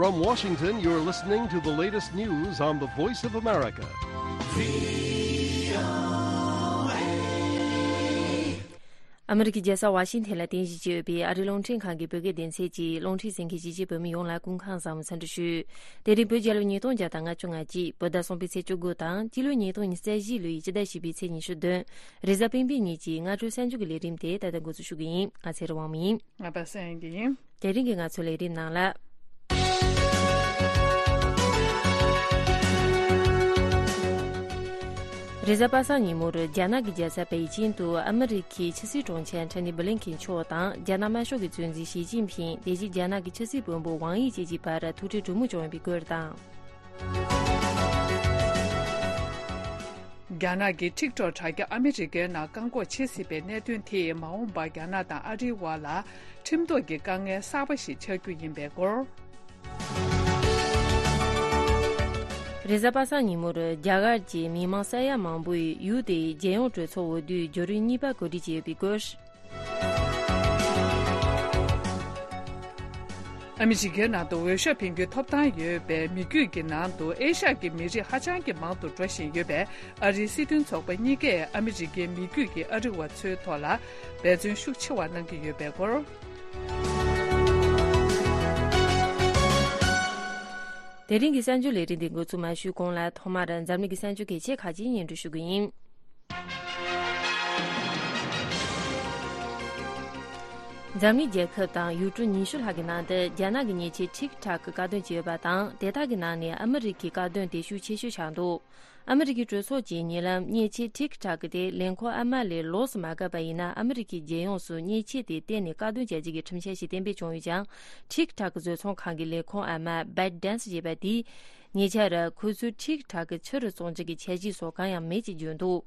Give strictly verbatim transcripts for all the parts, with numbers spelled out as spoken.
From Washington, you're listening to the latest news on the Voice of America. ཨ་མི་རི་ཀའི་རྒྱལ་ས་ཝ་ཤིང་ཐན་ལ་རྟེན་གཞི་བྱས་ཡོད་པའི་ཨ་རིའི་རླུང་འཕྲིན་ཁང་གི་བོད་སྐད་སྡེ་ཚན་གྱིས་རླུང་འཕྲིན་གསན་མཁན་གཞིས་བྱེས་བོད་མི་ཡོངས་ལ་སྐུ་ཁམས་བཟང་པོ་འཚམས་འདྲི་ཞུ། དེ་རིང་བོད་རྒྱལ་ལོ་ཉིས་སྟོང་བརྒྱ་དང་ལྔ་བཅུ་ང་གཅིག་བོད་ཟླ་གསུམ་པའི་ཚེས་བཅུ་དགུ་དང་སྤྱི་ལོ་ཉིས་སྟོང་ཉི་ཤུ་རྩ་བཞི་ལོའི་སྤྱི་ཟླ་བཞི་པའི་ཚེས་ཉི་ཤུ་བདུན། རེས་གཟའ་སྤེན་པའི་ཉིན་གྱི་སྔ་དྲོའི་གསར་འགྱུར་གྱི་ལས་རིམ་དེ་ད་ལྟ་འགོ་འཛུགས་ཞུ་གི་ཡིན། ང་ཚེ་རིང་དབང་མོ་ཡིན། ང་པ་སངས་ཡིན། དེ་རིང་གི་ང་ཚོའི་ལས་རིམ་ནང་ལ། རེས་གཟའ་པ་སངས་ཉིན་མོར་རྒྱ་ནག་གི་རྒྱལ་ས་པེ་ཅིང་དུ་ཨ་མི་རི་ཁའི་ཕྱི་སྲིད་དྲུང་ཆེ་ཨན་ཐོ་ནི་བྷི་ལིན་ཁིན་མཆོག་དང་རྒྱ་ནག་དམར་ཤོག་གི་གཙོ་འཛིན་ཞི་ཅིན་ཕིང་དེ་བཞིན་རྒྱ་ནག་གི་ཕྱི་སྲིད་བློན་པོ་ཝང་དབྱི་བཅས་ཀྱི་བར་ཐུག་འཕྲད་གྲོས་མོལ་བྱུང་ཡོད་པའི་སྐོར་དང་། རྒྱ་ནག་གི་ཊིག་ཊོག་དྲ་རྒྱ་ཨ་མི་རི་ཀའི་ནང་བཀག་འགོག་བྱེད་སྲིད་པའི་གནད་དོན་དེས་མ་འོངས་པར་རྒྱ་ནག་དང་ཨ་རིའི་དབར་ལ་ཁྲིམས་ཐོག་གི་དཀའ་ངལ་གསར་པ་ཞིག་ཆགས་རྒྱུ་ཡིན་པའི་སྐོར། རེས་གཟའ་པ་སངས་ཉིན་མོར་རྒྱ་གར་གྱི་མི་མང་ས་ཡ་མང་པོས་ཡུལ་དེའི་རྒྱལ་ཡོངས་གྲོས་ཚོགས་འོས་བསྡུའི་བརྒྱུད་རིམ་གཉིས་པ་གོ་སྒྲིག་བྱས་ཡོད་པའི་སྐོར། ཨ་མི་རི་ཀའི་ནང་དུ་འོས་ཤོག་འཕེན་རྒྱུའི་ཐོབ་ཐང་ཡོད་པའི་མི་རྒྱུད་ཀྱི་ནང་དུ་ཨེ་ཤ་ཡའི་མི་རིགས་ཧ་ཅང་གི་མང་དུ་འགྲོ་བཞིན་ཡོད་པས། ཨ་རིའི་སྲིད་དོན་ཚོགས་པ་གཉིས་ཀས་ཨ་མི་རི་ཀའི་མི་རྒྱུད་ཀྱི་ཨ་རི་བ་ཚོའི་ཐོག་ལ་འབད་བརྩོན་ཤུགས་ཆེ་བ་གནང་གི་ཡོད་པའི་སྐོར། དེ་རིང་གི་གསར་འགྱུར་ལས་རིམ་འདི་འགོ་ཚུགས་མ་ཞུས་གོང་ལ་ཐོག་མར་འཛམ་གླིང་གི་གསར་འགྱུར་གལ་ཆེ་ཁག་ཅིག་སྙན་སྒྲོན་ཞུ་གི་ཡིན། འཛམ་གླིང་རྒྱལ་ཁབ་དང་ཡུལ་གྲུ་ཉི་ཤུ་ལྷག་གི་ནང་དུ་རྒྱ་ནག་གི་མཉེན་ཆས་ཊིག་ཊོག་གི་བཀག་སྡོམ་བྱས་ཡོད་པ་དང་། དེ་དག་གི་ནང་ནས་ཨ་མི་རི་ཀའི་བཀག་སྡོམ་དེ་ཤུགས་ཆེ་ཤོས་ཆགས་འདུག་ཨ་མི་རི་ཀའི་གྲོས་ཚོགས་ཀྱིས་ཉེ་ལམ་མཉེན་ཆས་ཊིག་ཊོག་དེ་ལས་ཁུངས་ཨ་མ་ལས་ལོགས་སུ་མ་བཀག་པ་ཡིན་ན། ཨ་མི་རི་ཀའི་རྒྱལ་ཡོངས་སུ་མཉེན་ཆས་དེ་གཏན་ནས་བཀག་སྡོམ་བྱ་རྒྱུ་གི་ཁྲིམས་འཆར་ཞིག་གཏན་འབེབས་བྱུང་ཡོད་ཀྱང་། ཊིག་ཊོག་བཟོ་ཚོང་ཁང་གི་ལས་ཁུངས་ཨ་མ་བེད་ཌེན་སི་ཞེས་པ་དེས། ཉེ་ཆར་ཁོ་ཚོས་ཊིག་ཊོག་ཕྱི་རུ་བཙོང་རྒྱུ་གི་འཆར་གཞི་སོགས་གང་ཡང་མེད་ཅེས་བརྗོད་འདུག་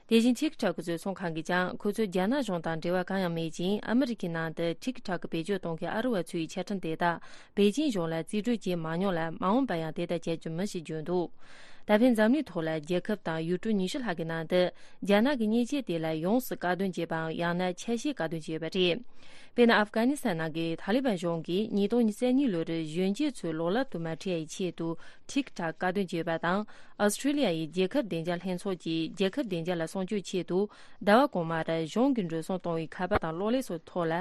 དེ་བཞིན་ཊིག་ཊོག་གི་བཟོ་ཚོང་ཁང་གིས་ཀྱང་ཁོ་ཚོས་རྒྱ་ནག་གཞུང་དང་འབྲེལ་བ་གང་ཡང་མེད་ཅིང་། ཨ་མི་རི་ཀའི་ནང་དུ་ཊིག་ཊོག་བེད་སྤྱོད་གཏོང་མཁན་ཨ་རི་བ་ཚོའི་ཆ་འཕྲིན་དེ་དག་པེ་ཅིང་གཞུང་ལ་རྩིས་སྤྲོད་བྱས་མ་མྱོང་ལ། མ་འོངས་པར་ཡང་དེ་ལྟར་བྱ་རྒྱུ་མིན་ཞེས་བརྗོད་འདུག་ད་ཕན་འཛམ་གླིང་ཐོག་ལ་རྒྱལ་ཁབ་དང་ཡུལ་གྲུ་ཉི་ཤུ་ལྷག་གི་ནང་དུ་རྒྱ་ནག་གི་མཉེན་ཆས་དེ་ལ་ཡོངས་སུ་བཀག་སྡོམ་བྱས་པའམ། ཡང་ན་ཆ་ཤས་བཀག་སྡོམ་བྱས་ཡོད་པ་རེད། དཔེར་ན། ཨབ་གྷ་ནི་སི་ཐན་ནང་གི་ཐ་ལི་བན་གཞུང་གིས་ཉིས་སྟོང་ཉི་ཤུ་རྩ་གཉིས་ལོར་གཞོན་སྐྱེས་ཚོའི་ལོ་རབས་དུ་མ་ཁྲིད་ཡའི་ཆེད་དུ་ཊིག་ཊོག་བཀག་སྡོམ་བྱས་ཡོད་པ་དང་། ཨོ་སི་ཁྲི་ལི་ཡ་ཡི་རྒྱལ་ཁབ་བདེ་འཇགས་ལྷན་ཚོགས་ཀྱིས་རྒྱལ་ཁབ་བདེ་འཇགས་ལ་སྲུང་སྐྱོབ་ཆེད་དུ། ཟླ་བ་གོང་མར་གཞུང་གིས་འགྲོ་སོང་གཏོང་བའི་ཁ་པར་དང་གློག་ཀླད་སོགས་ཐོག་ལ་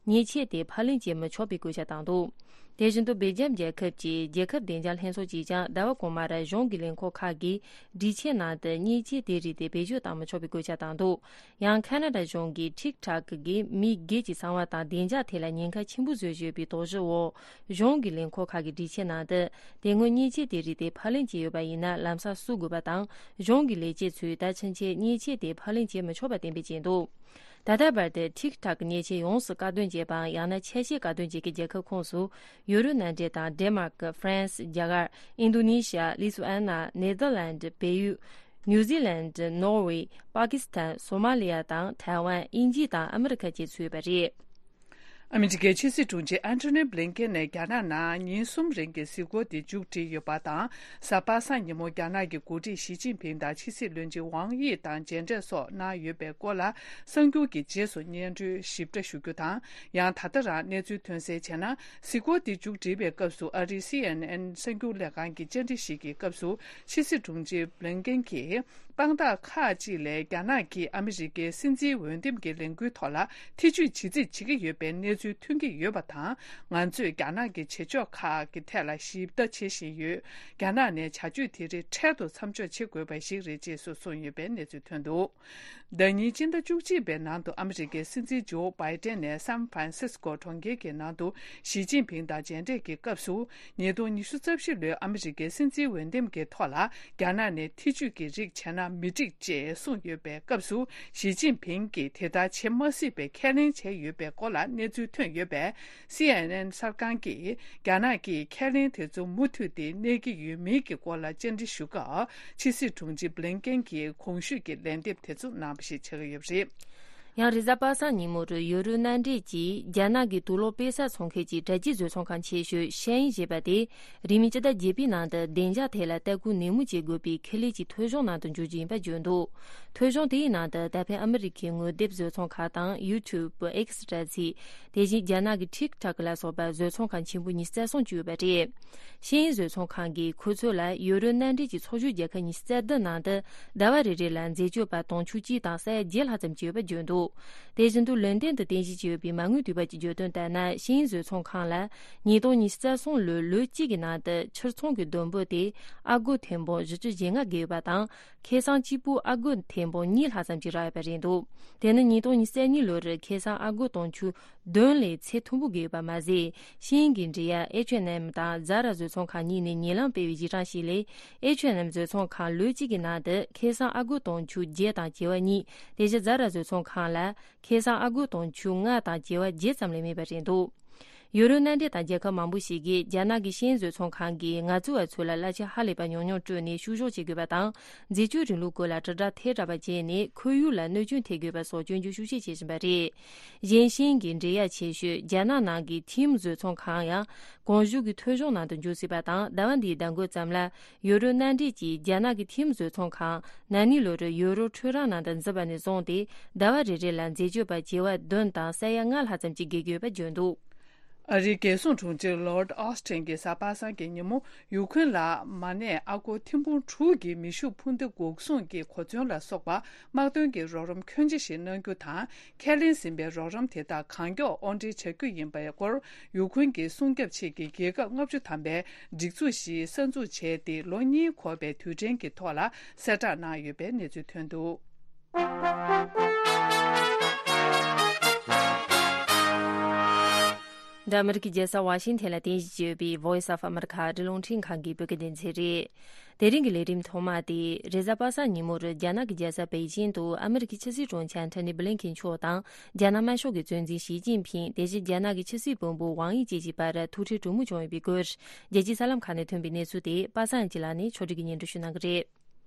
མཉེན་ཆས་དེ་ཕབ་ལེན་བྱེད་མི་ཆོག་པའི་བཀོད་ཁྱབ་བཏང་འདུག་དེ་བཞིན་དུ་སྦེལ་ཇམ་རྒྱལ་ཁབ་ཀྱི་རྒྱལ་ཁབ་བདེ་འཇགས་ལྷན་ཚོགས་ཀྱིས་ཀྱང་ཟླ་བ་གོང་མར་གཞུང་གི་ལས་ཁུངས་ཁག་གི་སྒྲིག་ཆས་ནང་དུ་མཉེན་ཆས་དེའི་རིགས་དེ་བེད་སྤྱོད་བཏང་མི་ཆོག་པའི་བཀོད་ཁྱབ་བཏང་འདུག་ཡང་ཁ་ན་ཌ་གཞུང་གིས་ཊིག་ཊོག་གིས་མི་སྒེར་གྱི་གསང་བ་དང་བདེ་འཇགས་ཐད་ལ་ཉེན་ཁ་ཆེན་པོ་བཟོས་ཡོད་པའི་དོགས་གཞི་འོག་གཞུང་གི་ལས་ཁུངས་ཁག་གི་སྒྲིག་ཆས་ནང་དུ་དེ་སྔོན་མཉེན་ཆས་དེའི་རིགས་དེ་ཕབ་ལེན་བྱས་ཡོད་པ་ཡིན་ན་ལམ་སང་བསུབ་དགོས་པ་དང་། གཞུང་གི་ལས་བྱེད་ཚོས་ད་ཕྱིན་ཆད་མཉེན་ཆས་དེ་ཕབ་ལེན་བྱེད་མི་ཆོག་པ་གཏན་འབེབས་བྱས་འདུག་ད་ལྟ་བར་དུ་ཊིག་ཊོག་གི་མཉེན་ཆས་ཡོངས་སུ་བཀག་སྡོམ་བྱས་པའམ། ཡང་ན་ཆ་ཤས་བཀག་སྡོམ་བྱེད་མཁན་རྒྱལ་ཁབ་ཁོངས་སུ་ཡུ་རོབ་མནའ་འབྲེལ་དང་ཌེན་མཱརཀ། ཧྥ་རན་སི། རྒྱ་གར། ཨིན་རྡུ་ནི་ཤི་ཡ། ལི་ཐུ་ཨན་ན། ནེ་དར་ལན་ཌི། བལ་ཡུལ། ནིའུ་ཛི་ལན་ཌི། ནོར་ཝེ། པ་ཀི་སི་ཐན། སོ་མ་ལི་ཡ་དང་ཐའེ་ཝན། དབྱིན་ཇི་དང་ཨ་མི་རི་ཁ་བཅས་ཚུད་ཡོད་པ་རེད། ཨ་མི་རི་ཀའི་ཕྱི་སྲིད་དྲུང་ཆེ་ཨན་ཐོ་ནི་བྷི་ལིན་ཀེན་ནས་རྒྱ་ནག་ནང་ཉིན་གསུམ་རིང་གི་གཟིགས་སྐོར་དེ་མཇུག་སྒྲིལ་ཡོད་པ་དང་། གཟའ་པ་སངས་ཉིན་མོ་རྒྱ་ནག་གི་འགོ་ཁྲིད་ཞི་ཅིན་ཕིང་དང་ཕྱི་སྲིད་བློན་ཆེན་ཝང་དབྱི་དང་མཇལ་འཕྲད་སོགས་གནང་ཡོད་པའི་སྐོར་ལ། གསར་འགྱུར་གྱི་རྗེས་སུ་སྙན་སྒྲོན་ཞིབ་ཕྲ་ཞུ་རྒྱུ་དང་། ཡང་ད་ལྟ་རང་གནས་ཚུལ་ཐོན་གསལ་བྱས་ན། གཟིགས་སྐོར་དེ་མཇུག་སྒྲིལ་བའི་སྐབས་སུ། ཨ་རིའི་སི་ཨེན་ཨེན་གསར་འགྱུར་ལས་ཁང་གི་བཅར་འདྲི་ཞིག་གི་སྐབས་སུ། ཕྱི་སྲིད་དྲུང་ཆེ་བྷི་ལིན་ཀེན་གྱིས། དཔང་རྟགས་ཁག་ཅིག་ལས་རྒྱ་ནག་གིས་ཨ་མི་རི་ཀའི་སྲིད་འཛིན་འོས་འདེམས་ཀྱི་ལས་འགུལ་ཐོག་ལ་ཐེ་ཇུས་ཇི་སྲིད་བྱེད་ཀྱི་ཡོད་པའི་གནས་ཚུལ་ཐོན་གྱི་ཡོད་པ་དང་། ང་ཚོས་རྒྱ་ནག་གི་བྱེད་ཕྱོགས་ཁག་གི་ཐད་ལ་ཞིབ་ལྟ་བྱེད་བཞིན་ཡོད། རྒྱ་ནག་ནས་བྱ་སྤྱོད་དེ་རིགས་འཕྲལ་དུ་མཚམས་འཇོག་བྱེད་དགོས་པ་ཞིག་རེད་ཅེས་སུ་གསུངས་ཡོད་པའི་གནས་ཚུལ་ཐོན་འདུག་ཟླ་ཉིན་སྤྱི་ཟླ་བཅུ་གཅིག་པའི་ནང་དུ་ཨ་མི་རི་ཀའི་སྲིད་འཛིན་ཇོ་བྷའི་ཏན་ནས་སན་ཧྥ་རན་སིས་ཀོ་གྲོང་ཁྱེར་གྱི་ནང་དུ་ཞི་ཅིན་ཕིང་དང་མཇལ་འཕྲད་ཀྱི་སྐབས་སུ། ཉིས་སྟོང་ཉི་ཤུ་རྩ་བཞི་ལོའི་ཨ་མི་རི་ཀའི་སྲིད་འཛིན་འོས་འདེམས་ཀྱི་ཐོག་ལ་རྒྱ་ནག་ནས་ཐེ་ཇུས་ཀྱི་རིགས་བྱས་ན་མི་འགྲིག་ཅེས་གསུངས་ཡོད་པའི་སྐབས་སུ། ཞི་ཅིན་ཕིང་གིས་དེ་ལྟར་བྱེད་མ་སྲིད་པའི་ཁས་ལེན་བྱས་ཡོད་པའི་སྐོར་ལ་གནས་ཚུལ་ཐོན་ཡོད་པས། སི་ཨེན་ཨེན་གསར་ཁང་གིས་རྒྱ་ནག་གི་ཁས་ལེན་དེ་ཚོ་མུ་མཐུད་དེ་གནས་ཀྱི་ཡོད་མེད་ཀྱི་སྐོར་ལ་བཅར་འདྲི་ཞུ་སྐབས། ཕྱི་སྲིད་དྲུང་ཆེ་བྷི་ལིན་ཀེན་གྱིས་གོང་ཞུས་ཀྱི་ལན་འདེབས་དེ་ཚོ་གནང་བ་ཞིག་ཆགས་ཀྱི་ཡོད་པ་རེད། ཡང་རེས་གཟའ་པ་སངས་ཉིན་མོར་ཡུ་རོབ་མནའ་འབྲེལ་གྱིས་རྒྱ་ནག་གི་དུག་ལོག་དཔེ་གསར་འཚོང་མཁན་གྱི་དྲ་རྒྱའི་བཟོ་ཚོང་ཁང་ཆེ་ཤོས་ཤེ་ཡིན་ཞེས་པ་དེ་རིང་མིན་སྤྱི་ཟླ་བརྒྱད་པའི་ནང་དུ་བདེ་འཇགས་ཐད་ལ་ལྟ་སྐུལ་ནན་མོ་བྱེད་དགོས་པའི་ཁེ་ལས་ཀྱི་ཐོ་གཞུང་ནང་དུ་འཇུག་རྒྱུ་ཡིན་པ་བརྗོད་འདུག་ཐོ་གཞུང་དེའི་ནང་དུ་ད་ཕན་ཨ་མི་རི་ཁའི་ངོ་དེབ་བཟོ་ཚོང་ཁང་དང་ཡུ་ཊུབ། ཨེག་སི་དྲ་ཚིགས། དེ་བཞིན་རྒྱ་ནག་གི་ཊིག་ཊོག་ལ་སོགས་པ་བཟོ་ཚོང་ཁང་ཆེན་པོ་ཉི་ཤུ་རྩ་གསུམ་བཅུག་ཡོད་པ་རེད། ཤེས་ཡིན་བཟོ་ཚོང་ཁང་གིས་ཁོ་ཚོ་ལ་ཡུ་རོབ་མནའ་འབྲེལ་གྱི་ཚོགས་ཞུགས་རྒྱལ་ཁབ་ཉི་ཤུ་རྩ་བདུན་ནང་དུ་ཟླ་བ་རེ་རེ་ལ་འཛད་སྤྱོད་པ་དུང་ཕྱུར་གཅིག་དང་ས་ཡ་བརྒྱད་ལྷག་ཙམ་བཅུག་ཡོད་པ་བརྗོད་འདུག་དེ་བཞིན་དུ་ལོན་ཏན་དུ་རྟེན་གཞི་བྱས་ཡོད་པའི་མ་དངུལ་དུས་བབ་ཀྱིས་བརྗོད་དོན་ལྟར་ན། ཤེས་ཡིན་བཟོ་ཚོང་ཁང་ལ་ཉིས་སྟོང་ཉི་ཤུ་རྩ་གསུམ་ལོའི་ལོ་གཅིག་གི་ནང་དུ་ཕྱིར་ཚོང་གི་བསྡོམས་པ་དེ་ཨ་སྒོར་ཐེར་འབུམ་བཞི་བཅུ་ཞེ་ལྔ་བརྒལ་ཡོད་པ་དང་། ཁེ་བཟང་གཅིག་པུ་ཨ་སྒོར་ཐེར་འབུམ་གཉིས་ལྷག་ཙམ་ཞིག་རག་ཡོད་པ་རེད་འདུག་དེ་ནི་ཉིས་སྟོང་ཉི་ཤུ་རྩ་གཉིས་ལོར་ཁེ་བཟང་ཨ་སྒོར་དུང་ཕྱུར་བདུན་ལས་ཚད་མཐོན་པོ་བརྒལ་ཡོད་པ་མ་ཟད། ཤེས་ཡིན་གྱི་འབྲེལ་ཡག་ཨེཆ་ཨེན་ཨེམ་དང་ཛ་ར་བཟོ་ཚོང་ཁང་གཉིས་ནས་ཉེ་ལམ་སྤེལ་བའི་གཞི་གྲངས་ཤིག་ལས། ཨེཆ་ཨེན་ཨེམ་བཟོ་ཚོང་ཁང་ལོ་གཅིག་གི་ནང་དུ་ཁེ་བཟང་ཨ་སྒོར་དུང་ཕྱུར་བརྒྱད་དང་བྱེ་བ་གཉིས། དེ་བཞིན་ཛ་ར་བཟོ་ཚོང་ཁང་ལ་ཁེ་བཟང་ཨ་སྒོར་དུང་ཕྱུར་ལྔ་དང་བྱེ་བ་བརྒྱད་ཙམ་ལས་མེད་པ་རེད་འདུག་ཡུ་རོབ་མནའ་འབྲེལ་དང་རྒྱལ་ཁབ་མང་པོ་ཞིག་གིས་རྒྱ་ནག་གི་ཤེས་ཡིན་བཟོ་ཚོང་ཁང་གིས་ངལ་རྩོལ་བ་ཚོ་ལ་གླ་ཆ་ཧ་ལས་པ་ཉུང་ཉུང་སྤྲོད་ནས་བཤུ་གཞོག་བྱེད་དགོས་པ་དང་། འཛད་སྤྱོད་རིང་ལུགས་སྐོར་ལ་དྲིལ་བསྒྲགས་ཐལ་དྲགས་པ་བྱས་ནས་ཁོར་ཡུག་ལ་གནོད་སྐྱོན་ཐེབས་དགོས་པ་སོགས་སྐྱོན་བརྗོད་ཤུགས་ཆེ་བྱེད་བཞིན་པ་རེད། གཞན་ཤེས་ཡིན་གྱི་འབྲེལ་ཡག་ཆེ་ཤོས་རྒྱ་ནག་ནང་གི་ཐིམ་བཟོ་ཚོང་ཁང་ཡང་གོང་ཞུས་ཀྱི་ཐོ་གཞུང་ནང་དུ་འཇུག་སྲིད་པ་དང་། ཟླ་བ་འདིའི་ཟླ་འགོ་ཙམ་ལ་ཡུ་རོབ་མནའ་འབྲེལ་གྱིས་རྒྱ་ནག་གི་ཐིམ་བཟོ་ཚོང་ཁང་ན་ནིང་ལོར་ཡུ་རོབ་འཕྲུལ་རང་ནང་དུ་འཛུལ་བ་ནས་བཟུང་སྟེ་ཟླ་བ་རེ་རེ་ལ་འཛད་སྤྱོད་པ་བྱེ་བ་བདུན་དང་ས་ཡ་ལྔ་ལྷག་ཙམ་ཞིག་བརྒལ་གྱི་ཡོད་པ་བརྗོད་འདུག་ཨ་རིའི་རྒྱལ་སྲུང་དྲུང་ཆེ་ལོར་ཌི་ཨོ་སི་ཊིན་གྱིས་གཟའ་པ་སངས་ཀྱི་ཉིན་མོ་ཡུ་ཁུན་ལ་མ་ཎི་ཨ་སྒོར་ཐེར་འབུམ་དྲུག་གི་མེ་ཤུགས་འཕུར་མདེལ་འགོག་སྲུང་གི་གོ་མཚོན་ལ་སོགས་པ་དམག་དོན་གྱི་རོགས་རམ་ཁྱོན་ཆེ་ཞིག་གནང་རྒྱུ་དང་། ཁས་ལེན་ཟིན་པའི་རོགས་རམ་དེ་དག་གང་མགྱོགས་དབོར་འདྲེན་བྱ་རྒྱུ་ཡིན་པའི་སྐོར་ཡུ་ཁུན་གྱི་སྲུང་སྐྱོབ་ཆེད་ཀྱི་རྒྱལ་ཁབ་ལྔ་བཅུ་ཐམ་པའི་སྒྲིག་འཛུགས་ཤིག་གསར་འཛུགས་བྱས་ཏེ་ལོ་གཉིས་འཁོར་བའི་དུས་དྲན་གྱི་ཐོག་ལ་གསལ་བསྒྲགས་གནང་ཡོད་པའི་གནས་ཚུལ་ཐོན་འདུག་འདི་ཨ་མི་རི་ཀའི་རྒྱལ་ས་ཝ་ཤིང་ཐན་ལ་རྟེན་གཞི་བྱས་ཡོད་པའི་Voice of America ཨ་རིའི་རླུང་འཕྲིན་ཁང་གི་བོད་སྐད་སྡེ་ཚན་རེད། དེ་རིང་གི་ལས་རིམ་ཐོག་མ་དེ་རེས་གཟའ་པ་སངས་ཉིན་མོར་རྒྱ་ནག་གི་རྒྱལ་ས་པེ་ཅིང་དུ་ཨ་མི་རི་ཀའི་ཕྱི་སྲིད་དྲུང་ཆེ་ཨན་ཐོ་ནི་བྷི་ལིན་ཁེན་མཆོག་དང་རྒྱ་ནག་དམར་ཤོག་གི་གཙོ་འཛིན་ཞི་ཅིན་ཕིང་། དེ་བཞིན་རྒྱ་ནག་གི་ཕྱི་སྲིད་བློན་པོ་ཝང་དབྱི་བཅས་ཀྱི་བར་ཐུག་འཕྲད་གྲོས་མོལ་བྱུང་ཡོད་པའི་སྐོར། རྒྱལ་སྤྱིའི་གསར་ལམ་ཁག་ནས་ཐོན་པའི་གནས་ཚུལ་དེ་པ་སངས་ཡང་ཅིན་ལགས་ནས་ཕྱོགས་སྒྲིག་གིས་སྙན་སྒྲོན་ཞུ་གནང་གི་རེད།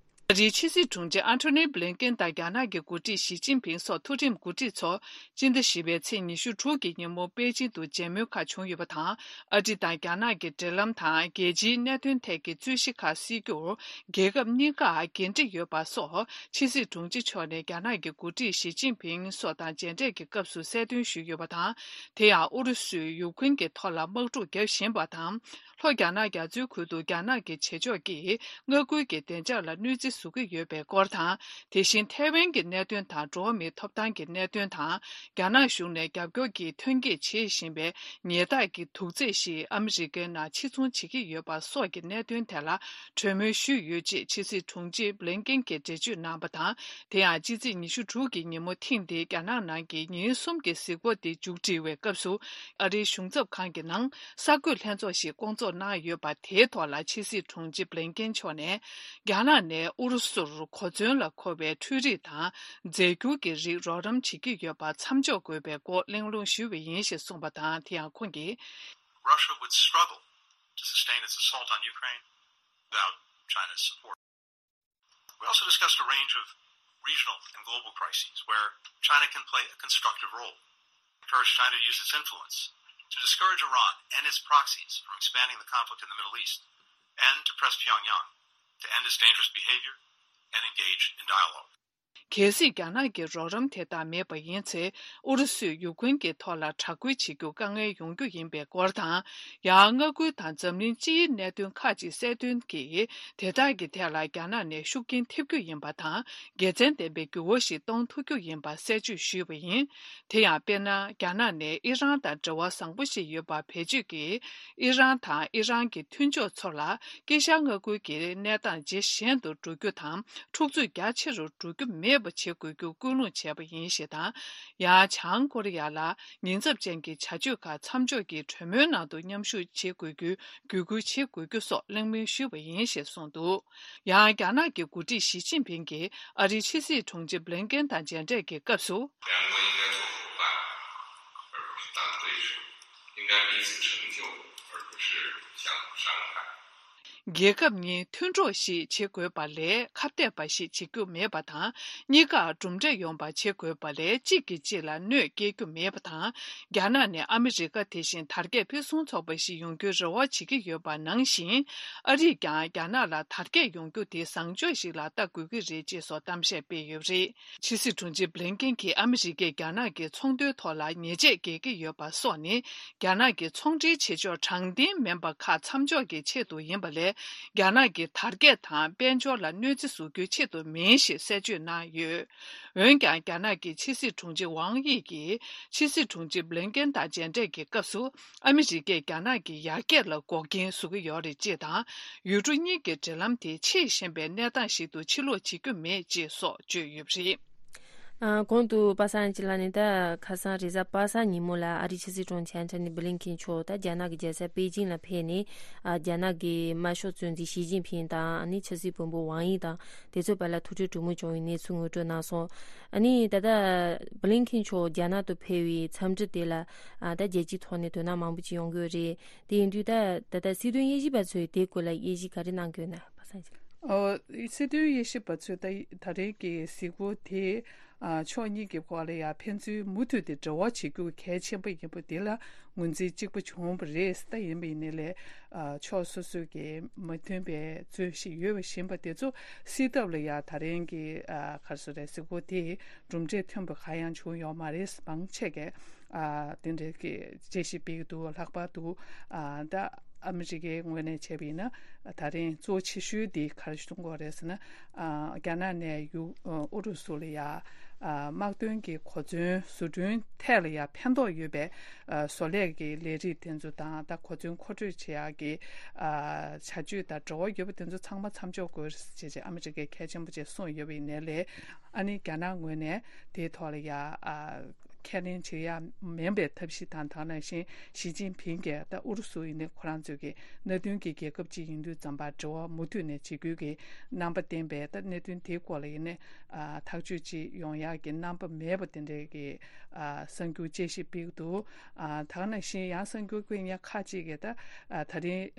ཨ་རིའི་ཕྱི་སྲིད་དྲུང་ཆེ་ཨན་ཐོ་ནི་བྷི་ལིན་ཀེན་དང་རྒྱ་ནག་གི་འགོ་ཁྲིད་ཞི་ཅིན་ཕིང་སོགས་ཐུགས་རིམ་འགོ་ཁྲིད་ཚོ་སྤྱི་ཟླ་བཞི་པའི་ཚེས་ཉི་ཤུ་དྲུག་གི་ཉིན་མོ་པེ་ཅིང་དུ་མཇལ་མོལ་ཁག་བྱུང་ཡོད་པ་དང་། ཨ་རི་དང་རྒྱ་ནག་གི་འབྲེལ་ལམ་དང་རྒྱལ་སྤྱིའི་གནད་དོན་ཐད་ཀྱི་རྩོད་གཞི་ཁག་སེལ་རྒྱུར་རྒྱལ་ཁབ་གཉིས་ཀར་འགན་འཁྲི་ཡོད་པ་སོགས་ཕྱི་སྲིད་དྲུང་ཆེ་མཆོག་ནས་རྒྱ་ནག་གི་འགོ་ཁྲིད་ཞི་ཅིན་ཕིང་སོགས་དང་མཇལ་འཕྲད་ཀྱི་སྐབས་སུ་གསལ་སྟོན་ཞུས་ཡོད་པ་དང་། དེ་ཡང་ཨུ་རུ་སུས་ཡུ་ཁུན་གྱི་ཐོག་ལ་དམག་འཁྲུག་བརྒྱབ་བཞིན་པ་དང་། ལྷོ་རྒྱ་ནག་རྒྱ་མཚོའི་ཁུལ་དུ་རྒྱ་ནག་གི་བྱེད་ཕྱོགས་ཀྱིས་མངའ་ཁུལ་གྱི་བདེ་འཇགས་ལ་གནོད་འཚེ་བཟོ་གི་ཡོད་པའི་སྐོར་དང་། དེ་བཞིན་ཐའེ་ཝན་གྱི་གནད་དོན་དང་འགྲོ་བ་མིའི་ཐོབ་ཐང་གི་གནད་དོན་དང་། རྒྱ་ནག་གཞུང་ནས་རྒྱབ་སྐྱོར་གྱིས་ཐོན་སྐྱེད་བྱེད་བཞིན་པའི་ཉལ་ཐག་གི་དུག་རྫས་ཤིག་ཨ་མི་རི་ཀའི་ནང་ཕྱིར་ཚོང་བྱེད་ཀྱི་ཡོད་པ་སོགས་ཀྱི་གནད་དོན་ཐད་ལ་གྲོས་མོལ་ཞུས་ཡོད་ཅེས་ཕྱི་སྲིད་དྲུང་ཆེ་བྷི་ལིན་ཀེན་གྱིས་འགྲེལ་བརྗོད་གནང་བ་དང་། དེ་ཡང་ཕྱི་ཚེས་ཉི་ཤུ་དྲུག་གི་ཉིན་མོ་ཐེངས་འདིའི་རྒྱ་ནག་ནང་གི་ཉིན་གསུམ་གྱི་གཟིགས་སྐོར་དེ་མཇུག་སྒྲིལ་བའི་སྐབས་སུ། ཨ་རིའི་གཞུང་ཚབ་ཁང་གི་ནང་གསར་འགོད་ལྷན་ཚོགས་ཤིག་བསྐོང་ཚོགས་གནང་ཡོད་པ་དེའི་ཐོག་ལ་ཕྱི་སྲིད་དྲུང་ཆེ་བྷི་ལིན་ཀེན་མཆོག་ནས། རྒྱ་ནག་ནས་ཨུ་རུ་སུར་གོ་མཚོན་ལ་མཁོ་བའི་འཕྲུལ་རིག་དང་རྫས་འགྱུར་གྱི་རིགས་རོགས་རམ་བྱེད་ཀྱི་ཡོད་པ་མཚམས་འཇོག་དགོས་པའི་སྐོར་གླེང་སློང་ཞུས་པ་ཡིན་ཞེས་གསུངས་པ་དང་། དེ་ཡང་ཁོང་གིས། Russia would struggle to sustain its assault on Ukraine without China's support. We also discussed a range of regional and global crises where China can play a constructive role. Encourage China to use its influence to discourage Iran and its proxies from expanding the conflict in the Middle East, and to press Pyongyang to end its dangerous behavior and engage in dialogue. གལ་སྲིད་རྒྱ་ནག་གི་རོགས་རམ་དེ་དག་མེད་པ་ཡིན་ཚེ། ཨུ་རུ་སུས་ཡུ་ཁུན་གྱི་ཐོག་ལ་དྲག་རྒོལ་བྱེད་རྒྱུ་དཀའ་ངལ་ཡོང་རྒྱུ་ཡིན་པའི་སྐོར་དང་། ཡང་མངའ་ཁུལ་དང་འཛམ་གླིང་སྤྱིའི་གནད་དོན་ཁག་ཅིག་གསལ་སྟོན་གྱིས། དེ་དག་གི་ཐད་ལ་རྒྱ་ནག་ནས་ཤུགས་རྐྱེན་ཐེབས་རྒྱུ་ཡིན་པ་དང་། དགེ་མཚན་ལྡན་པའི་འགྱུར་བ་ཞིག་གཏོང་ཐུབ་རྒྱུ་ཡིན་པ་གསལ་བརྗོད་ཞུས་པ་ཡིན། དེ་ཡང་དཔེར་ན། རྒྱ་ནག་ནས་ཨི་རན་དང་འབྲེལ་བ་བཟང་པོ་ཞིག་ཡོད་པ་བེད་སྤྱོད་ཀྱིས། ཨི་རན་དང་ཨི་རན་གྱི་མཐུན་ཕྱོགས་ཚོ་ལ། དཀྱིལ་ཤར་མངའ་ཁུལ་གྱི་གནས་སྟངས་ཇེ་ཞན་དུ་འགྲོ་རྒྱུ་དང་། འཁྲུག་རྩོད་རྒྱ་ཆེ་རུ་འགྲོ་རྒྱུ་མེད་པ་བྱེད་དགོས་རྒྱུ་སྐུལ་སློང་བྱས་པ་ཡིན་ཞེས་དང་། ཡང་བྱང་ཀོ་རི་ཡ་ལ་ཉེན་ཚབས་ཅན་གྱི་བྱ་སྤྱོད་ཁག་མཚམས་འཇོག་གིས་གྲོས་མོལ་ནང་དུ་མཉམ་ཞུགས་བྱེད་དགོས་རྒྱུའི་བརྒྱུད་སྐུལ་བྱེད་དགོས་རྒྱུ་སོགས་གླེང་མོལ་ཞུས་པ་ཡིན་ཞེས་གསུངས་འདུག་ཡང་རྒྱ་ནག་གི་འགོ་ཁྲིད་ཞི་ཅིན་ཕིང་གིས་ཨ་རིའི་ཕྱི་སྲིད་དྲུང་ཆེ་བྷི་ལིན་ཀེན་དང་མཇལ་འཕྲད་ཀྱི་སྐབས་སུ། 两国应该做伙办，而不是单对抗，应该彼此成就，而不是相互伤害。རྒྱལ་ཁབ་གཉིས་མཐུན་གྲོགས་ཤིག་བྱེད་དགོས་པ་ལས་ཁ་གཏད་པ་ཞིག་བྱེད་རྒྱུ་མེད་པ་དང་། གཉིས་ཀར་གྲུབ་འབྲས་ཡོང་བ་བྱེད་དགོས་པ་ལས་གཅིག་གིས་གཅིག་ལ་གནོད་སྐྱེལ་རྒྱུ་མེད་པ་དང་། རྒྱ་ནག་ནས་ཨ་མི་རི་ཀ་དེ་བཞིན་དར་རྒྱས་ཕུན་སུམ་ཚོགས་པ་ཞིག་ཡོང་རྒྱུའི་རེ་བ་བྱེད་ཀྱི་ཡོད་པ་ནང་བཞིན། ཨ་རིས་ཀྱང་རྒྱ་ནག་ལ་དར་རྒྱས་ཡོང་རྒྱུ་དེ་བཟང་སྤྱོད་ཞིག་ལ་ལྟ་དགོས་ཀྱི་རེད་ཅེས་སོགས་གཏམ་བཤད་སྤེལ་ཡོད་པ་རེད། ཕྱི་སྲིད་དྲུང་ཆེ་བྷི་ལིན་ཀེན་གྱིས་ཨ་མི་རི་ཀས་རྒྱ་ནག་གི་ཚོང་དོན་ཐོག་ལ་ཉེས་ཆད་འགེལ་གྱི་ཡོད་པ་སོགས་ནི། རྒྱ་ནག་གི་ཚོང་འབྲེལ་བྱེད་ཕྱོགས་དྲང་བདེན་མིན་པ་ཁག་མཚམས་འཇོག་གི་ཆེད་དུ་ཡིན་པ་ལས། རྒྱ་ནག་གི་དར་རྒྱས་དང་དཔལ་འབྱོར་ལ་གནོད་འཚེ་བཟོ་རྒྱུའི་ཆེད་དུ་མིན་ཞེས་གསལ་བརྗོད་གནང་ཡོད། འོན་ཀྱང་། རྒྱ་ནག་གི་ཕྱི་སྲིད་དྲུང་ཆེ་ཝང་དབྱི་གིས་ཕྱི་སྲིད་དྲུང་ཆེ་བྷི་ལིན་ཀེན་དང་མཇལ་འཕྲད་ཀྱི་སྐབས་སུ། ཨ་མི་རི་ཀས་རྒྱ་ནག་གི་ཡར་རྒྱས་ལ་འགོག་རྐྱེན་བཟོ་གི་ཡོད་རེད་ཅེས་དང་། ཡུལ་གྲུ་གཉིས་ཀྱི་འབྲེལ་ལམ་དེ་ཆེས་ཞན་པའི་གནས་སྟངས་ཤིག་ཏུ་ཕྱིར་ལོག་བྱེད་རྒྱུ་མེད་ཅེས་སོགས་བརྗོད་ཡོད་པ་རེད། ཨ། གོང་དུ་པ་སངས་ཅི་ལགས་ནས་ད་ཁ་སང་རེས་གཟའ་པ་སངས་ཉིན་མོ་ལ་ཨ་རིའི་ཕྱི་སྲིད་དྲུང་ཆེ་ཨན་ཐོ་ནི་བྷི་ལིན་ཀེན་མཆོག་ད་རྒྱ་ནག་གི་རྒྱལ་ས་པེ་ཅིང་ལ་ཕེབས་ནས། ཨ། རྒྱ་ནག་གི་དམར་ཤོག་གཙོ་འཛིན་ཞི་ཅིན་ཕིང་དང་། ཨ་ནི་ཕྱི་སྲིད་བློན་པོ་ཝང་དབྱི་དང་དེ་ཚོའི་བར་ལ་ཐུག་འཕྲད་གྲོས་མོལ་བྱུང་བའི་གནས་ཚུལ་ངོ་སྤྲོད་གནང་སོང་། ཨ་ནི་ད་ལྟ་བྷི་ལིན་ཀེན་མཆོག་རྒྱ་ནག་ཏུ་ཕེབས་པའི་འཚམས་འདྲི་དེ་ལ། ཨ། ད་རྒྱལ་སྤྱིའི་ཐོག་ནས་དོ་སྣང་མང་པོ་ཅིག་ཡོང་གི་ཡོད་རེད། དེ་ཡིན་དུས་ད་ད་ལྟ་སྲིད་དོན་དབྱེ་ཞིབ་པ་ཚོས་དེའི་སྐོར་ལ་དབྱེ་ཞིབ་ག་རེ་གནང་གི་ཡོད་ན། པ་སངས་ཅི་ལགས། ཨོ། སྲིད་དོན་དབྱེ་ཞིབ་པ་ཚོས་ད་ད་རེས་ཀྱི་གཟིགས་སྐོར་དེ། ཨ། ཕྱོགས་གཉིས་ཀྱི་བར་ལ་ཡང་ཕན་ཚུན་མུ་མཐུད་དེ་འབྲེལ་བ་བྱེད་རྒྱུ་གལ་ཆེན་པོ་ཡིན་པ་དེ་ལ་ངོས་འཛིན་གཅིག་པ་བྱུང་བ་རེད། ད་ཡིན་པ་ཡིན་ནའི་ལས། ཨ། ཕྱོགས་སོ་སོ་གི་མ་མཐུན་པའི་རྩོད་གཞི་ཡོད་པ་བཞིན་པ་དེ་ཚོ་སེལ་ཐབས་ལ་ཡང་ད་རེས་ཀྱི། ཨ། ག་རེ་ཟེར་རེད། གཟིགས་སྐོར་དེ་གྲུབ་འབྲས་ཐོན་པ་གང་ཡང་བྱུང་ཡོད་མ་རེད། མང་ཆེ་གས། ཨ། དེ་འདྲའི་གི་དཔྱད་ཞིབ་སྤེལ་གྱི་འདུག། ལྷག་པར་དུ། ཨ། ད་ཨ་མི་རི་ཀའི་ངོས་ནས་བྱས་པ་ཡིན་ན། ད་རིང་གཙོ་ཆེ་ཤོས་དེ་ག་རེ་གཏོང་དགོས་རེད་ཟེར་ན། ཨ། རྒྱ་ནག་ནས་ཡུ། ཨ། ཨུ་རུ་སུ་ལ་ཡ། ཨ། དམག་དོན་གྱི་གོ་མཚོན་བཟོ་སྐྲུན་ཐད་ལ་ཡ་ཕན་ཐོགས་ཡོད་པའི། ཨ། བཟོ་ལས་ཀྱི་ལས་རིགས་དེ་ཚོ་དང་། ད་གོ་མཚོན་མཁོ་སྤྲོད་བྱེད་ཡག་གི། ཨ། བྱ་སྤྱོད་དང་འབྲེལ་བ་ཡོད་པ་དེ་ཚོ་ཚང་མ་མཚམས་འཇོག་དགོས་རེད་ཅེས་ཨ་མི་རི་ཀས་གལ་ཆེན་པོ་བྱས་གསུངས་ཡོད་པ་ཡིན་ནའི་ལས། ཨ་ནི་རྒྱ་ནག་ངོས་ནས་དེའི་ཐོག་ལ་ཡ། ཨ། ཁས་ལེན་བྱེད་ཡ་མིན་པའི་ཐབས་ཤེས་དང་། དེ་ནང་བཞིན་ཞི་ཅིན་ཕིང་གིས་ད་ཨུ་རུ་སུ་ཡིན་ནའི་ཁོ་རང་ཚོའི་གི་མནའ་མཐུན་གྱི་རྒྱལ་ཁབ་ཅིག་ཡིན་དུས་ཙམ་པ་འབྲེལ་བ་མུ་མཐུད་ནས་བྱེད་རྒྱུའི་གི་རྣམ་པ་བསྟན་པས། ད་གནད་དོན་དེའི་སྐོར་ལ་ཡིན་ནའི། ཨ། ཐག་གཅོད་ཅིག་ཡོང་ཡག་གི་རྣམ་པ་མེད་པ་དེ་འདྲའི་གི། ཨ། གསར་འགྱུར་དཔྱད་ཞིབ་སྤེལ་གྱི་འདུག། ཨ། དེ་ནང་བཞིན་ཡང་གསར་འགྱུར་སྤེལ་མཁན་ཁག་ཅིག་གིས་ད། ཨ། ད་རིང་།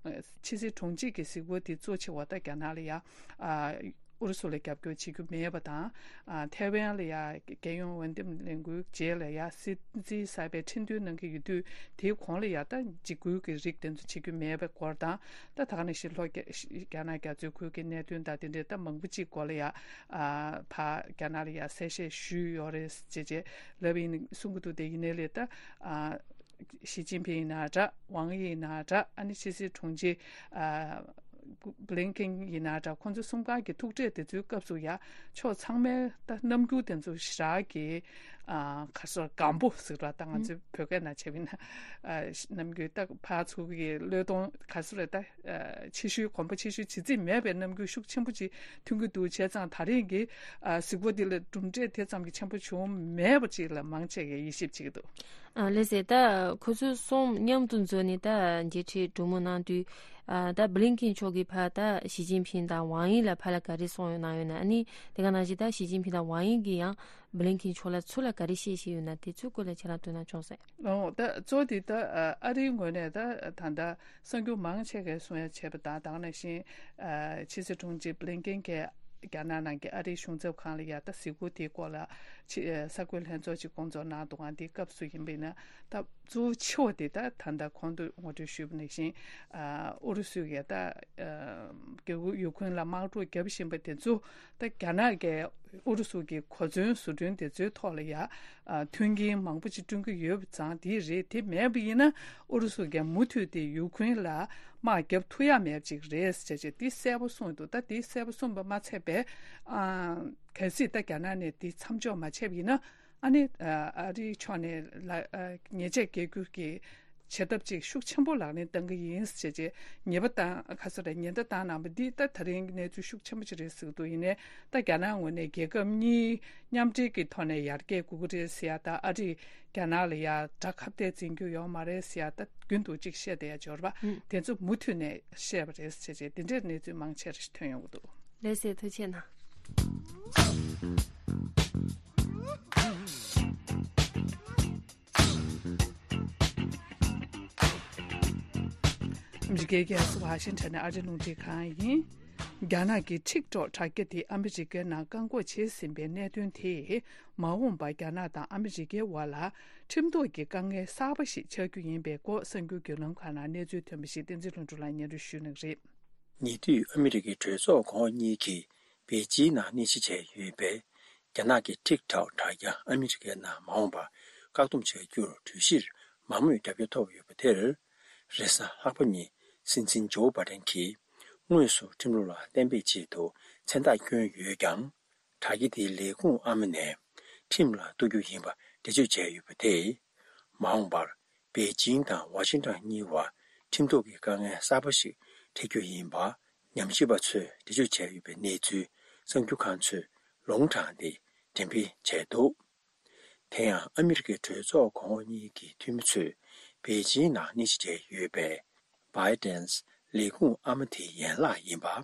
ཨ། ཕྱི་སྲིད་དྲུང་ཆེ་གི་གཟིགས་སྐོར་དེ་གཙོ་ཆེ་བ་ད་རྒྱ་ནག་ལ་ཡ། ཨ། ཨུ་རུ་སུ་ལ་རྒྱབ་སྐྱོར་བྱེད་རྒྱུ་མེད་པ་དང་། ཨ། ཐའེ་ཝན་ལ་ཡ་རྒྱལ་ཡོངས་འོས་འདེམས་ལས་འགུལ་རྗེས་ལ་ཡ་སྲིད་འཛིན་གསར་པའི་ཁྲི་འདོན་གནང་གི་ཡོད་དུས། དེའི་གོང་ལ་ཡ་ད་འཇིགས་སྐུལ་གྱི་རིགས་དེ་ཚོ་བྱེད་རྒྱུ་མེད་པའི་སྐོར་དང་། ད་ད་ག་ནང་བཞིན་ལྷོ་རྒྱ་རྒྱ་ནག་རྒྱ་མཚོའི་ཁུལ་གྱི་གནད་དོན་དང་དེ་འདྲའི་ད་མང་པོ་ཅིག་སྐོར་ལ་ཡ། ཨ། ཕར་རྒྱ་ནག་ལ་ཡ་གསལ་བཤད་ཞུས་ཡོད་རེད་ཅེས་ཅེས་ལབ་ཡིན་གསུང་གི་འདུག། དེ་ཡིན་ནའི་ལས་ད། ཨ། ཞི་ཅིན་ཕིང་ཡིན་ན་འདྲ། ཝང་དབྱི་ཡིན་ན་འདྲ། ཨ་ནི་ཕྱི་སྲིད་དྲུང་ཆེ། ཨ། བྷི་ལིན་ཀེན་ཡིན་ན་འདྲ། ཁོང་ཚོ་གསུམ་ཀ་གི་ཐུག་འཕྲད་དེ་ཚོའི་སྐབས་སུ་ཡ་ཕྱོགས་ཚང་མའི་ད་རྣམ་འགྱུར་དེ་ཚོ་ཞེ་དྲག་གི། ཨ། ག་རེ་ཟེར། སྒམ་པོ་ཟེར་བ་ད་ང་ཚོའི་བོད་སྐད་ནང་བྱས་པ་ཡིན་ན། ཨ། རྣམ་འགྱུར་ད་ཕར་ཚུར་གྱི་བློས་གཏོང་ག་རེ་ཟེར་རེད། ད། ཨ། ཆེ་ཤོས་གོམ་པ་ཆེ་ཤོས་བྱེད་རྩིས་མེད་པའི་རྣམ་འགྱུར་ཤུགས་ཆེན་པོ་ཅིག་ཐོན་གྱི་འདུག། བྱས་ཙང་ད་རེས་ཀྱི། ཨ། གཟིགས་སྐོར་འདི་ལ་གྲུབ་འབྲས་དེ་ཙམ་གྱི་ཆེན་པོ་བྱུང་མེད་པ་ཅིག་ལ་མང་ཆེ་གིས་དབྱེ་ཞིབ་བྱེད་ཀྱི་འདུག། ཨ། ལགས་སེ། ད་ཁོ་ཚོ་གསུམ་མཉམ་དུ་འཛོམས་ནས་ད་མཇལ་འཕྲད་གྲོས་མོལ་གནང་དུས། ཨ། ད་བྷི་ལིན་ཀེན་མཆོག་གིས་ཕར་ད་ཞི་ཅིན་ཕིང་དང་ཝང་དབྱི་ལ་ཕར་ལ་ག་རེ་གསུངས་ཡོད་གནང་ཡོད་ན། ཨ་ནི་དེ་ག་ནང་བཞིན་ད་ཞི་ཅིན་ཕིང་དང་ཝང་དབྱི་གིས་ཡང་བྷི་ལིན་ཀེན་མཆོག་ལ་ཚུར་ལ་ག་རེ་བཤད་བཞིན་ཡོད་ན། དེ་ཚོའི་སྐོར་ལ་ཁྱེད་རང་དོ་སྣང་བྱུང་སོང་། ཨོ། ད་གཙོ་བོ་དེ་ད། ཨ། ཨ་རིའི་ངོས་ནས་ད་ད་ལྟ་གསར་འགྱུར་མང་ཆེ་གས་གསུང་ཡ་བྱས་པ་དང་། དེ་ནང་བཞིན། ཨ། ཕྱི་སྲིད་དྲུང་ཆེ་བྷི་ལིན་ཀེན་གྱིས་རྒྱ་ནག་ནང་གི་ཨ་རིའི་གཞུང་ཚབ་ཁང་ལ་ཡ་ད་གཟིགས་སྐོར་དེའི་སྐོར་ལ་ཕྱི། ཨ། གསར་འགོད་ལྷན་ཚོགས་ཅིག་བསྐོང་ཚོགས་གནང་འདུག་ག། དེའི་སྐབས་སུ་ཡིན་པ་ཡིན་ན། ད་གཙོ་བོ་ཆེ་བ་དེ་ད་ད་ལྟ་གོང་དུ་ངོ་སྤྲོད་ཞུས་པ་ནང་བཞིན། ཨ། ཨུ་རུ་སུ་གིས་ད། ཨ། རྒྱ། ཡུ་ཁུན་ལ་དམག་འཁྲུག་བརྒྱབ་བཞིན་པ་དེ་ཚོ། ད་རྒྱ་ནག་གིས་ཨུ་རུ་སུ་གི་གོ་མཚོན་བཟོ་སྐྲུན་དེ་ཚོའི་ཐོག་ལ་ཡ། ཨ། མཐུན་རྐྱེན་མང་པོ་ཅིག་བསྐྲུན་གྱི་ཡོད་པ་ཙང་དེ་རེད། དེ་མེད་པ་ཡིན་ན་ཨུ་རུ་སུ་གིས་མུ་མཐུད་དེ་ཡུ་ཁུན་ལ་དམག་བརྒྱབ་ཐུབ་ཡ་མེད་པ་ཅིག་རེད་ཟེར་བྱས་དེ་གསལ་པོ་གསུངས་འདུག། ད་དེ་གསལ་པོ་གསུངས་པ་མ་ཚད་པའི། ཨ། གལ་སྲིད་ད་རྒྱ་ནག་ནས་དེ་མཚམས་འཇོག་མ་བྱས་པ་ཡིན་ན། ཨ་ནི། ཨ། ཨ་རིའི་ཕྱོགས་ནས་ལ། ཨ། ཉེས་ཆད་འགེལ་རྒྱུ་གི་བྱེད་ཐབས་ཅིག་ཤུགས་ཆེན་པོ་ལག་ལེན་བསྟར་གྱི་ཡིན་ཟེར་བྱས་ཉེས་པ་བཏང་། ག་རེ་ཟེར་རེད། ཉེན་བརྡ་བཏང་གནང་བ་འདི་ད་ད་རིང་གི་གནས་ཚུལ་ཤུགས་ཆེན་པོ་ཅིག་རེད་ཟེར་གྱི་འདུག། ཡིན་ནའི་ད་རྒྱ་ནག་ངོས་ནས་རྒྱལ་ཁབ་གཉིས་མཉམ་འབྲེལ་གྱི་ཐོག་ནས་ཡར་རྒྱས་དགོས་ཀྱི་རེད་ཟེར་ཡ་དང་། ཨ་རིས་རྒྱ་ནག་ལ་ཡ་དགྲ་ཁ་གཏད་འཛིན་རྒྱུ་ཡོད་མ་རེད་ཟེར་ཡ་ད་རྒྱུན་དུ་ཅིག་བཤད་བསྡད་ཡ་འབྱོར་བ། ཨུ། དེ་ཚོ་མུ་མཐུད་ནས་བཤད་པ་རེད་ཟེར་བྱས་དེ་འདྲའི་གནས་ཚུལ་མང་ཆེ་རེ་ཞིག་ཐོན་ཡོང་གི་འདུག། ལགས་སེ། ཐུགས་རྗེ་གནང་། ཨ་མི་རི་ཀའི་རྒྱལ་ས་ཝ་ཤིང་ཊོན་ནས་ཨ་རིའི་རླུང་འཕྲིན་ཁང་ཡིན། རྒྱ་ནག་གི་ཊིག་ཊོག་དྲ་རྒྱ་དེ་ཨ་མི་རི་ཀའི་ནང་བཀག་འགོག་བྱས་ཟིན་པའི་གནད་དོན་དེས། མ་འོངས་པར་རྒྱ་ནག་དང་ཨ་མི་རི་ཀའི་དབར་ལ་ཁྲིམས་ཐོག་གི་དཀའ་ངལ་གསར་པ་ཞིག་ཆགས་རྒྱུ་ཡིན་པའི་སྐོར་གསར་འགྱུར་བརྒྱུད་ལམ་ཁག་ནང་གནས་ཚུལ་ཐོན་པ་ཞིག་བསྟན་འཛིན་ལྷུན་གྲུབ་ལགས་སྙན་སྒྲོན་ཞུ་གནང་གི་རེད། ཉེ་དུས་ཨ་མི་རི་ཀའི་གྲོས་ཚོགས་གོང་འོག་གཉིས་ཀྱིས་པེ་ཅིང་ནང་གནས་གཞི་བྱས་ཡོད་པའི་རྒྱ་ནག་གི་ཊིག་ཊོག་དྲ་རྒྱ་ཨ་མི་རི་ཀའི་ནང་མ་འོངས་པར་བཀག་སྡོམ་བྱ་རྒྱུར་གྲོས་གཞིར་མང་མོས་རྒྱབ་སྐྱོར་ཐོབ་ཡོད་པ་དེར། རེས་གཟའ་ལྷག་པ་ཉིན་སྲིད་འཛིན་ཇོ་བྷའི་ཌེན་གྱིས་དངོས་སུ་ཁྲིམས་ལུགས་ལ་གཏན་འབེབས་ཆེད་དུ་མཚན་རྟགས་བསྐྱོན་ཡོད་ཀྱང་། དྲ་རྒྱ་དེའི་ལས་ཁུངས་ཨ་མ་ནས་ཁྲིམས་ལ་གཏུག་རྒྱུ་ཡིན་པ་འགྲེལ་བརྗོད་བྱས་ཡོད་པ་དེས། མ་འོངས་པར་པེ་ཅིང་དང་ཝ་ཤིང་ཊོན་གཉིས་བར་ཁྲིམས་ཐོག་གི་དཀའ་ངལ་གསར་པ་ཞིག་འཕྲད་རྒྱུ་ཡིན་པ། ཉམས་ཞིབ་པ་ཚོས་འགྲེལ་བརྗོད་བྱས་ཡོད་པའི་གནས་ཚུལ་གསར་འགྱུར་ཁང་ཚོས་ལུང་དྲངས་ཏེ་འགྲེམས་སྤེལ་བྱས་འདུག་དེ་ཡང་ཨ་མི་རི་ཀའི་གྲོས་ཚོགས་གོང་འོག་གཉིས་ཀྱི་འཐུས་མི་ཚོས་པེ་ཅིང་ནང་གནས་གཞི་བྱས་ཡོད་པའི་བྷའི་ཌེན་ལས་ཁུངས་ཨ་མ་དེའི་ཡན་ལག་ཡིན་པ།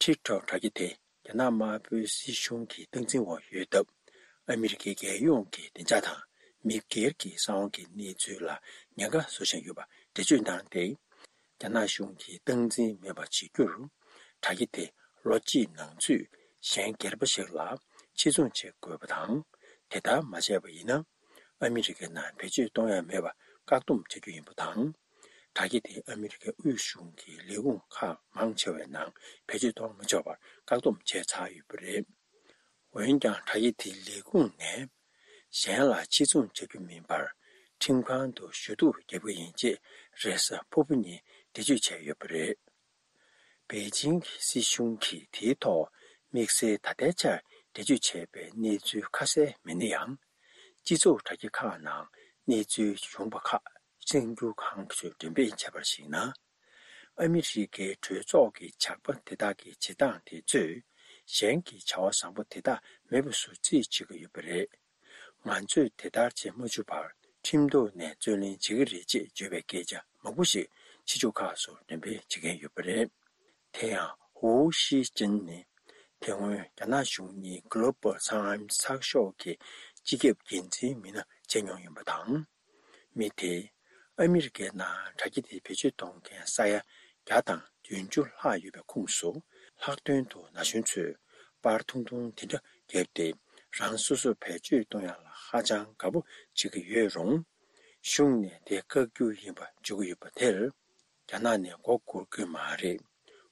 ཊིག་ཊོག་དྲ་རྒྱ་དེ་རྒྱ་ནག་དམར་པོའི་སྲིད་གཞུང་གི་སྟངས་འཛིན་འོག་ཡོད་སྟབས། ཨ་མི་རི་ཀའི་རྒྱལ་ཡོངས་ཀྱི་བདེ་འཇགས་དང་མི་སྒེར་གྱི་གསང་བ་གི་གནས་ཚུལ་ལ་ཉེན་ཁ་བཟོ་བཞིན་ཡོད་པ་འགྲེལ་བརྗོད་གནང་སྟེ། རྒྱ་ནག་གཞུང་གིས་སྟངས་འཛིན་མེད་པ་བྱེད་རྒྱུར། དྲ་རྒྱ་དེ་ལོ་གཅིག་ནང་ཚུད་གཞན་སྒེར་པ་ཞིག་ལ་ཕྱིར་ཚོང་བྱེད་དགོས་པ་དང་། དེ་ལྟར་མ་བྱས་པ་ཡིན་ན། ཨ་མི་རི་ཀའི་ནང་བེད་སྤྱོད་གཏོང་ཡ་མེད་པར་བཀག་སྡོམ་བྱ་རྒྱུ་ཡིན་པ་དང་། དྲ་རྒྱ་དེ་ཨ་མི་རི་ཀའི་དབུས་གཞུང་གི་ལས་ཁུངས་ཁག་མང་ཆེ་བའི་ནང་བེད་སྤྱོད་གཏོང་མི་ཆོག་པར་བཀག་སྡོམ་བྱས་ཚར་ཡོད་པ་རེད། འོན་ཀྱང་། དྲ་རྒྱ་དེའི་ལས་ཁུངས་ནས་གཞན་ལ་ཕྱིར་ཚོང་བྱ་རྒྱུ་མིན་པར། ཁྲིམས་ཁང་དུ་ཞུ་གཏུག་བརྒྱབ་ཀྱི་ཡིན་ཅེས་རེས་གཟའ་ཕུར་བུ་ཉིན་འགྲེལ་བརྗོད་བྱས་ཡོད་པ་རེད། པེ་ཅིང་གི་སྲིད་གཞུང་གིས་དེའི་ཐོག་དམིགས་བསལ་ད་ལྟའི་ཆར་འགྲེལ་བརྗོད་བྱས་པའི་གནས་ཚུལ་ཁ་གསལ་མེད་ན་ཡང་། སྤྱི་ཚོགས་དྲ་རྒྱ་ཁག་ནང་གནས་ཚུལ་བྱུང་བ་ཁག་གསར་འགྱུར་ཁང་ཚོས་འགྲེམས་སྤེལ་བྱས་པར་གཞིགས་ན། ཨ་མི་རི་ཀའི་གྲོས་ཚོགས་ཀྱི་ཇག་པ་དེ་དག་གི་བྱེད་སྟངས་དེ་ཚོས་གཞན་གྱི་བྱ་བ་བཟང་པོ་དེ་དག་མེད་པ་བཟོ་རྩིས་བྱེད་ཀྱི་ཡོད་པ་རེད། ང་ཚོས་དེ་ལྟར་བྱེད་མ་བཅུག་པར་ཁྲིམས་ཐོག་ནས་རྩོད་ལེན་བྱེད་ཀྱི་རེད་ཅེས་བརྗོད་པའི་སྐད་ཆ་མང་པོ་ཞིག་ཕྱི་ཕྱོགས་ཁག་སུ་འགྲེམས་སྤེལ་བྱེད་མཁན་ཡོད་པ་རེད། དེ་ཡང་ཧུའུ་ཤི་ཅིན་ནི་དེ་སྔོན་རྒྱ་ནག་གཞུང་གཉིས་Global Times་ཚགས་ཤོག་གི་སྤྱི་ཁྱབ་འགན་འཛིན་མི་སྣ་བྱས་མྱོང་ཡིན་པ་དང་། མི་དེས་ཨ་མི་རི་ཀའི་ནང་དྲ་རྒྱ་དེ་བེད་སྤྱོད་གཏོང་མཁན་ས་ཡ་བརྒྱ་དང་བདུན་ཅུ་ལྷག་ཡོད་པའི་ཁོངས་སུ། ལྷག་དོན་དུ་ན་གཞོན་ཚོས་པར་ཐུང་ཐུང་དེ་འདྲ་བརྒྱབ་སྟེ། རང་སོ་སོ་བེད་སྤྱོད་གཏོང་ཡག་ལ་ཧ་ཅང་དགའ་པོ་བྱེད་ཀྱི་ཡོད་རུང་། གཞུང་ནས་དེ་བཀག་རྒྱུ་ཡིན་པ་བརྗོད་ཀྱི་ཡོད་པ་དེར། རྒྱ་ནག་ནས་མགོ་སྒུར་གྱི་མ་རེད།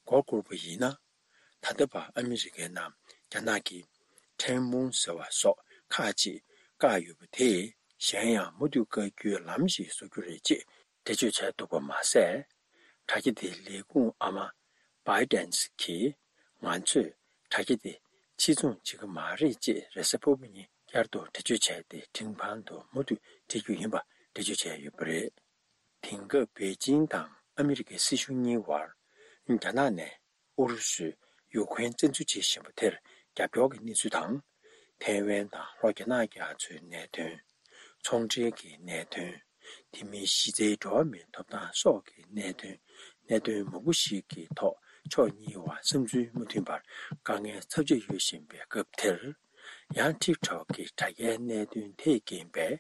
མགོ་སྒུར་བ་ཡིན་ན། ད་ལྟ་བར་ཨ་མི་རི་ཀའི་ནང་རྒྱ་ནག་གིས་ཁྲེན་མུན་ཟེར་བ་སོགས་ཁག་ཅིག་བཀག་ཡོད་པ་དེས། གཞན་ཡང་མུ་མཐུད་བཀག་རྒྱུའི་ལམ་ཞིག་བཟོ་རྒྱུ་རེད་ཅེས་འགྲེལ་བརྗོད་བྱས་འདུག་པ་མ་ཟད། དྲ་རྒྱ་དེའི་ལས་ཁུངས་ཨ་མ་བྷའི་ཌེན་གྱིས། ང་ཚོས་དྲ་རྒྱ་དེ་ཕྱིར་ཚོང་བྱེད་ཀྱི་མ་རེད་ཅེས་རེས་གཟའ་ཕུར་བུ་ཉིན་བསྐྱར་དུ་འགྲེལ་བརྗོད་བྱས་ཏེ། ཁྲིམས་ཁང་དུ་མུ་མཐུད་འཁྲིད་རྒྱུ་ཡིན་པ་འགྲེལ་བརྗོད་བྱས་ཡོད་པ་རེད། དེང་སྐབས་པེ་ཅིང་དང་ཨ་མི་རི་ཀའི་སྲིད་གཞུང་གཉིས་བར། རྒྱ་ནག་ནས་ཨུ་རུ་སུས་ཡུ་ཁུ་རེན་བཙན་འཛུལ་བྱེད་བཞིན་པ་དེར་རྒྱབ་སྐྱོར་གྱི་གནས་ཚུལ་དང་། ཐའེ་ཝན་དང་ལྷོ་རྒྱ་ནག་རྒྱ་མཚོའི་གནད་དོན། ཚོང་འབྲེལ་གྱི་གནད་དོན། དེ་མིན་གཞི་རྩའི་འགྲོ་བ་མིའི་ཐོབ་ཐང་སོགས་ཀྱི་གནད་དོན། གནད་དོན་མང་པོ་ཞིག་གི་ཐོག་ཕྱོགས་གཉིས་བར་བསམ་ཚུལ་མ་མཐུན་པར་དཀའ་ངལ་ཚབས་ཆེ་ཡོད་བཞིན་པའི་སྐབས་དེར། ཡང་ཊིག་ཊོག་གི་དྲ་རྒྱའི་གནད་དོན་དེས་རྐྱེན་པས་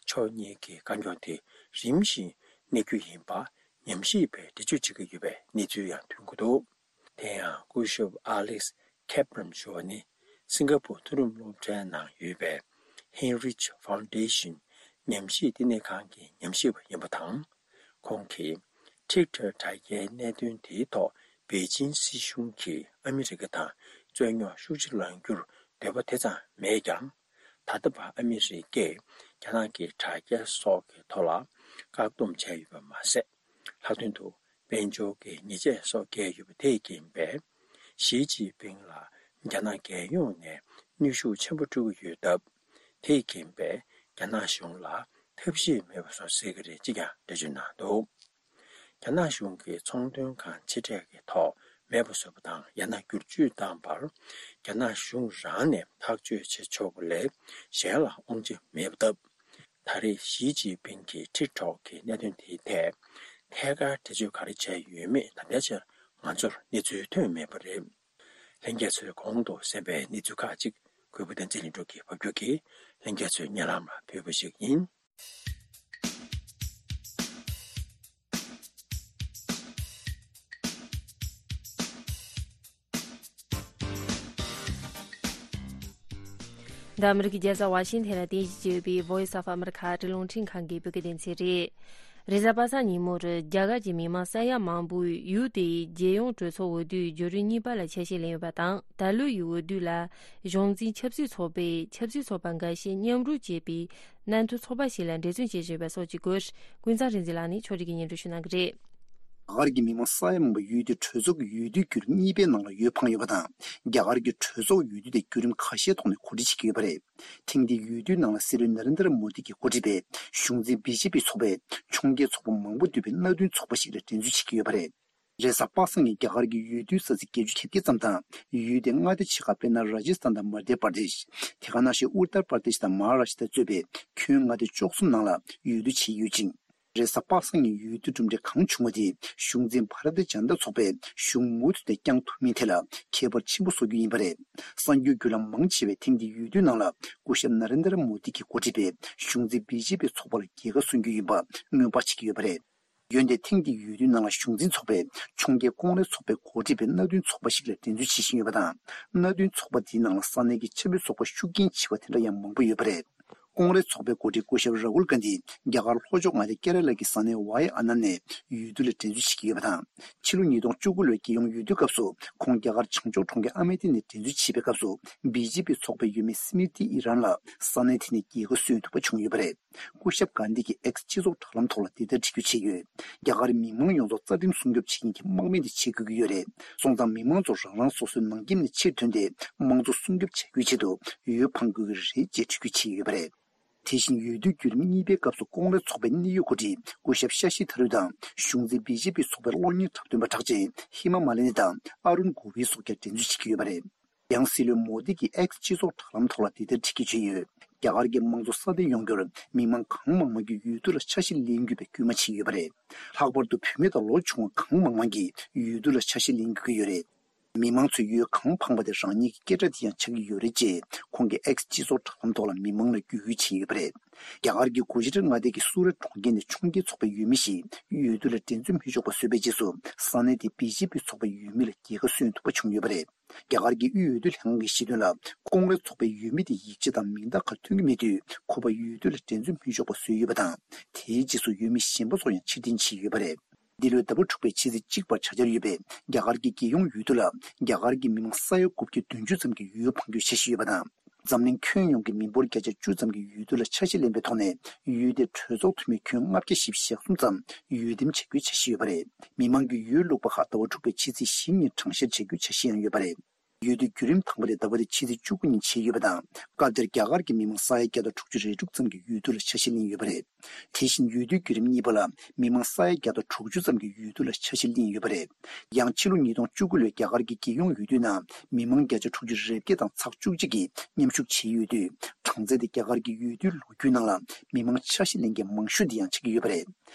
ཕྱོགས་གཉིས་ཀྱི་རྐང་འགྱོག་དེ་རིམ་བཞིན་གནས་རྒྱུ་ཡིན་པ་ཉམས་ཞིབ་པས་འགྲེལ་བརྗོད་བྱེད་ཀྱི་ཡོད་པའི་གནས་ཚུལ་ཡང་ཐོན་གྱི་འདུག་དེ་ཡང་སྐུ་ཞབས་Alex Kaplan་ཞུ་བ་ནི་སིང་ག་པུར་མཐོ་རིམ་སློབ་གྲྭའི་ནང་ཡོད་པའི་Heinrich Foundation་ཉམས་ཞིབ་བསྟི་གནས་ཁང་གི་ཉམས་ཞིབ་པ་ཡིན་པ་དང་། ཁོང་གིས་ཊིག་ཊོག་དྲ་རྒྱའི་གནད་དོན་དེའི་ཐོག་པེ་ཅིན་སྲིད་གཞུང་གིས་ཨ་མི་རི་ཀ་དང་རྩོད་རྙོག་ཤུགས་ཆེ་ལངས་རྒྱུར་འདོད་པ་དེ་ཙམ་མེད་ཀྱང་། ད་ལྟ་བར་ཨ་མི་རི་ཀས་རྒྱ་ནག་གི་དྲ་རྒྱ་སོགས་ཀྱི་ཐོག་ལ་བཀག་སྡོམ་བྱས་ཡོད་པ་མ་ཟད། ལྷག་དོན་དུ་དཔལ་འབྱོར་གྱི་ཉེས་ཆད་སོགས་བཀལ་ཡོད་པ་དེས་རྐྱེན་པས། ཞི་ཅིན་ཕིང་ལ་རྒྱ་ནག་རྒྱལ་ཡོངས་ནས་གནོན་ཤུགས་ཆེན་པོ་སྤྲོད་ཀྱི་ཡོད་སྟབས། དེས་རྐྱེན་པས་རྒྱ་ནག་གཞུང་ལ་ཐབས་ཤེས་མེད་པ་བཟོ་སྲིད་ཀྱི་རེད་ཅེས་ཀྱང་འགྲེལ་བརྗོད་གནང་འདུག་རྒྱ་ནག་གཞུང་གིས་ཚོང་དོན་ཁང་ཆེ་གྲས་ཀྱི་ཐོག་མེད་པ་བཟོ་བ་དང་ཡང་ན་བསྒྱུར་བཅོས་བཏང་བར། རྒྱ་ནག་གཞུང་རང་ནས་ཐག་གཅོད་བྱེད་ཆོག་པ་ལས་གཞན་ལ་དབང་ཆ་མེད་པ་སྟབས། ད་རེས་ཞི་ཅིན་ཕིང་གིས་ཊིག་ཊོག་གི་གནད་དོན་དེའི་ཐད་ཐད་ཀར་འགྲེལ་བརྗོད་ག་རེ་བྱས་ཡོད་མེད་ད་ལྟའི་ཆར་ང་ཚོར་གནས་ཚུལ་ཐོན་མེད་པ་རེད། ལྷན་རྒྱས་ཚོས་གོང་དུ་གསན་པའི་གནས་ཚུལ་ཁག་ཅིག་གུས་པ་བསྟན་འཛིན་ལྷུན་གྲུབ་ཀྱིས་ཕབ་སྒྱུར་གྱིས་ལྷན་རྒྱས་ཚོའི་སྙན་ལམ་ལ་ཕུལ་བ་ཞིག་ཡིན། འདི་ཨ་མི་རི་ཀའི་རྒྱལ་ས་ཝ་ཤིང་ཐན་ལ་རྟེན་གཞི་བྱས་ཡོད་པའི་Voice of America ཨ་རིའི་རླུང་འཕྲིན་ཁང་གི་བོད་སྐད་སྡེ་ཚན་རེད། རེས་གཟའ་པ་སངས་ཉིན་མོར་རྒྱ་གར་གྱི་མི་མང་ས་ཡ་མང་པོས་ཡུལ་དེའི་རྒྱལ་ཡོངས་གྲོས་ཚོགས་འོས་བསྡུའི་བརྒྱུད་རིམ་གཉིས་པ་ལ་ཆ་ཤས་ལེན་ཡོད་པ་དང་། ད་ལོའི་འོས་བསྡུ་ལ་གཞུང་འཛིན་ཆབ་སྲིད་ཚོགས་པས་ཆབ་སྲིད་ཚོགས་པ་འགའ་ཤས་མཉམ་རུབ་བྱས་པའི་མཉམ་མཐུན་ཚོགས་པ་ཞིག་ལ་འབྲེལ་མཐུད་བྱེད་བཞིན་ཡོད་པ་སོགས་ཀྱི་སྐོར། ཀུན་བཟང་རིག་འཛིན་ལགས་ནས་ཕྱོགས་སྒྲིག་གིས་སྙན་སྒྲོན་ཞུ་གནང་གི་རེད། རྒྱ་གར་གྱི་མི་མང་ས་ཡ་མང་པོ་ཡུལ་དེའི་གྲོས་ཚོགས་ཀྱི་འོས་བསྡུའི་བརྒྱུད་རིམ་གཉིས་པའི་ནང་ལ་འོས་འཕངས་ཡོད་པ་དང་། རྒྱ་གར་གྱི་གྲོས་ཚོགས་འོས་བསྡུ་དེ་བརྒྱུད་རིམ་ཁ་ཤས་ཐོག་ནས་གོ་སྒྲིག་བྱེད་ཀྱི་ཡོད་པ་རེད། ཐེངས་འདིའི་འོས་བསྡུའི་ནང་ལ་སྲིད་བློན་ན་རེན་དྲ་མོ་དི་གིས་འགོ་ཁྲིད་པའི་གཞུང་འཛིན་བི་ཇེ་པི་ཚོགས་པས་ཕྱོགས་འགལ་ཚོགས་པ་མང་པོ་འདུས་པའི་མཉམ་མཐུན་ཚོགས་པ་ཞིག་ལ་འགྲན་རྩོད་བྱེད་ཀྱི་ཡོད་པ་རེད། རེས་གཟའ་པ་སངས་ཉིན་རྒྱ་གར་གྱི་འོས་བསྡུའི་ས་ཚིགས་བརྒྱད་ཅུ་གྱ་བརྒྱད་ཙམ་དང་། ཡུལ་དེའི་མངའ་སྡེ་ཆེ་ཁག་དཔེར་ན་ར་ཇི་སི་ཐན་དང་མ་དྷྱ་པར་དེཤ། དེ་ག་ནང་བཞིན་ཨུ་ཏར་པར་དེཤ་དང་མ་ཧཱ་རཱ་ཤི་ཏྲ་གཙོས་པའི་ཁྱོན་མངའ་སྡེ་བཅུ་གསུམ་ནང་ལ་འོས་བསྡུ་བྱས་ཡོད་ཅིང་། རེས་གཟའ་པ་སངས་ཉིན་འོས་བསྡུ་གྲུབ་འབྲས་གང་བྱུང་བ་དེ་གཞུང་འཛིན་བྷ་ར་ཏི་ཇན་ཏ་ཚོགས་པས་གཞུང་མུ་མཐུད་དེ་བསྐྱངས་ཐུབ་མིན་ཐད་ལ་ཁྱད་པར་ཆེན་པོ་བཟོ་རྒྱུ་ཡིན་པ་རེད། གསར་འགྱུར་བརྒྱུད་ལམ་མང་ཆེ་བས་ཐེངས་འདིའི་འོས་བསྡུའི་ནང་ལ་སྐུ་ཞབས་ན་རེན་དྲ་མོ་དི་གིས་འགོ་ཁྲིད་པའི་གཞུང་འཛིན་བི་ཇེ་པི་ཚོགས་པ་ལ་རྒྱལ་ཁ་སོན་རྒྱུ་ཡིན་པ་སྔོན་དཔག་བྱེད་ཀྱི་ཡོད་པ་རེད། འོན་ཏེ་ཐེངས་འདིའི་འོས་བསྡུའི་ནང་ལ་གཞུང་འཛིན་ཚོགས་པས་ཕྱོགས་འགལ་ཀོང་རེས་ཚོགས་པས་འགོ་ཁྲིད་པའི་མཉམ་མཐུན་ཚོགས་པ་ཞིག་ལ་འགྲན་རྩོད་བྱེད་བཞིན་ཡོད་པ་དང་། མཉམ་མཐུན་ཚོགས་པ་དེའི་ནང་ལ་ས་གནས་ཀྱི་ཆབ་སྲིད་ཚོགས་པ་ཤུགས་རྐྱེན་ཆེ་བ་དེ་འདྲ་ཡང་མང་པོ་ཡོད་པ་རེད། ཀོང་རེས་ཚོགས་པའི་འགོ་ཁྲིད་སྐུ་ཞབས་ར་ཧུལ་གྷན་དྷི་རྒྱ་གར་ལྷོ་ཕྱོགས་མངའ་སྡེ་ཀེ་ར་ལ་གི་ས་གནས་ཝའི་ཨ་ན་ནས་འོས་བསྡུ་ལ་འགྲན་རྩོད་བྱེད་ཀྱི་ཡོད་པ་དང་། ཕྱི་ལོ་ཉིས་སྟོང་བཅུ་དགུ་ལོའི་རྒྱལ་ཡོངས་འོས་བསྡུའི་སྐབས་སུ་ཁོང་རྒྱ་གར་བྱང་ཕྱོགས་གྲོང་ཁྱེར་ཨ་མེ་ཐི་ནས་འགྲན་རྩོད་བྱེད་པའི་སྐབས་སུ་བི་ཇེ་པི་ཚོགས་པའི་འོས་མི་སི་མི་ཏི་ཨི་རན་ལ་ས་གནས་དེ་ནས་རྒྱལ་ཁ་སོན་ཐུབ་པ་བྱུང་ཡོད་པ་རེད། སྐུ་ཞབས་གྷན་དྷི་གིས་ཨེགས་སྤྱི་ཚོགས་དྲ་ལམ་ཐོག་ལ་འདི་ལྟར་བྲིས་བརྗོད་བྱས་ཡོད། རྒྱ་གར་མི་མང་ཡོངས་རྫོགས་རྩ་ཁྲིམས་སྲུང་སྐྱོབ་བྱེད་མཁན་གྱི་དམག་མི་འདི་བྱེད་དགོས་ཀྱི་ཡོད་རེད། སོང་ཙང་མི་མང་ཚོ་རང་རང་སོ་སོའི་ནང་ཁྱིམ་ནས་ཕྱིར་ཐོན་ཏེ་དམངས་གཙོ་སྲུང་སྐྱོབ་བྱ་རྒྱུའི་ཆེད་དུ་འོས་འཕང་དགོས་ཀྱི་རེད་ཅེས་འགྲེལ་བརྗོད་བྱས་ཡོད་པ་རེད། དེ་བཞིན་འོས་བསྡུའི་བརྒྱུད་རིམ་གཉིས་པའི་སྐབས་སུ་ཀོང་རེས་ཚོགས་པའི་གནད་ཡོད་འགོ་ཁྲིད་སྐུ་ཞབས་ཤ་ཤི་ཐ་རུ་དང་གཞུང་འཛིན་བི་ཇེ་པི་ཚོགས་པའི་གློག་བརྙན་འཁྲབ་སྟོན་པ་གྲགས་ཅན་ཧི་མ་མ་ལི་ནི་དང་ཨ་རུན་གོ་བི་སོགས་ཀྱང་འགྲན་རྩོད་བྱེད་ཀྱི་ཡོད་པ་རེད། ཡང་སྲིད་བློན་མོ་དི་གིས་ཨེགས་སྤྱི་ཚོགས་དྲ་ལམ་ཐོག་ལ་འདི་ལྟར་བྲིས་བརྗོད་བྱས་ཡོད། རྒྱ་གར་གྱི་དམངས་གཙོ་སྲ་བརྟན་ཡོང་རྒྱུར་མི་མང་གང་མང་མང་གིས་འོས་བསྡུ་ལ་ཆ་ཤས་ལེན་དགོས་པའི་སྐུལ་མ་བྱས་ཡོད་པ་རེད། ལྷག་པར་དུ་བུད་མེད་དང་ལོ་ཆུང་བ་གང་མང་མང་གིས་འོས་བསྡུ་ལ་ཆ་ཤས་ལེན་དགོས་ཀྱི་ཡོད་རེད། མི་མང་ཚོས་འོས་གང་འཕངས་པ་དེ་རང་ཉིད་ཀྱི་སྐད་སྒྲ་དེ་ཡང་ཆགས་ཀྱི་ཡོད་རེད་ཅེས་ཁོང་གིས་ཨེགས་སྤྱི་ཚོགས་དྲ་ལམ་ཐོག་ལ་མི་མང་ལ་བརྒྱུད་སྐུལ་བྱས་ཡོད་པ་རེད། རྒྱ་གར་གྱི་གུ་ཇི་རཱཏ་མངའ་སྡེ་གི་སུ་རཏ་གྲོང་ཁྱེར་ནས་ཕྱོགས་འགལ་ཚོགས་པའི་འོས་མི་ཞིག་འོས་བསྡུ་ལ་འགྲན་རྩོད་མི་ཆོག་པ་བཟོས་པའི་རྗེས་སུ་ས་གནས་དེའི་བི་ཇེ་པི་ཚོགས་པའི་འོས་མི་ལ་རྒྱལ་ཁ་སོན་ཐུབ་པ་བྱུང་ཡོད་པ་རེད། རྒྱ་གར་གྱི་དབུས་འོས་བསྡུ་ལྷན་ཁང་གིས་བཤད་དོན་ལ། ཀོང་རེས་ཚོགས་པའི་འོས་མི་དེ་ཡིག་ཆ་དང་མིང་རྟགས་ཁག་ཐོན་གྱི་མེད་དུས་ཁོ་པ་འོས་བསྡུ་ལ་འགྲན་རྩོད་མི་ཆོག་པ་བཟོས་ཡོད་པ་དང་། དེའི་རྗེས་སུ་འོས་མི་གཞན་པ་ཚོ་ཡང་ཕྱིར་འཐེན་བྱས་ཡོད་པ་རེད། འདི་ལོའི་ཟླ་བ་དྲུག་པའི་ཕྱི་ཚེས་གཅིག་བར་བྱ་འཆར་ཡོད་པའི་རྒྱ་གར་གྱི་རྒྱལ་ཡོངས་འོས་བསྡུ་ལ་རྒྱ་གར་གྱི་མི་མང་ས་ཡ་དགུ་བརྒྱ་བདུན་ཅུ་ཙམ་གྱིས་འོས་འཕང་རྒྱུའི་འཆར་གཞི་ཡོད་པ་དང་། འཛམ་གླིང་ཁྱོན་ཡོངས་ཀྱི་མི་འབོར་བརྒྱ་ཆ་བཅུ་ཙམ་གྱིས་འོས་བསྡུ་ལ་ཆ་ཤས་ལེན་པའི་ཐོག་ནས་འོས་བསྡུའི་གྲོས་ཚོགས་འཐུས་མི་ཁྱོན་ལྔ་བརྒྱ་བཞི་བཅུ་ཞེ་གསུམ་ཙམ་འོས་འདེམས་བྱ་རྒྱུའི་འཆར་གཞི་ཡོད་པ་རེད། མི་མང་གིས་འོས་བླུགས་པ་ཁག་ཟླ་བ་དྲུག་པའི་ཕྱི་ཚེས་བཞི་ཉིན་གྲངས་བཤེར་བྱ་རྒྱུའི་འཆར་གཞི་ཡང་ཡོད་པ་རེད། འོས་བསྡུའི་བརྒྱུད་རིམ་དང་པོ་དེ་ཟླ་བ་འདིའི་ཕྱི་ཚེས་བཅུ་དགུ་ཉིན་བྱས་ཡོད་པ་དང་། སྐབས་དེར་རྒྱ་གར་གྱི་མི་མང་ས་ཡ་བརྒྱ་དང་དྲུག་ཅུ་རེ་དྲུག་ཙམ་གྱིས་འོས་བསྡུ་ལ་ཆ་ཤས་ལེན་ཡོད་པ་རེད། དེ་བཞིན་འོས་བསྡུའི་བརྒྱུད་རིམ་གཉིས་པ་ལ་མི་མང་ས་ཡ་བརྒྱ་དང་དྲུག་ཅུ་ཙམ་གྱིས་འོས་བསྡུ་ལ་ཆ་ཤས་ལེན་ཡོད་པ་རེད། ཡང་ཕྱི་ལོ་ཉིས་སྟོང་བཅུ་དགུ་ལོའི་རྒྱ་གར་གྱི་རྒྱལ་ཡོངས་འོས་བསྡུའི་ནང་མི་མང་བརྒྱ་ཆ་དྲུག་ཅུ་རེ་བརྒྱད་དང་ཚེག་བཅུ་གཅིག་གིས་མཉམ་ཞུགས་བྱས་ཡོད་དུས། གྲངས་ཚད་དེ་རྒྱ་གར་གྱི་འོས་བསྡུའི་ལོ་རྒྱུས་ནང་ལ་མི་མང་ཆ་ཤས་ལེན་མཁན་མང་ཤོས་དེ་ཡང་ཆགས་ཀྱི་ཡོད་པ་རེད།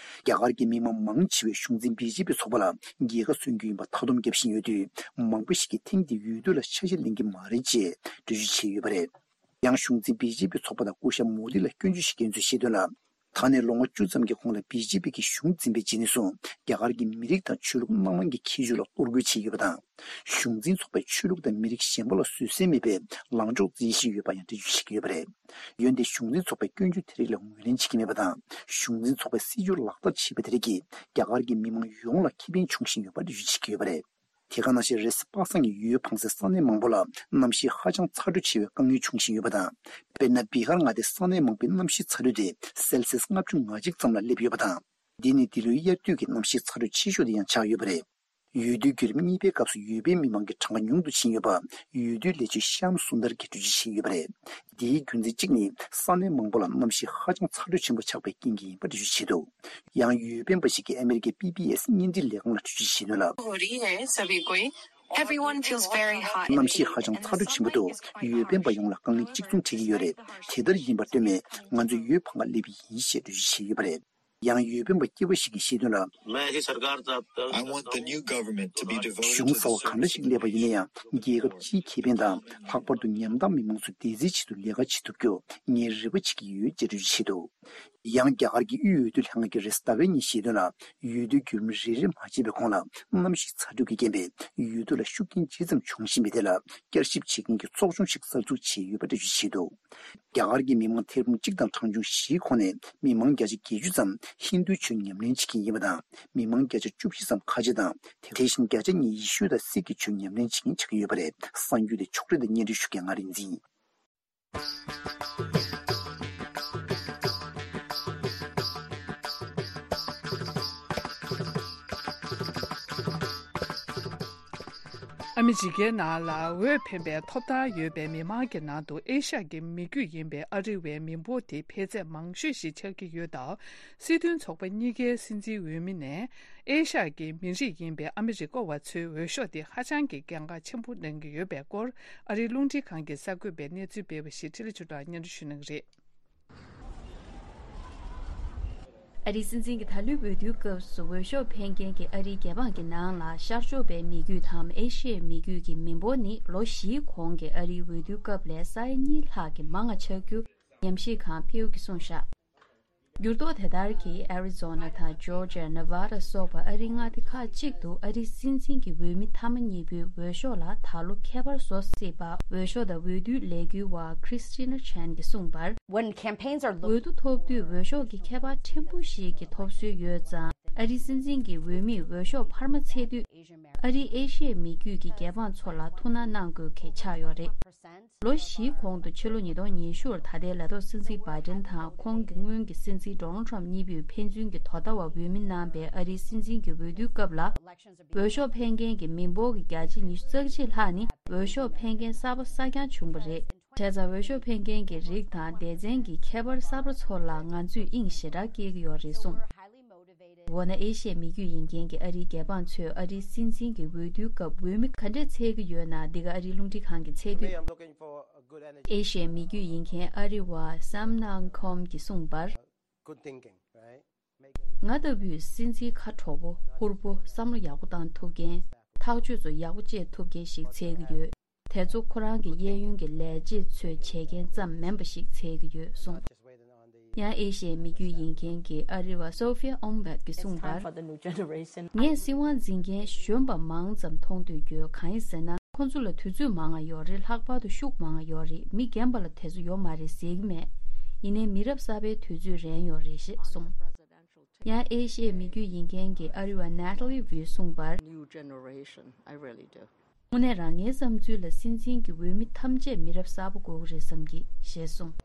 རྒྱ་གར་གྱི་མི་མང་མང་ཆེ་བས་གཞུང་འཛིན་བི་ཇེ་པི་ཚོགས་པ་ལ་རྒྱལ་ཁ་སོན་རྒྱུ་ཡིན་པ་མཐའ་སྡོམ་བརྒྱབ་བཞིན་ཡོད་དུས། མང་པོ་ཞིག་གིས་ཐེངས་འདིའི་འོས་བསྡུ་ལ་ཆ་ཤས་ལེན་གྱི་མ་རེད་ཅེས་འགྲེལ་བརྗོད་བྱས་ཡོད་པ་རེད། ཡང་གཞུང་འཛིན་བི་ཇེ་པི་ཚོགས་པ་དང་སྐུ་ཞབས་མོ་དི་ལ་སྐྱོན་བརྗོད་བྱེད་མཁན་ཚོས་བཤད་དོན་ལ། ད་ནས་ལོ་ངོ་བཅུ་ཙམ་གྱི་གོང་ལ་བི་ཇེ་པི་གིས་གཞུང་འཛིན་པའི་རྗེས་ནས་བཟུང་རྒྱ་གར་གྱི་མི་རིགས་དང་ཆོས་ལུགས་སྣ་མང་གི་ཁྱད་ཆོས་ལ་གཏོར་རྒོལ་བྱས་ཡོད་པ་དང་། གཞུང་འཛིན་ཚོགས་པས་ཆོས་ལུགས་དང་མི་རིགས་གཞན་པ་ལ་བཟོད་བསྲན་མེད་པའི་ལངས་ཕྱོགས་འཛིན་བཞིན་ཡོད་པ་ཡང་འགྲེལ་བརྗོད་བྱེད་ཀྱི་ཡོད་པ་རེད། འོན་ཏེ་གཞུང་འཛིན་ཚོགས་པས་སྐྱོན་བརྗོད་དེ་རིགས་ལ་ངོས་ལེན་བྱེད་ཀྱི་མེད་པ་དང་། གཞུང་འཛིན་ཚོགས་པའི་སྲིད་བྱུས་ལག་བསྟར་བྱས་པ་དེ་རིགས་ཀྱིས་རྒྱ་གར་གྱི་མི་མང་ཡོངས་ལ་ཁེ་ཕན་འབྱུང་བཞིན་ཡོད་པ་འགྲེལ་བརྗོད་བྱེད་ཀྱི་ཡོད་པ་རེད། དེ་ག་ནང་བཞིན་རེས་གཟའ་པ་སངས་ཀྱི་འོས་འཕངས་སའི་ས་གནས་མང་པོ་ལ་གནམ་གཤིས་ཧ་ཅང་ཚ་དྲོད་ཆེ་བའི་དཀའ་ངལ་འབྱུང་བཞིན་ཡོད་པ་དང་། དཔེར་ན་བི་ཧར་མངའ་སྡེའི་ས་གནས་མང་པོའི་གནམ་གཤིས་ཚ་དྲོད་དེ་སེལ་སིས་ལྔ་བཅུ་ང་གཅིག་ཙམ་ལ་སླེབས་ཡོད་པ་དང་། འདི་ནི་འདི་ལོའི་དབྱར་དུས་ཀྱི་གནམ་གཤིས་ཚ་དྲོད་ཆེ་ཤོས་དེ་ཡང་ཆགས་ཡོད་པ་རེད། འོས་བསྡུའི་བརྒྱུད་རིམ་གཉིས་པའི་སྐབས་སུ་འོས་འཕེན་མི་མང་གི་གྲངས་ཀ་ཉུང་དུ་ཕྱིན་ཡོད་པ་འོས་བསྡུའི་ལས་བྱེད་ཤམ་སུན་དར་གྱིས་འགྲེལ་བརྗོད་བྱས་ཡོད་པ་རེད། འདིའི་རྒྱུ་མཚན་གཅིག་ནི་ས་གནས་མང་པོ་ལ་གནམ་གཤིས་ཧ་ཅང་ཚ་དྲོད་ཆེན་པོ་ཆགས་པའི་རྐྱེན་གྱིས་ཡིན་པ་འགྲེལ་བརྗོད་བྱས་འདུག་ཡང་འོས་འཕེན་པ་ཞིག་གིས་ཨ་མེ་རི་ཀའི་པི་བི་ཨེས་བརྙན་འཕྲིན་ལས་ཁང་ལ་འགྲེལ་བརྗོད་བྱས་དོན་ལ། Everyone feels very hot. གནམ་གཤིས་ཧ་ཅང་ཚ་དྲོད་ཆེན་པོ་འདུག་འོས་འཕེན་པ་ཡོངས་ལ་དཀའ་ངལ་གཅིག་མཚུངས་འཕྲད་ཀྱི་ཡོད་རེད། དེ་ལྟར་ཡིན་པར་ལྟོས་མེད་ང་ཚོས་འོས་འཕང་ག་སླེབས་ཡིན་ཞེས་འགྲེལ་བརྗོད་བྱས་ཡོད་པ་རེད། ཡང་འོས་འཕེན་པ་སྐྱེས་པ་ཞིག་གིས་བཤད་དོན་ལ། I want the new government to be devoted to the གཞུང་གསར་བ་གང་འདྲ་ཞིག་སླེབས་པ་ཡིན་ན་ཡང་རྒྱལ་ཁབ་སྤྱིའི་ཁེ་ཕན་དང་ལྷག་པར་དུ་ཉམ་ཐག་མི་མང་ཚོའི་བདེ་རྩའི་ཆེད་དུ་ལས་ཀ་བྱེད་ཐུབ་རྒྱུ་ངས་རེ་བ་བྱེད་ཀྱི་ཡོད་ཅེས་འགྲེལ་བརྗོད་བྱས་འདུག་ཡང་རྒྱ་གར་གྱི་དབུས་འོས་བསྡུ་ལྷན་ཁང་གིས་རེས་གཟའ་ཟླ་བའི་ཉིན་བཤད་དོན་ལ། འོས་བསྡུའི་བརྒྱུད་རིམ་རེ་རེ་མ་ཕྱིན་པའི་གོང་ལ། གནམ་གཤིས་ཚ་དྲོད་ཀྱི་རྐྱེན་པས་འོས་བསྡུ་ལ་ཤུགས་རྐྱེན་ཇི་ཙམ་བྱུང་བཞིན་པའི་ཐད་ལ། བསྐྱར་ཞིབ་བྱེད་མཁན་གྱི་ཚོགས་ཆུང་ཞིག་གསར་འཛུགས་བྱས་ཡོད་པ་འགྲེལ་བརྗོད་བྱས་འདུག་རྒྱ་གར་གྱི་མི་མང་ཐེར་འབུམ་གཅིག་དང་གྲངས་ཆུང་བཞིའི་ཁོངས་ནས་མི་མང་བརྒྱ་ཆ་བརྒྱད་ཅུ་ཙམ་ཧིན་རྡུའི་ཆོས་ཉམས་ལེན་བྱེད་མཁན་ཡིན་པ་དང་། མི་མང་བརྒྱ་ཆ་བཅུ་བཞི་ཙམ་ཁ་ཆེ་དང་། དེ་བཞིན་བརྒྱ་ཆ་གཉིས་ཡེ་ཤུ་དང་སིག་གི་ཆོས་ཉམས་ལེན་བྱེད་མཁན་ཆགས་ཀྱི་ཡོད་པ་རེད། གསར་འགྱུར་དེ་ཕྱོགས་སྒྲིག་དང་སྙན་སྒྲོན་ཞུ་མཁན་ང་རིག་འཛིན། ཨ་མི་རི་ཀའི་ནང་ལ་འོས་འཕེན་པའི་ཐོབ་ཐང་ཡོད་པའི་མི་མང་གི་ནང་དུ་ཨེ་ཤ་ཡ་གི་མི་རྒྱུད་ཡིན་པའི་ཨ་རི་བའི་མི་འབོར་དེ་འཕེལ་ཚད་མང་ཤོས་ཤིག་ཆགས་ཀྱི་ཡོད་སྟབས། སྲིད་དོན་ཚོགས་པ་གཉིས་ཀའི་སྲིད་འཛིན་འོས་མི་ནས་ཨེ་ཤ་ཡ་གི་མི་རིགས་ཡིན་པའི་ཨ་མི་རི་ཀ་བ་ཚོའི་འོས་ཤོག་དེ་ཧ་ཅང་གི་གལ་འགངས་ཆེན་པོ་གནང་གི་ཡོད་པའི་སྐོར། ཨ་རིའི་རླུང་འཕྲིན་ཁང་གི་གསར་འགོད་པས་གནས་ཚུལ་སྤེལ་བ་ཞིག་འཕྲིན་ལས་ཆོས་གྲགས་སྙན་སྒྲོན་ཞུ་གནང་གི་རེད། ཨ་རིའི་སྲིད་འཛིན་གྱི་ད་ལོའི་འོས་བསྡུའི་སྐབས་སུ་འོས་ཤོག་འཕེན་མཁན་གྱི་ཨ་རིའི་རྒྱལ་འབངས་ཀྱི་ནང་ལ་ཤར་ཕྱོགས་པའི་མི་རྒྱུད་དམ་ཨེ་ཤི་ཡའི་མི་རྒྱུད་ཀྱི་མི་འབོར་ནི་ལོ་བཞིའི་གོང་གི་ཨ་རིའི་འོས་བསྡུའི་སྐབས་ལས་ས་ཡ་གཉིས་ལྷག་གིས་མང་བ་ཆགས་རྒྱུ་ཉམས་ཞིབ་ཁང་Pew གིས་གསུངས་བཞག་འགྱུར་ལྡོག་དེ་ལྟར་གྱིས་ཨེ་རི་ཛོ་ན་དང་ཇོར་ཇ་ཡ། ནེ་ཝ་ཌ་སོགས་པ་ཨ་རིའི་མངའ་སྡེ་ཁག་ཅིག་ཏུ་ཨ་རིའི་སྲིད་འཛིན་གྱི་འོས་མི་མཐའ་མ་གཉིས་པོའི་འོས་ཤོག་ལ་ད་ལོ་ཁྱད་པར་བཟོ་སྲིད་པ། འོས་ཤོག་དང་འོས་བསྡུའི་ལས་འགུལ་བ་Christina Chan གྱིས་གསུངས་པར། When campaigns are འོས་བསྡུ་ཐོབ་དུས་འོས་ཤོག་གི་ཁྱད་པར་ཕྲན་བུ་ཞིག་གི་ཐོབ་སྲོལ་ཡོད་ཙང་། ཨ་རིའི་སྲིད་འཛིན་གྱི་འོས་མིས་འོས་ཤོག་འཕར་མ་འཚལ་དུས། ཨ་རིའི་ཨེ་ཤི་ཡའི་མི་རྒྱུད་ཀྱི་རྒྱལ་འབངས་ཚོ་ལ་ཐུགས་སྣང་གནང་དགོས་གལ་ཆགས་ཡོད་རེད། ལོ་བཞིའི་གོང་དུ་ཕྱི་ལོ་ཉིས་སྟོང་ཉི་ཤུར་ད་ལྟའི་ལས་ཐོག་སྲིད་འཛིན་བྷའི་ཌེན་དང་ཁོང་གི་སྔོན་གྱི་སྲིད་འཛིན་ཌོ་ནལ་ཊམ་གཉིས་པོས་ཕན་ཚུན་གྱི་དོ་ཟླ་བ་འོས་མི་གནང་པའི་ཨ་རིའི་སྲིད་འཛིན་གྱི་འོས་བསྡུའི་སྐབས་ལ། འོས་ཤོག་འཕེན་མཁན་གྱི་མི་འབོར་གྱི་བརྒྱ་ཆ་ཉི་ཤུ་རྩ་གཅིག་ལྷག་ནི་འོས་ཤོག་འཕེན་མཁན་གསར་པ་གསར་རྐྱང་བྱུང་བ་རེད། བྱས་ཙང་འོས་ཤོག་འཕེན་མཁན་གྱི་རིགས་དང་སྡེ་ཚན་གྱི་ཁྱད་པར་གསར་པ་ཚོ་ལ་ང་ཚོས་དབྱིངས་ཞེ་དྲག་སྐྱེ་གི་ཡོད་རེད་གསུངས། འོ་ན་ཨེ་ཤི་ཡའི་མི་རྒྱུད་ཡིན་མཁན་གྱི་ཨ་རིའི་རྒྱལ་འབངས་ཚོས་ཨ་རིའི་སྲིད་འཛིན་གྱི་འོས་བསྡུའི་སྐབས་འོས་མི་ག་འདྲས་འཚོལ་གྱི་ཡོད་ན། འདི་ག་ཨ་རིའི་རླུང་འཕྲིན་ཁང་གིས་འཚོལ་དུས། ཨེ་ཤི་ཡའི་མི་རྒྱུད་ཡིན་མཁན་ཨ་རི་བ་སམ་ནང་ཁོམ་གྱིས་གསུངས་པར། ང་ལྟ་བུའི་སྲིད་འཛིན་ཁ་དྲོ་པོ་ཧུར་པོ་བསམ་བློ་ཡག་པོ་བཏང་ཐུབ་མཁན། ཐག་གཅོད་ཚོ་ཡག་པོ་བཅད་ཐུབ་མཁན་ཞིག་འཚོལ་གྱི་ཡོད། དེ་ཚོ་ཁོ་རང་གི་གཡས་གཡོན་གྱི་ལས་བྱེད་ཚོས་བྱེད་མཁན་ཙམ་མིན་པ་ཞིག་འཚོལ་གྱི་ཡོད་གསུངས། ཡང་ཨེ་ཤི་ཡའི་མི་རྒྱུད་ཡིན་མཁན་གྱི་ཨ་རི་བ་སོ་ཕི་ཡ་ཨོམ་བེག་གིས་གསུངས་པར། ངས་སྲིད་དབང་འཛིན་མཁན་གཞོན་པ་མང་ཙམ་མཐོང་འདོད་ཡོད། གང་ཡིན་ཟེར་ན། ཁོ་ཚོ་ལ་དུས་ཚོད་མང་བ་ཡོད་རེད། ལྷག་པར་དུ་ཤུགས་མང་བ་ཡོད་རེད། མི་རྒན་པ་ལ་དེ་ཚོ་ཡོད་མ་རེད་ཟེར་གྱི་མེད། ཡིན་ནའི་མི་རབས་གསར་པའི་དུས་ཚོད་རན་ཡོད་རེད་ཞེས་གསུངས། ཡང་ཨེ་ཤི་ཡའི་མི་རྒྱུད་ཡིན་མཁན་གྱི་ཨ་རི་བ་Natalie Wu གསུངས་པར། New generation, I really do. དངོས་གནས་རང་ངའི་བསམ་ཚུལ་ལ་སྲིད་འཛིན་གྱི་འོས་མི་ཐམས་ཅད་མི་རབས་གསར་པ་དགོས་ཀྱི་རེད་བསམ་གྱི་ཞེས་གསུངས།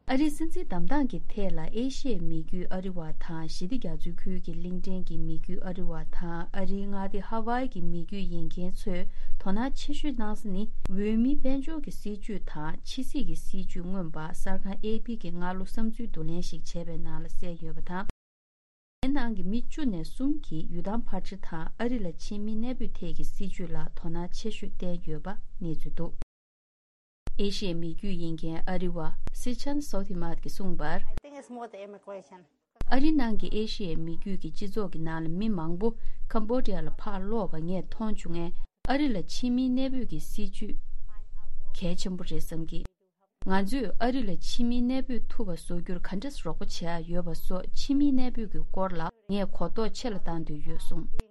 ཨ་རིའི་སྲིད་འཛིན་བདམས་སྟངས་ཀྱི་ཐད་ལ་ཨེ་ཤི་ཡའི་མི་རྒྱུད་ཨ་རི་བ་དང་། ཞི་བདེ་རྒྱ་མཚོའི་ཁུལ་གྱི་གླིང་ཕྲན་གྱི་མི་རྒྱུད་ཨ་རི་བ་དང་། ཨ་རིའི་མངའ་སྡེ་ཧ་ཝའི་གི་མི་རྒྱུད་ཡིན་མཁན་ཚོས་དོ་སྣང་ཆེ་ཤོས་གནང་ས་ནི། འོས་མི་དཔལ་འབྱོར་གྱི་སྲིད་ཇུས་དང་ཕྱི་སྲིད་ཀྱི་སྲིད་ཇུས་མངོན་པ་གསར་ཁང་ཨེ་པི་གིས་སྔ་ལོ་བསམ་ཚུལ་བསྡུ་ལེན་ཞིག་བྱས་པའི་ནང་ལ་གསལ་ཡོད་པ་དང་། དེའི་ནང་གི་མི་བཅུ་ནས་གསུམ་གྱིས་ཡུལ་ཐང་ཕར་ཕྱིན་དང་ཨ་རི་ལ་ཕྱིན་མི་གནས་སྤོས་ཐད་ཀྱི་སྲིད་ཇུས་ལ་དོ་སྣང་ཆེ་ཤོས་བསྟན་ཡོད་པ་གནས་ཚུལ་འདུག་ཨེ་ཤི་ཡའི་མི་རྒྱུད་ཡིན་མཁན་ཨ་རི་བ་སི་ཆན་སོ་ཐི་མཱད་ཀྱིས་གསུངས་པར། I think it's more the immigration. ཨ་རིའི་ནང་གི་ཨེ་ཤི་ཡའི་མི་རྒྱུད་ཀྱི་སྤྱི་ཚོགས་ཀྱི་ནང་ལ་མི་མང་པོ་ཀམ་བོ་ཌི་ཡ་ལ་ཕར་ལོག་པ་ངས་མཐོང་བྱུང་ངས། ཨ་རི་ལ་ཕྱིན་མིའི་གནས་སྤོས་ཀྱི་སྲིད་ཇུས་གལ་ཆེན་པོ་རེད་བསམ་གྱི། ང་ཚོས་ཨ་རི་ལ་ཕྱི་མིའི་གནས་སྤོས་ཐུབ་པ་བཟོ་རྒྱུར་ག་འདྲས་རོགས་པ་བྱེད་ཡ་ཡོད་པ་སོགས་ཕྱི་མིའི་གནས་སྤོས་ཀྱི་སྐོར་ལ་ངས་གོ་རྟོགས་ཆེ་ལ་བཏང་འདོད་ཡོད་གསུངས།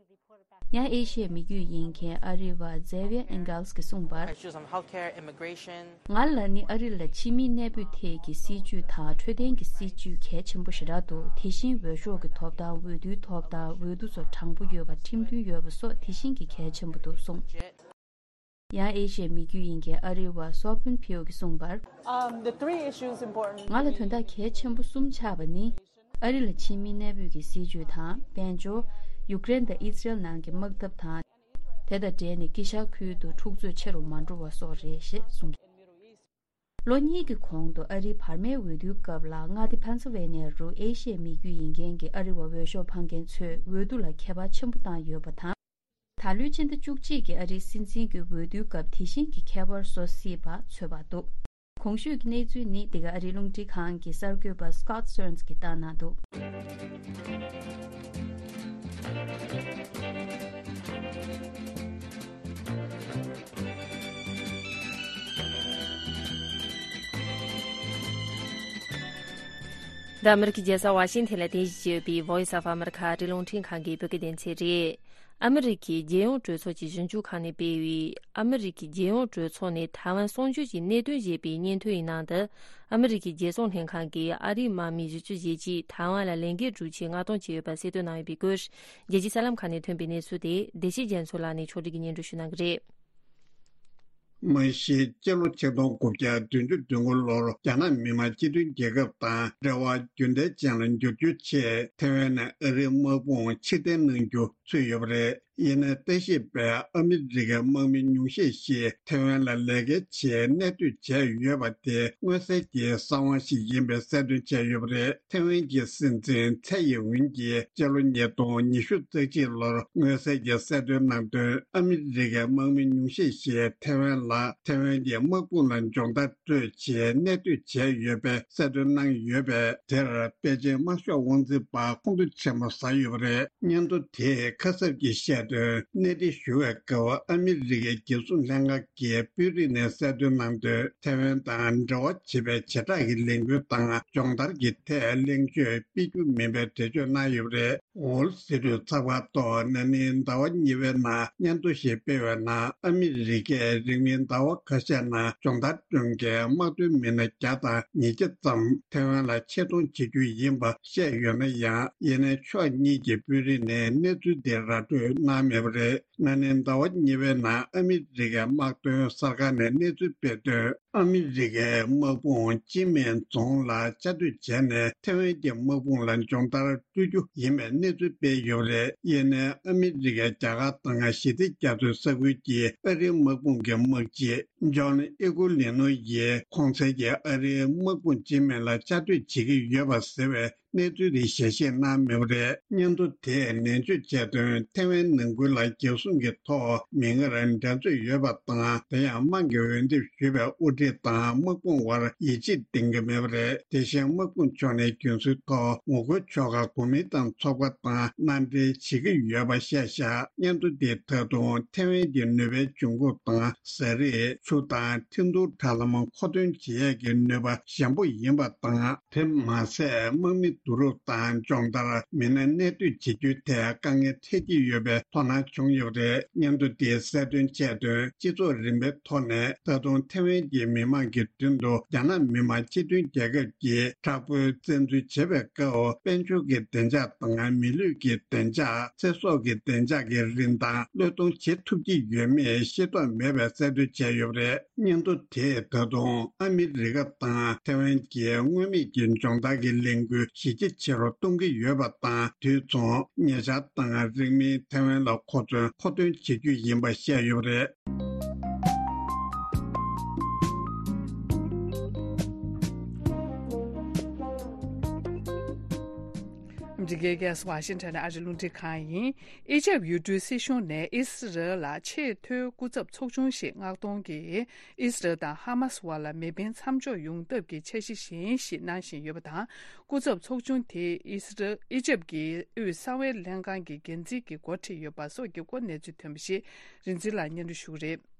ཡང་ཨེ་ཤི་ཡའི་མི་རྒྱུད་ཡིན་མཁན་ཨ་རི་བ་ཛེ་ཝི་ཡ་ཨེན་གལ་སི་གིས་གསུངས་པར། Issues on healthcare, immigration. ང་ལ་ནི་ཨ་རི་ལ་ཕྱི་མིའི་གནས་སྤོས་ཐད་ཀྱི་སྲིད་ཇུས་དང་འཕྲོད་བསྟེན་གྱི་སྲིད་ཇུས་གལ་ཆེན་པོ་ཞེ་དྲག་འདུག་དེ་བཞིན་འོས་ཤོག་གི་ཐོབ་ཐང་། འོས་བསྡུའི་ཐོབ་ཐང་། འོས་བསྡུ་ཚོ་དྲང་པོ་ཡོད་པ། ཁྲིམས་མཐུན་ཡོད་པ་སོགས་དེ་བཞིན་གྱི་གལ་ཆེན་པོ་འདུག་གསུངས། ཡང་ཨེ་ཤི་ཡའི་མི་རྒྱུད་ཡིན་མཁན་ཨ་རི་བ་སོ་ཕུན་ཕིའུ་གིས་གསུངས་པར། Um, the three issues important. ང་ལ་དོན་དག་གལ་ཆེན་པོ་གསུམ་ཆགས་པ་ནི། ཨ་རི་ལ་ཕྱི་མིའི་གནས་སྤོས་ཀྱི་སྲིད་ཇུས་དང་། དཔལ་འབྱོར། ཡུཀ་རེན་དང་ཨི་སི་རེལ་ནང་གི་དམག་འཐབ་དང་། དེ་དང་འབྲེལ་ནས་དཀྱིལ་ཤར་ཁུལ་དུ་འཁྲུག་རྩོད་ཆེ་རུ་མ་འགྲོ་བ་སོགས་རེད་ཞེས་གསུངས། ལོ་གཉིས་ཀྱི་གོང་དུ་ཨ་རིའི་བར་མའི་འོས་བསྡུའི་སྐབས་ལ་མངའ་སྡེ་ཕེན་སིལ་ཝེ་ནི་ཡ་རུ་ཨེ་ཤི་ཡའི་མི་རྒྱུད་ཡིན་མཁན་གྱི་ཨ་རི་བ་འོས་ཤོག་འཕང་མཁན་ཚོས་འོས་བསྡུ་ལ་ཁྱད་པར་ཆེན་པོ་བཏང་ཡོད་པ་དང་། ད་ལོའི་ཕྱི་ཟླ་བཅུ་གཅིག་གི་ཨ་རིའི་སྲིད་འཛིན་གྱི་འོས་བསྡུའི་སྐབས་དེ་བཞིན་གྱི་ཁྱད་པར་བཟོ་སྲིད་པ་ཚོད་དཔག་འདུག་གོང་ཞུས་ཀྱི་གནས་ཚུལ་ནི་འདི་ག་ཨ་རིའི་རླུང་འཕྲིན་ཁང་གི་གསར་འགོད་པ་Scott Stearns གིས་བཏང་གནང་འདུག་འདི་ཨ་མི་རི་ཀའི་རྒྱལ་ས་ཝ་ཤིང་ཐན་ལ་རྟེན་གཞི་བྱས་ཡོད་པའི་Voice of America ཨ་རིའི་རླུང་འཕྲིན་ཁང་གི་བོད་སྐད་སྡེ་ཚན་རེད། ཨ་མི་རི་ཀའི་རྒྱལ་ཡོངས་གྲོས་ཚོགས་ཀྱི་ཞིབ་འཇུག་ཁང་ནས་སྤེལ་བའི་ཨ་མི་རི་ཀའི་རྒྱལ་ཡོངས་གྲོས་ཚོགས་ནས་ཐའེ་ཝན་གསུང་ཆོས་ཀྱི་གནད་དོན་ཞེས་པའི་སྙན་ཐོའི་ནང་དུ། ཨ་མི་རི་ཀའི་རྒྱལ་སྲུང་ལྷན་ཁང་གིས་ཨ་རིའི་དམག་མི་བཞི་བཅུ་ཞེ་གཅིག་ཐའེ་ཝན་ལ་ལས་འགུལ་བསྒྲུབ་ཆེད་མངགས་གཏོང་བྱས་ཡོད་པ་གསལ་སྟོན་གནང་ཡོད་པའི་སྐོར། རྒྱལ་སྤྱིའི་གསར་ལམ་ཁག་ནས་ཐོན་པའི་གནས་ཚུལ་དེ་བདེ་ཆེན་རྒྱ་མཚོ་ལགས་ནས་ཕྱོགས་སྒྲིག་གིས་སྙན་སྒྲོན་ཞུ་གནང་གི་རེད། མ་གཞི་སྤྱི་ལོ་ཆིག་སྟོང་དགུ་བརྒྱ་བདུན་ཅུ་དོན་དགུ་ལོར་རྒྱ་ནག་མི་དམངས་སྤྱི་མཐུན་རྒྱལ་ཁབ་དང་འབྲེལ་བ་རྒྱུན་ལྡན་ཅན་ལ་འགྱུར་རྒྱུའི་ཆེད་ཐེ་ཝན་ནས་ཨ་རིའི་དམག་དཔུང་ཕྱིར་འཐེན་གནང་རྒྱུ་ཚུད་ཡོད་པ་རེད། ཡིན་ནའི་ལྟ་ཞིབ་པས་ཨ་མི་རི་ཀའི་དམག་མི་ཉུང་ཤས་ཤིག་ཐེ་ཝན་ལ་ལས་ཀའི་ཆེད་གནས་སྡོད་བྱས་ཡོད་པ་དེ་མངོན་གསལ་གྱི་གསང་བ་ཞིག་ཡིན་པའི་གསལ་སྟོན་བྱས་ཡོད་པ་རེད། ཐེ་ཝན་གྱི་སྲིད་འཛིན་ཚའེ་ཡིན་ཝིན་གྱིས་སྤྱི་ལོ་ཉིས་སྟོང་ཉི་ཤུ་རྩ་གཅིག་ལོར་མངོན་གསལ་གྱི་གསལ་སྟོན་གནང་དོན། ཨ་མི་རི་ཀའི་དམག་མི་ཉུང་ཤས་ཤིག་ཐེ་ཝན་ལ་ཐེ་ཝན་གྱི་དམག་དཔུང་ལ་སྦྱོང་བརྡར་སྤྲོད་ཆེད་གནས་སྡོད་བྱས་ཡོད་པའི་གསལ་སྟོན་གནང་ཡོད་པས། དེར་པེ་ཅིན་དམར་ཤོག་དབང་འཛིན་པ་ཁོང་ཁྲོ་ཆེན་པོ་ཟ་ཡོད་པ་རེད། སྙན་ཐོ་དེས་ཁ་གསབ་ཀྱིས་བཤད་དོན། གནས་འདྲི་ཞུ་བའི་སྐབས་ཨ་མི་རི་ཀའི་རྒྱལ་སྲུང་ལྷན་ཁང་གི་དཔོན་རིགས་ནས་གསལ་སྟོན་གནང་དོན། ཐེ་ཝན་དང་འབྲེལ་བ་བྱེད་པའི་བྱེ་བྲག་གི་ལས་འགུལ་དང་སྦྱོང་བརྡར་གྱི་ཐད་གླེང་བརྗོད་སྤེལ་རྒྱུ་མིན་པའི་འགྲེལ་བརྗོད་གནང་ཡོད་པ་རེད། ཝོལ་སི་ཊི་ཚགས་པར་ཐོག་ན་ནིང་ཟླ་བ་གཉིས་པའི་ནང་སྙན་ཐོ་ཞིག་སྤེལ་བའི་ནང་། ཨ་མི་རི་ཀས་རིང་མིན་ཟླ་བ་ཁ་ཤས་ནང་སྦྱོང་བརྡར་སྐྱོང་མཁན་དམག་དོན་མི་སྣ་བརྒྱ་དང་ཉིས་བརྒྱ་ཙམ་ཐེ་ཝན་ལ་ཆེད་གཏོང་བྱེད་རྒྱུ་ཡིན་པ་བཤད་ཡོད་ན་ཡང་། ཡིན་ནའི་ཕྱོགས་གཉིས་ཀྱི་དཔོན་རིགས་ནས་གནས་ཚུལ་དེ་ར་སྤྲོད་གནང་མེད་པ་རེད། ན་ནིང་ཟླ་བ་གཉིས་པའི་ནང་ཨ་མི་རི་ཀའི་དམག་དོན་གསར་ཁང་ནས་གནས་ཚུལ་སྤེལ་དོན། ཨ་མི་རི་ཀའི་དམག་དཔུང་ཅིན་མེན་རྫོང་ལ་བཅའ་སྡོད་བྱས་ནས་ཐེ་ཝན་གྱི་དམག་དཔུང་ལ་སྦྱོང་བརྡར་སྤྲོད་རྒྱུ་ཡིན་པའི་གནས་ཚུལ་སྤེལ་ཡོད་པ་རེད། ཡིན་ནའི་ཨ་མི་རི་ཀས་རྒྱ་གར་དང་ཞི་བདེ་རྒྱ་མཚོའི་ས་ཁུལ་གྱི་ཨ་རིའི་དམག་དཔུང་གི་དམག་སྤྱི་ཇོན་ཨི་ཀུ་ལི་ནོ་ཡིས་གོང་གསལ་གྱི་ཨ་རིའི་དམག་དཔུང་ཅིན་མེན་ལ་བཅའ་སྡོད་བྱེད་ཀྱི་ཡོད་པ་ཟེར་བའི་གནས་ཚུལ་དེ་ཞལ་བཞེས་གནང་མེད་པ་རེད། སྙན་ཐོ་དེས་ནན་བརྗོད་བྱས་དོན། ཐེ་ཝན་ནང་ཁུལ་ལ་རྒྱལ་སྲུང་གི་ཐོག་མིག་སྔར་འགྲན་རྩོད་ཡོད་པ་དང་། དེ་ཡང་དམག་གི་འོས་འདེམས་ཞུས་པའི་དབུ་ཁྲིད་དང་དམག་དཔུང་དབར་ཡིད་ཆེས་ལྡན་གྱི་མེད་པ་རེད། དེ་བཞིན་དམག་དཔུང་ཕྱོགས་ནས་རྒྱུན་སྲོལ་ཐོག་ངོ་རྒོལ་ཕྱོགས་ཁག་གོ་མིན་ཏང་ཚོགས་པ་དང་མནའ་འབྲེལ་བྱེད་ཀྱི་ཡོད་པ་བཤད་བཞག་སྙན་ཐོ་འདིས་ད་དུང་ཐེ་ཝན་གྱི་ནུས་པའི་འབྱུང་ཁུངས་དང་། ཟས་རིགས། ཆུ་དང་འཐུས་རྡོ་དྲ་ལམ་མཁོ་འདོན་བྱེད་ཡས་ཀྱི་ནུས་པ་ཞན་པོ་ཡིན་པ་དང་། དེ་མ་ཟད། དམག་མི་བསྡུ་རུབ་དང་སྦྱོང་བརྡར། མི་སྣ་གནས་སྡོད་བྱེད་རྒྱུའི་ཐད་དཀའ་ངལ་འཕྲད་ཀྱི་ཡོད་པའི་དོ་སྣང་བྱུང་ཡོད་པ་རེད། སྙན་ཐོ་དེས་གསལ་སྟོན་བྱས་དོན། སྤྱི་ཚོགས་རིམ་པའི་ཐོག་ནས་ད་དུང་ཐེ་ཝན་གྱི་མི་མང་གི་མདུན་དུ་རྒྱ་ནག་མི་དམངས་སྤྱི་མཐུན་རྒྱལ་ཁབ་ཀྱི་དྲག་པོའི་བཙན་འཛུལ་བྱེད་པའི་སྐབས། དཔལ་འབྱོར་གྱི་བདེ་འཇགས་དང་། མི་ལུས་ཀྱི་བདེ་འཇགས། ཚེ་སྲོག་གི་བདེ་འཇགས་ཀྱི་རིན་ཐང་བློས་གཏོང་བྱེད་ཐུབ་ཀྱི་ཡོད་མེད་ཤེས་རྟོགས་མེད་པའི་གསལ་སྟོན་བྱས་ཡོད་པ་རེད། སྙན་ཐོ་དེས་ད་དུང་ཨ་མི་རི་ཀ་དང་ཐེ་ཝན་གྱི་མངོན་མེད་ཀྱི་སྦྱོང་བརྡར་གྱི་ལས་འགུལ་གཞི་རྒྱ་ཆེ་རུ་གཏོང་གི་ཡོད་པ་དང་། དུས་མཚུངས་ཉེ་ཆར་དང་རིང་མིན་ཐེ་ཝན་ལ་མཁོ་མཚོན་མཁོ་འདོན་བྱེད་རྒྱུ་ཡིན་པ་བཤད་ཡོད་པ་རེད། འདི་གའི་རྒྱལ་ས་ཝ་ཤིང་ཊོན་ཨ་རི་རླུང་འཕྲིན་ཁང་ཡིན། ཨི་ཇེབ་ཡུལ་གྲུའི་སྲིད་གཞུང་ནས་ཨི་སི་རལ་ལ་ཆེས་མཐོའི་སྐུ་ཚབ་ཚོགས་ཆུང་ཞིག་མངགས་གཏོང་གིས། ཨི་སི་རལ་དང་ཧ་མ་སི་དབར་ལ་མེ་འཕེན་མཚམས་འཇོག་ཡོང་ཐབས་ཀྱི་འཆར་གཞི་གཞན་ཞིག་གནང་བཞིན་ཡོད་པ་དང་། སྐུ་ཚབ་ཚོགས་ཆུང་དེས་ཨི་སི་རལ། ཨི་ཇེབ་ཀྱི་དབུས་གསང་བའི་ལྷན་ཁང་གི་འགན་འཛིན་གྱི་འགོ་ཁྲིད་ཡོད་པ་སོགས་ཀྱི་སྐོར་གནས་ཚུལ་ཐོན་པ་ཞིག་རིག་འཛིན་ལགས་སྙན་སྒྲོན་ཞུ་གི་རེད།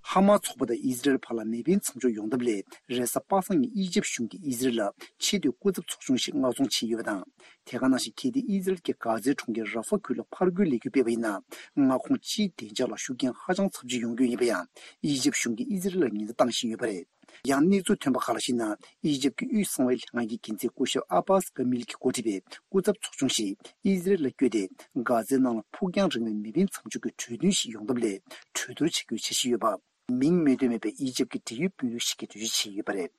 ཧ་མ་སི་ཚོགས་པ་དང་ཨི་སི་རལ་བར་ལ་མེ་འཕེན་མཚམས་འཇོག་ཡོང་ཐབས་སླད། རེས་གཟའ་པ་སངས་ཉིན་ཨི་ཇེབ་གཞུང་གིས་ཨི་སི་རལ་ལ་ཆེས་མཐོའི་སྐུ་ཚབ་ཚོགས་ཆུང་ཞིག་མངགས་གཏོང་བྱས་ཡོད་པ་དང་། དེ་ག་ནང་བཞིན་གལ་ཏེ་ཨི་སི་རལ་གྱིས་གྷ་ཛའི་གྲོང་ཁྱེར་ར་ཧྥ་ཁུལ་ལ་ཕར་རྒོལ་ལས་འགུལ་སྤེལ་བ་ཡིན་ན། མངའ་ཁོངས་སྤྱིའི་བདེ་འཇགས་ལ་ཤུགས་རྐྱེན་ཧ་ཅང་ཚབས་ཆེ་ཡོང་རྒྱུ་ཡིན་པ་ཡང་། ཨི་ཇེབ་གཞུང་གིས་ཨི་སི་རལ་ལ་ཉེན་བརྡ་བཏང་བཞིན་ཡོད་པ་རེད། ཡང་གནས་ཚུལ་ཐོན་པ་ཁག་ལ་གཞིགས་ན། ཨི་ཇེབ་ཀྱི་དབུས་གསང་བའི་ལྷན་ཁང་གི་འགན་འཛིན་སྐུ་ཞབས་ཨ་བྷ་སི་ཀ་མིལ་གྱིས་འགོ་ཁྲིད་པའི་སྐུ་ཚབ་ཚོགས་ཆུང་ཞིག་ཨི་སི་རལ་ལ་བསྐྱོད་དེ། གྷ་ཛའི་ནང་ལ་ཕུགས་རྒྱང་རིང་བའི་མེ་འཕེན་མཚམས་འཇོག་གི་གྲོས་མཐུན་ཞིག་ཡོང་ཐབས་སླད་གྲོས་བསྡུར་བྱ་རྒྱུའི་འཆར་གཞི་ཡོད་པ། མིང་མི་འདོན་མེད་པའི་ཨི་ཇེབ་ཀྱི་འབྲེལ་ཡོད་དཔོན་རིགས་ཤིག་གིས་འགྲེལ་བརྗོད་བྱས་ཡོད་པ་རེད།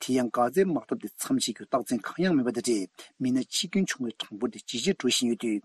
དེ་ཡང་། གྷ་ཛའི་དམག་འཐབ་དེ་མཚམས་ཆད་རྒྱུར་རྟགས་མཚན་གང་ཡང་མེད་པ་དང་འབྲེལ། མི་སྣ་འཆི་སྐྱོན་བྱུང་བའི་གྲངས་འབོར་དེ་ཇེ་ཆེར་འགྲོ་བཞིན་ཡོད་དུས།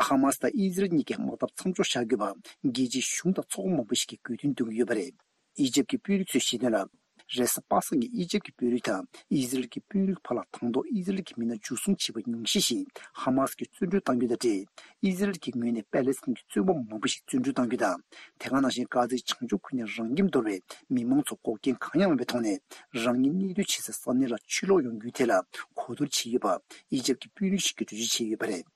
ཧ་མ་སི་དང་ཨི་སི་རལ་གཉིས་ཀས་དམག་འཐབ་མཚམས་འཇོག་བྱ་དགོས་པ། རྒྱལ་སྤྱིའི་གཞུང་དང་ཚོགས་པ་མང་པོ་ཞིག་གིས་དགོས་འདུན་འདོན་གྱི་ཡོད་པ་རེད། ཨི་ཇེབ་ཀྱི་དཔོན་རིགས་ཚོས་བཤད་དོན་ལ། རེས་གཟའ་པ་སངས་ཉིན་ཨི་ཇེབ་ཀྱི་དཔོན་རིགས་དང་ཨི་སི་རལ་གྱི་དཔོན་རིགས་བར་ལ་དང་ཐོག་ཨི་སི་རལ་གྱི་མི་སྣ་འཇུ་བཟུང་བྱས་པ་ཉུང་ཤས་ཤིག་ཧ་མ་སི་གིས་བཙོན་གྲོལ་གཏང་རྒྱུ་དང་འབྲེལ། ཨི་སི་རལ་གྱི་ངོས་ནས་པ་ལེ་སི་ཐན་གྱི་བཙོན་པ་མང་པོ་ཞིག་བཙོན་གྲོལ་གཏང་རྒྱུ་དང་། དེ་ག་ནང་བཞིན་གྷ་ཛའི་བྱང་ཕྱོགས་ཁུལ་ནས་རང་ཁྱིམ་དོར་བའི་མི་མང་ཚོ་འགོག་རྐྱེན་གང་ཡང་མེད་པའི་ཐོག་ནས། རང་ཉིད་གནས་སྡོད་བྱེད་སའི་ས་གནས་ལ་ཕྱིར་ལོག་ཡོང་རྒྱུའི་ཐད་ལ་གོ་བསྡུར་བྱས་ཡོད་པ། ཨི་ཇེབ་ཀྱི་དཔོན་རིགས་ཤིག་གིས་འགྲེལ་བརྗོད་བྱས་ཡོད་པ་རེད།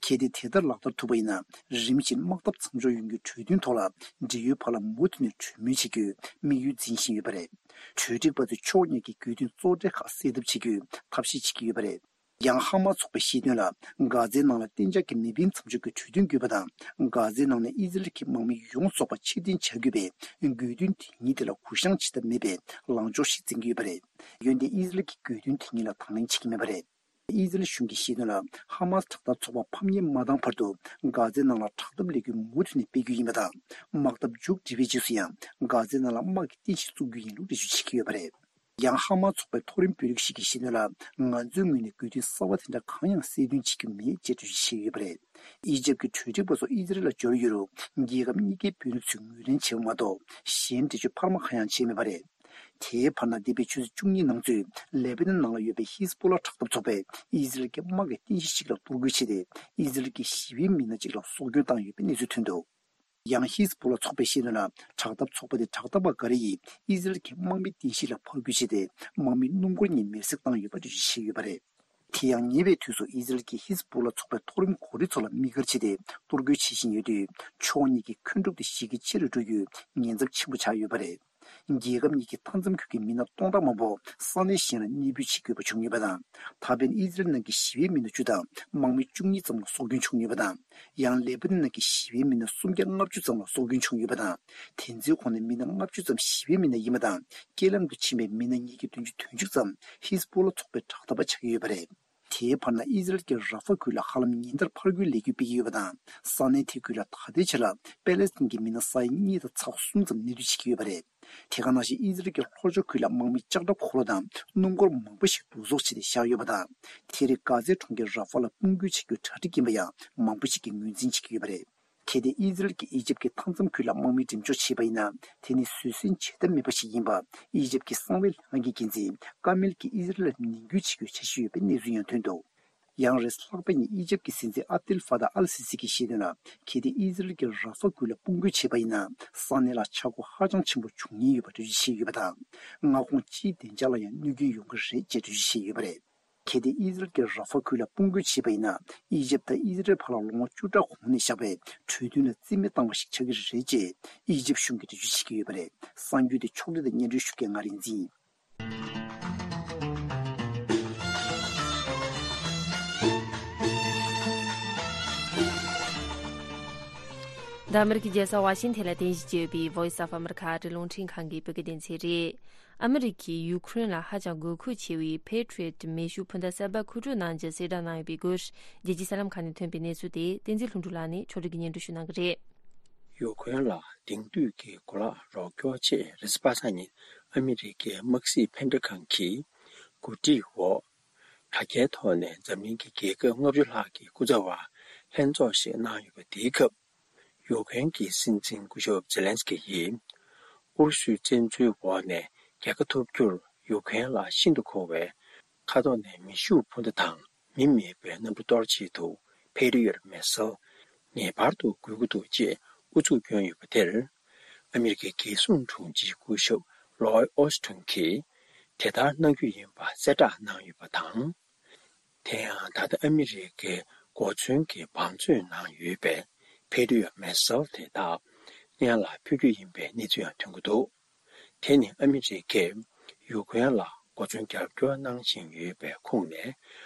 གལ་ཏེ་དེ་ལྟར་ལག་བསྟར་ཐུབ་པ་ཡིན་ན། རིམ་བཞིན་དམག་འཐབ་མཚམས་འཇོག་ཡོང་རྒྱུའི་གྲོས་མཐུན་ཐོག་ལ། འབྲེལ་ཡོད་བར་ལ་མུ་མཐུད་ནས་གྲོས་མོལ་བྱེད་རྒྱུའི་དམིགས་ཡུལ་འཛིན་བཞིན་ཡོད་པ་རེད། གྲོས་འགྲིག་པ་ཚོས་ཕྱོགས་གཉིས་ཀྱི་དགོས་འདུན་གཙོ་གྲས་ཁག་སེལ་ཐབས་བྱེད་རྒྱུའི་ཐབས་ཤེས་བྱེད་ཀྱི་ཡོད་པ་རེད། ཡང་ཧ་མ་ཚོགས་པས་བཤད་དོན་ལ། གྷ་ཛའི་ནང་ལ་གཏན་འཇགས་ཀྱི་མི་འཕེན་མཚམས་འཇོག་གི་གྲོས་མཐུན་དགོས་པ་དང་། གྷ་ཛའི་ནང་ནས་ཨི་ཟི་རལ་གྱི་དམག་མི་ཡོངས་རྫོགས་པ་ཕྱིར་འཐེན་བྱ་དགོས་པའི་དགོས་འདུན་དེ་གཉིས་དེ་ལ་གུ་བཤངས་བྱེད་ཐབས་མེད་པའི་ལངས་ཕྱོགས་ཤིག་འཛིན་གྱི་ཡོད་པ་རེད། འོན་ཏེ་ཨི་ཟི་རལ་གྱི་དགོས་འདུན་དེ་གཉིས་ལ་དང་ལེན་བྱེད་ཀྱི་མེད་པ་རེད། ཨི་ཟི་རལ་གཞུང་གིས་བཤད་དོན་ལ། ཧ་མ་སི་དྲག་འཐབ་ཚོགས་པ་ཕམ་ཉེས་མ་བཏང་བར་དུ་གྷ་ཛའི་ནང་ལ་དྲག་འཐབ་ལས་འགུལ་མུ་མཐུད་ནས་སྤེལ་རྒྱུ་ཡིན་པ་དང་། དམག་འཐབ་མཇུག་སྒྲིལ་བའི་རྗེས་སུ་ཡང་གྷ་ཛའི་ནང་ལ་དམག་གི་རྟེན་གཞི་བཙུགས་རྒྱུ་ཡིན་ལུགས་འགྲེལ་བརྗོད་བྱེད་ཀྱི་ཡོད་པ་རེད། ཡང་ཧ་མ་ཚོགས་པའི་མཐོ་རིམ་དཔོན་རིགས་ཤིག་གིས་བཤད་དོན་ལ། ང་ཚོའི་ངོས་ནས་དགོས་འདུན་གསར་བ་དེ་འདྲ་གང་ཡང་གསལ་སྟོན་བྱེད་རྒྱུ་མེད་ཅེས་འགྲེལ་བརྗོད་བྱས་ཡོད་པ་རེད། ཨི་ཇེབ་ཀྱི་གྲོས་འགྲིག་པ་ཚོ་ཨི་ཟི་རལ་ལ་འབྱོར་ཡོད་རུང་། རྒྱལ་ཁབ་གཉིས་ཀའི་དཔོན་རིགས་ཚོས་ངོས་ལེན་བྱས་པ་མ་གཏོགས། གཞན་འགྲེལ་བརྗོད་འཕར་མ་གང་ཡང་བྱས་མེད་པ་རེད། དེའི་བར་ན། འདས་པའི་ཆུ་ཚོད་བཅུ་གཉིས་ནང་ཚུད་ལེ་པ་ནན་ནང་ལ་ཡོད་པའི་ཧི་ཟ་བྷོ་ལ་དྲག་འཐབ་ཚོགས་པས་ཨི་ཟི་རལ་གྱི་དམག་གི་རྟེན་གཞི་ཞིག་ལ་གཏོར་རྒོལ་བྱས་ཏེ། ཨི་ཟི་རལ་གྱི་ཞི་བའི་མི་སྣ་གཅིག་ལ་སྲོག་སྐྱོན་བཏང་ཡོད་པའི་གནས་ཚུལ་ཐོན་འདུག་ཡང་ཧི་ཟ་བྷོ་ལ་ཚོགས་པས་བཤད་དོན་ལ། དྲག་འཐབ་ཚོགས་པ་དེ་དྲག་འཐབ་པ་འགའ་རེ་ཡིས་ཨི་ཟི་རལ་གྱི་དམག་མིའི་རྟེན་གཞི་ལ་ཕར་རྒོལ་བྱས་ཏེ། དམག་མི་སྣུམ་འཁོར་གཉིས་མེར་སྲེག་བཏང་ཡོད་པ་འགྲེལ་བརྗོད་བྱས་ཡོད་པ་རེད། དེ་ཡང་ཉེ་བའི་དུས་སུ་ཨི་ཟི་རལ་གྱིས་ཧི་ཟ་བྷོ་ལ་ཚོགས་པའི་མཐོ་རིམ་འགོ་ཁྲིད་ཚོ་ལ་དམིགས་བཀར་བྱས་ཏེ་གཏོར་རྒོལ་བྱེད་བཞིན་ཡོད་དུས། ཕྱོགས་གཉིས་ཀྱི་མཁོན་སྒྲུབ་དེ་གཞི་རྒྱ་ཆེ་རུ་འགྲོ་རྒྱུའི་ཉེན་ཚབས་ཆེན་པོ་ཆགས་ཡོད་པ་རེད། རྒྱལ་ཁབ་གཉིས་ཀྱི་མཐའ་མཚམས་ཁུལ་གྱི་མི་སྣ་སྟོང་ཕྲག་མང་པོ་ས་གནས་གཞན་ལ་གནས་སྤོས་བྱེད་དགོས་པ་བྱུང་ཡོད་པ་དང་། ད་ཕན་ཨི་ཟི་རལ་ནང་གི་ཞི་བའི་མི་སྣ་བཅུ་དང་དམག་མི་བཅུ་གཉིས་ཙམ་ལ་སྲོག་སྐྱོན་བྱུང་ཡོད་པ་དང་། ཡང་ལེ་པ་ནན་ནང་གི་ཞི་བའི་མི་སྣ་སུམ་བརྒྱ་ལྔ་བཅུ་ཙམ་ལ་སྲོག་སྐྱོན་བྱུང་ཡོད་པ་དང་། དེ་ཚོའི་ཁོངས་ནས་མི་སྣ་ལྔ་བཅུ་ཙམ་ཞི་བའི་མི་སྣ་ཡིན་པ་དང་། རྐྱེན་ལམ་དུ་ཕྱིན་པའི་མི་སྣ་ཉིས་བརྒྱ་བདུན་ཅུ་དོན་གཅིག་ཙམ་ཧི་ཟ་བྷོ་ལ་ཚོགས་པའི་དྲག་འཐབ་པ་ཆགས་ཀྱི་ཡོད་པ་རེད། དེའི་བར་ན། ཨི་ཟི་རལ་གྱིས་ར་ཧྥ་ཁུལ་ལ་ཧ་ལམ་ཉིན་ལྟར་ཕར་རྒོལ་ལས་འགུལ་སྤེལ་གྱི་ཡོད་པ་དང་། ས་གནས་དེ་ཁུལ་ལ་ད་ལྟའི་ཆར་ལ་པེ་ལེ་སི་ཐན་གྱི་མི་སྣ་ས་ཡ་གཉིས་དང་ཚེག་གསུམ་ཙམ་གནས་སྡོད་བྱེད་ཀྱི་ཡོད་པ་རེད། དེ་ག་ནང་བཞིན་ཨི་ཟི་རལ་གྱི་ལྷོ་ཕྱོགས་ཁུལ་ལ་དམག་མི་ལྕགས་ཁྲབ་འཁོར་ལོ་དང་སྣུམ་འཁོར་མང་པོ་ཞིག་བསྡུ་གསོག་བྱས་ཏེ་བཞག་ཡོད་པ་དང་། དེ་རིང་གྷ་ཛའི་གྲོང་ཁྱེར་ར་ཧྥ་ལ་དཔུང་རྒོལ་བྱེད་རྒྱུའི་གྲ་སྒྲིག་ཡིན་པ་ཡང་མང་པོ་ཞིག་གིས་ངོས་འཛིན་བྱེད་ཀྱི་ཡོད་པ་རེད། གལ་ཏེ་ཨི་ཟི་རལ་གྱིས་ཨི་ཇིབ་ཀྱི་མཐའ་མཚམས་ཁུལ་ལ་དམག་མི་འགྲེམས་འཇོག་བྱས་པ་ཡིན་ན། དེ་ནི་བཟོད་བསྲན་བྱེད་ཐབས་མེད་པ་ཞིག་ཡིན་པ། ཨི་ཇིབ་ཀྱི་གསང་བའི་ལྷན་ཁང་གི་འགན་འཛིན་ཀ་མེལ་གྱིས་ཨི་ཟི་རལ་ལ་ནན་སྐུལ་བྱེད་རྒྱུའི་འཆར་གཞི་ཡོད་པའི་གནས་ཚུལ་ཡང་ཐོན་འདུག་ཡང་རེས་ལྷག་པ་ཉིན་ཨི་ཇིབ་ཀྱི་སྲིད་འཛིན་ཨབ་དེལ་ཧྥ་ཏཱ་ཨལ་སི་སི་གྱིས་བཤད་དོན་ལ། གལ་ཏེ་ཨི་ཟི་རལ་གྱིས་ར་ཧྥ་ཁུལ་ལ་དཔུང་རྒོལ་བྱས་པ་ཡིན་ན། ས་གནས་ལ་ཆག་སྒོ་ཧ་ཅང་ཆེན་པོ་འབྱུང་ཉེན་ཡོད་པ་འགྲེལ་བརྗོད་བྱས་ཡོད་པ་དང་། མངའ་ཁོངས་སྤྱིའི་བདེ་འཇགས་ལ་ཡང་གནོད་སྐྱོན་ཡོང་གི་རེད་ཅེས་འགྲེལ་བརྗོད་བྱས་ཡོད་པ་རེད། གལ་ཏེ་ཨི་ཟི་རལ་གྱིས་ར་ཧྥ་ཁུལ་ལ་དཔུང་རྒོལ་བྱས་པ་ཡིན་ན། ཨི་ཇིབ་དང་ཨི་ཟི་རལ་བར་ལ་ལོ་ངོ་བཅུ་ཕྲག་གོང་ནས་བཞག་པའི་གྲོས་མཐུན་ལ་རྩིས་མེད་བཏང་བ་ཞིག་ཆགས་ཀྱི་རེད་ཅེས་ཨི་ཇིབ་གཞུང་གིས་འགྲེལ་བརྗོད་བྱེད་ཀྱི་ཡོད་པ་རེད། གསར་འགྱུར་དེ་ཕྱོགས་སྒྲིག་དང་སྙན་སྒྲོན་ཞུ་མཁན་ང་རིག་འཛིན། འདི་ཨ་མི་རི་ཀའི་རྒྱལ་ས་ཝ་ཤིང་ཐན་ལ་རྟེན་གཞི་བྱས་ཡོད་པའི་Voice of America ཨ་རིའི་རླུང་འཕྲིན་ཁང་གི་བོད་སྐད་སྡེ་ཚན་རེད། ཨ་མི་རི་ཀས་ཡུ་ཁུ་རེན་ལ་ཧ་ཅང་དགོས་མཁོ་ཆེ་བའི་Patriot མེ་ཤུགས་འཕུར་མདའ་གསར་པ་མཁོ་སྤྲོད་གནང་རྒྱུ་གསལ་བསྒྲགས་གནང་ཡོད་པའི་སྐོར། རྒྱལ་སྤྱིའི་གསར་ལམ་ཁག་ནས་ཐོན་པའི་གནས་ཚུལ་དེ་བསྟན་འཛིན་ལྷུན་གྲུབ་ལགས་ནས་ཕྱོགས་སྒྲིག་གིས་སྙན་སྒྲོན་ཞུ་གནང་གི་རེད། ཡུ་ཁུ་རེན་ལ་དེང་དུས་ཀྱི་གོ་ལག་རོགས་སྐྱོར་ཆེད་རེས་གཟའ་པ་སངས་ཉིན་ཨ་མི་རི་ཀའི་དམག་སྲིད་ཕན་འབྲས་ཁང་གིས་གོ་སྒྲིག་འོག་དྲ་རྒྱའི་ཐོག་ནས་འཛམ་གླིང་གི་རྒྱལ་ཁབ་ལྔ་བཅུ་ལྷག་གི་སྐུ་ཚབ་པ་ལྷན་ཚོགས་ཤིག་གནང་ཡོད་པ་དེའི་སྐབས། ཡུ་ཀེ་རེན་གྱི་སྲིད་འཛིན་སྐུ་ཞབས་ཛེ་ལན་སི་ཀི་ཡིས། ཨུ་རུ་སུའི་བཙན་འཛུལ་འོག་ནས་རྒྱལ་ཁ་ཐོབ་རྒྱུར་ཡུ་ཀེ་རེན་ལ་ཤིན་ཏུ་མཁོ་བའི་ཁ་ཐོག་ནས་མེ་ཤུགས་འཕུར་མདའ་དང་མི་མེད་པའི་གནམ་གྲུ་གཏོར་ཆེད་དུ་Patriot missile ངེས་པར་དུ་དགོས་ཀྱི་འདུག་ཅེས་ཨུ་ཚུགས་བསྐྱོན་ཡོད་པ་དེར། ཨ་མི་རི་ཀའི་རྒྱལ་སྲུང་དྲུང་ཆེ་སྐུ་ཞབས་ལོའི་ཨོ་སི་ཊོན་གྱིས་དེ་ལྟར་གནང་རྒྱུ་ཡིན་པ་གསལ་བསྒྲགས་གནང་ཡོད་པ་དང་། དེ་ཡང་ད་ལྟ་ཨ་མི་རི་ཀའི་གོ་མཚོན་གྱི་བང་མཛོད་ནང་ཡོད་པའི་Patriot missile དེ་དག་སྔོན་ལ་ཕུལ་རྒྱུ་ཡིན་པའི་གནས་ཚུལ་ཡང་ཐོན་གྱི་འདུག་དེ་ནི་ཨ་མི་རི་ཀས་ཡུ་ཀེ་རེན་ལ་གོ་མཚོན་རྒྱབ་སྐྱོར་གནང་བཞིན་ཡོད་པའི་ཁོངས་ནས་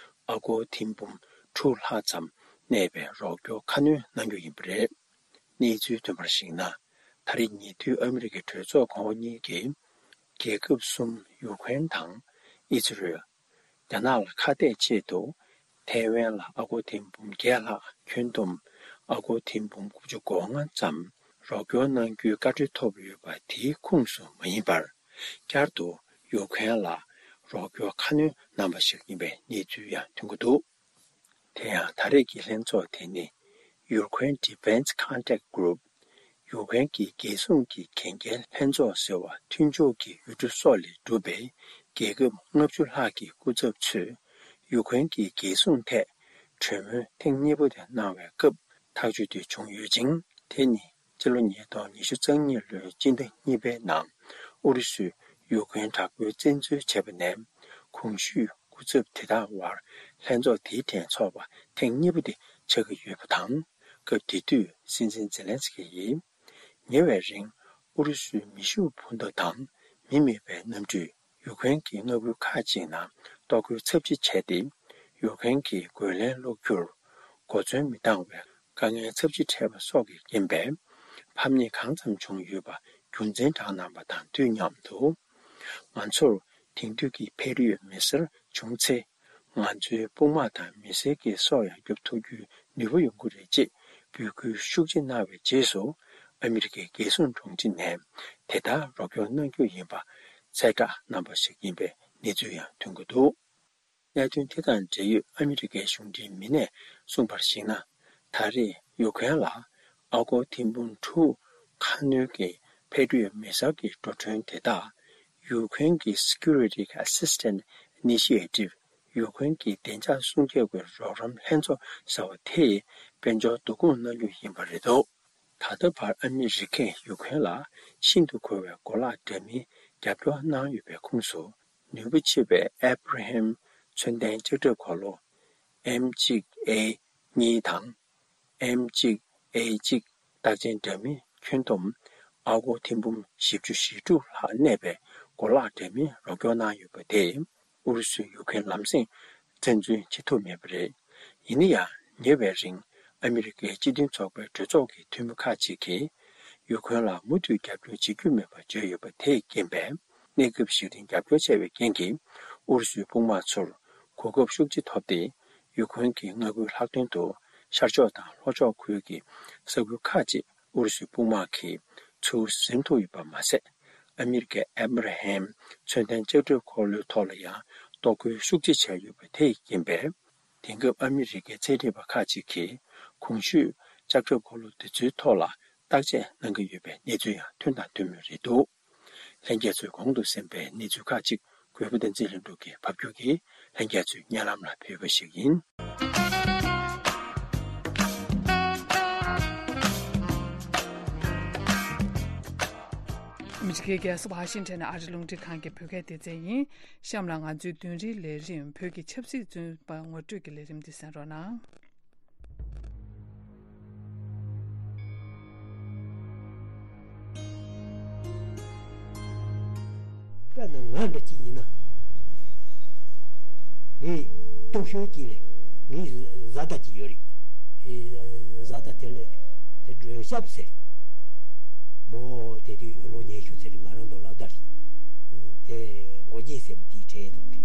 ཨ་སྒོར་ཐེར་འབུམ་དྲུག་ལྷག་ཙམ་གནས་པའི་རོགས་སྐྱོར་ཁ་སྣོན་གནང་རྒྱུ་ཡིན་པ་རེད། གནས་ཚུལ་ཐོན་པར་གཞིགས་ན། ད་རེས་ཉེ་དུས་ཨ་མི་རི་ཀའི་གྲོས་ཚོགས་གོང་འོག་གཉིས་ཀྱིས། རྒྱལ་ཁབ་གསུམ་ཡུ་ཀེ་རེན་དང་ཨི་ཛི་རེལ། རྒྱ་ནག་ལ་ཁ་གཏད་ཆེད་དུ། ཐའེ་ཝན་ལ་ཨ་སྒོར་ཐེར་འབུམ་བརྒྱད་ལྷག་ཁྱོན་བསྡོམས་ཨ་སྒོར་ཐེར་འབུམ་དགུ་བཅུ་གོ་ལྔ་ཙམ་རོགས་སྐྱོར་གནང་རྒྱུའི་བཀའ་འཁྲོལ་ཐོབ་ཡོད་པ་དེའི་ཁོངས་སུ་མ་ཡིན་པར། བསྐྱར་དུ་ཡུ་ཀེ་རེན་ལ་རོགས་སྐྱོར་ཁ་སྣོན་གནང་བ་ཞིག་ཡིན་པའི་གནས་ཚུལ་ཡང་ཐོན་གྱི་འདུག་དེ་ཡང་ད་རེས་ཀྱི་ལྷན་ཚོགས་དེ་ནི་Ukraine Defense Contact Group ཡུ་ཀེ་རེན་གྱི་རྒྱལ་སྲུང་གི་གན་རྒྱའི་ལྷན་ཚོགས་ཟེར་བ་མཐུན་ཕྱོགས་ཀྱི་ཡུལ་གྲུ་སོགས་ལས་གྲུབ་པའི་རྒྱལ་ཁབ་ལྔ་བཅུ་ལྷག་གི་སྐུ་ཚབ་ཚོས་ཡུ་ཀེ་རེན་གྱི་རྒྱལ་སྲུང་ཐད་གྲོས་མོལ་ཐེངས་གཉིས་པ་དེ་གནང་བའི་སྐབས་ཐག་གཅོད་དེ་བྱུང་ཡོད་ཅིང་། དེ་ནི་སྤྱི་ལོ་ཉིས་སྟོང་ཉི་ཤུ་རྩ་གཉིས་ལོའི་སྤྱི་ཟླ་གཉིས་པའི་ནང་ཨུ་རུ་སུས་ཡུ་ཀེ་རེན་དྲག་པོའི་བཙན་འཛུལ་བྱས་པ་ནས་གོང་ཞུས་སྐུ་ཚབ་དེ་དག་དབར་ལྷན་ཚོགས་དེའི་ཐད་ཚོགས་པ་ཐེངས་གཉིས་པ་དེ་ཆགས་ཀྱི་ཡོད་པ་དང་། སྐབས་དེ་དུས་སྲིད་འཛིན་ཛེ་ལན་སི་ཀི་ཡིས་ཉེ་བའི་རིང་ཨུ་རུ་སུའི་མེ་ཤུགས་འཕུར་མདའ་དང་མི་མེད་པའི་གནམ་གྲུས་ཡུ་ཀེ་རེན་གྱི་མངའ་ཁུལ་ཁག་ཅིག་ནང་གཏོར་རྒོལ་ཚབས་ཆེ་བྱས་ཏེ། ཡུཀ་རེན་གྱི་རྒོལ་ལན་སློག་རྒྱུར་གོ་མཚོན་མི་འདང་བའི་དཀའ་ངལ་ཚབས་ཆེ་འཕྲད་པ་སོགས་ཀྱི་རྐྱེན་པས། ཕམ་ཉེས་གང་ཙམ་བྱུང་ཡོད་པ་རྒྱུ་མཚན་བགྲངས་གནང་བ་དང་དུས་མཉམ་དུ། ང་ཚོར་དེང་དུས་ཀྱི་ཕེ་ཏྲི་ཡོད་མི་སེར་བྱུང་ཚེ། ང་ཚོའི་དཔུང་དམག་དང་མི་སེར་གྱི་སྲོག་ཡང་སྐྱོབ་ཐུབ་རྒྱུའི་ནུས་པ་ཡོང་གི་རེད་ཅེས་འབོད་སྐུལ་ཤུགས་ཆེ་གནང་བའི་རྗེས་སུ། ཨ་མི་རི་ཀའི་རྒྱལ་སྲུང་དྲུང་ཆེ་ནས་དེ་ལྟར་རོགས་སྐྱོར་གནང་རྒྱུ་ཡིན་པ་གསལ་བསྒྲགས་གནང་པ་ཞིག་ཡིན་པའི་གནས་ཚུལ་ཡང་ཐོན་གྱི་འདུག། གནད་དོན་དེ་དང་འབྲེལ་ཡོད་ཨ་མི་རི་ཀའི་གཞུང་འབྲེལ་མི་སྣས་གསུངས་པར་གཞིགས་ན། ད་རེས་ཡུ་ཁུན་ལ་ཨ་སྒོར་ཐེར་འབུམ་དྲུག་ཁ་སྣོན་གྱི་ཕེ་ཏྲི་ཡོད་མི་སེར་གྱི་འགྲོ་གྲོན་དེ་དག་ཡུ་ཁུན་གྱི་Security Assistance Initiative། ཡུ་ཁུན་གྱི་བདེ་འཇགས་སྲུང་སྐྱོབ་ཀྱི་རོགས་རམ་ལྷན་ཚོགས་ཟེར་བ་དེས་དཔལ་འབྱོར་བསྡུ་སྐོང་གནང་རྒྱུ་ཡིན་པ་རེད་འདུག། ད་ལྟ་བར་ཨ་མི་རི་ཀས་ཡུ་ཁུན་ལ་ཤིན་ཏུ་མཁོ་བའི་གོ་ལག་འདྲ་མིན་རྒྱབ་སྐྱོར་གནང་ཡོད་པའི་ཁོངས་སུ། ནུས་པ་ཆེ་བའི་ཨེབ་ར་ཧམ་མཚོན་ལྡན་ལྕགས་ཁྲབ་འཁོར་ལོ་ཨེམ་གཅིག་ཨེ་གཉིས་དང་། ཨེམ་གཅིག་ཨེ་གཅིག་རྟགས་ཅན་འདྲ་མིན་ཁྱོན་བསྡོམས་ཨ་སྒོར་ཐེར་འབུམ་བཞི་བཅུ་ཞེ་དྲུག་ལྷག་གནས་པའི་གོ་ལག་འདྲ་མིན་རོགས་སྐྱོར་གནང་ཡོད་པ་དེས། ཨུ་རུ་སུས་ཡུ་ཁུན་ལམ་སེང་བཙན་འཛུལ་བྱེད་ཐུབ་མེད་པ་རེད། ཡིན་ན་ཡང་ཉེ་བའི་རིང་ཨ་མི་རི་ཀའི་སྤྱི་མཐུན་ཚོགས་པའི་གྲོས་ཚོགས་ཀྱི་འཐུས་མི་ཁག་ཅིག་གིས་ཡུ་ཁུན་ལ་མུ་མཐུད་རྒྱབ་སྐྱོར་བྱེད་རྒྱུ་མེད་པར་བརྗོད་ཡོད་པ་དེས་རྐྱེན་པས། གནས་སྐབས་ཤིག་རིང་རྒྱབ་སྐྱོར་བྱས་པའི་རྐྱེན་གྱིས། ཨུ་རུ་སུའི་དཔུང་དམག་ཚོར་གོ་སྐབས་ཤུགས་ཆེ་ཐོབ་སྟེ། ཡུ་ཁུན་གྱི་མངའ་ཁུལ་ལྷག་དོན་དུ་ཤར་ཕྱོགས་དང་ལྷོ་ཕྱོགས་ཁུལ་གྱི་ས་ཁུལ་ཁག་ཅིག་ཨུ་རུ་སུའི་དཔུང་དམག་གིས་ཚུར་ཟིན་ཐུབ་ཡོད་པ་མ་ཟད། ཨ་མི་རི་ཀའི་ཨེབ་ར་ཧེམ་མཚོན་ལྡན་ལྕགས་ཁྲབ་འཁོར་ལོའི་ཐོག་ལ་ཡང་གཏོར་རྒོལ་ཤུགས་ཆེ་བྱས་ཡོད་པ་དེས་རྐྱེན་པས། དེང་སྐབས་ཨ་མི་རི་ཀའི་རྩིས་ཁྲིམས་པ་ཁག་ཅིག་གིས་གོང་ཞུས་ལྕགས་ཁྲབ་འཁོར་ལོ་འདི་ཚོའི་ཐོག་ལ་བརྟག་དཔྱད་གནང་གི་ཡོད་པའི་གནས་ཚུལ་ཡང་ཐོན་དང་ཐོན་མུས་རེད་འདུག། ལྷན་རྒྱས་ཚོས་གོང་དུ་གསན་པའི་གནས་ཚུལ་ཁག་ཅིག་གུས་པ་བསྟན་འཛིན་ལྷུན་གྲུབ་ཀྱིས་ཕབ་སྒྱུར་གྱིས་ལྷན་རྒྱས་ཚོའི་སྙན་ལམ་ལ་ཕུལ་བ་ཞིག་ཡིན། ཨ་མི་རི་ཀའི་རྒྱལ་ས་ཝ་ཤིང་ཊོན་ནས་ཨ་རི་རླུང་འཕྲིན་ཁང་གི་བོད་སྐད་སྡེ་ཚན་ཡིན། གཤམ་ལ་ང་ཚོའི་བདུན་རེའི་ལས་རིམ་བོད་ཀྱི་ཆབ་སྲིད་བཙོན་པ་ངོ་སྤྲོད་ཀྱི་ལས་རིམ་འདི་གསན་རོགས་གནང་། དཔེར་ན་ང་འདྲ་ཅིག་ཡིན་ན། ངས་སྟོབས་ཤུགས་ཅིག་ལས་ངའི་བཟའ་ཟླ་ཅིག་ཡོད་རེད། ཨེ། བཟའ་ཟླ་དེ་ལས་དེ་སྒྲོལ་ཞབས་ཟེར། མོ་དེ་དུས་ལོ་ཉི་ཤུ་ཚེ་རིང་ང་རང་དང་ལབ་ད་རེད། དེ་མགོ་རྒྱན་ཟེར་མི་དེའི་གྲས་འདུག་གི།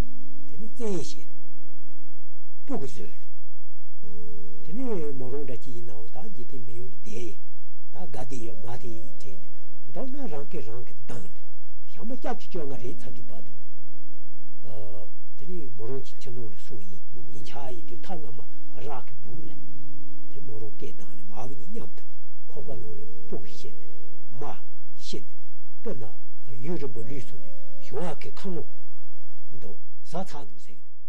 དེ་ནི་བཙན་ཤེད་ལ་སྤུ་གུ་བཟོས་ལ། དེ་ནི་མོ་རང་འདྲ་ཅིག་ཡིན་ནའང་ད་འཇིག་རྟེན་མི་ཡུལ་ལ་བསྡད་ཡིན། ད་དགའ་བསྡད་ཡོད་མ་བསྡད་ཡིན་དྲན་ནས། མདོར་ན་རང་སྐད་རང་གིས་བཏང་ནས་ཞག་མ་སྐྱབས་ཀྱི་བཅོ་ལྔ་རེད་ཚར་དུས་བར་དུ། ཨ། དེ་ནི་མོ་རང་གི་ཁྱིམ་ནང་ལ་སོང་ཡིན། ཡིན་ཆགས་ཡིན་དུས་མཐའ་མ་རག་གི་སྦུག་ལ། དེ་མོ་རང་སྐད་བཏང་ནས་མ་བུ་གཉིས་མཉམ་དུ་ཁོག་པ་ནང་ལ་སྤུ་གུ་བཤེད་ནས་མ་བཤེད་ནས། དཔེར་ན་ཡུན་རིང་པོ་ལུས་སོང་དུས་ཞོགས་ཀ་གི་ཁ་ངོ་འདུག་ཟ་ཚར་འདུག་ཟེར་གི་འདུག།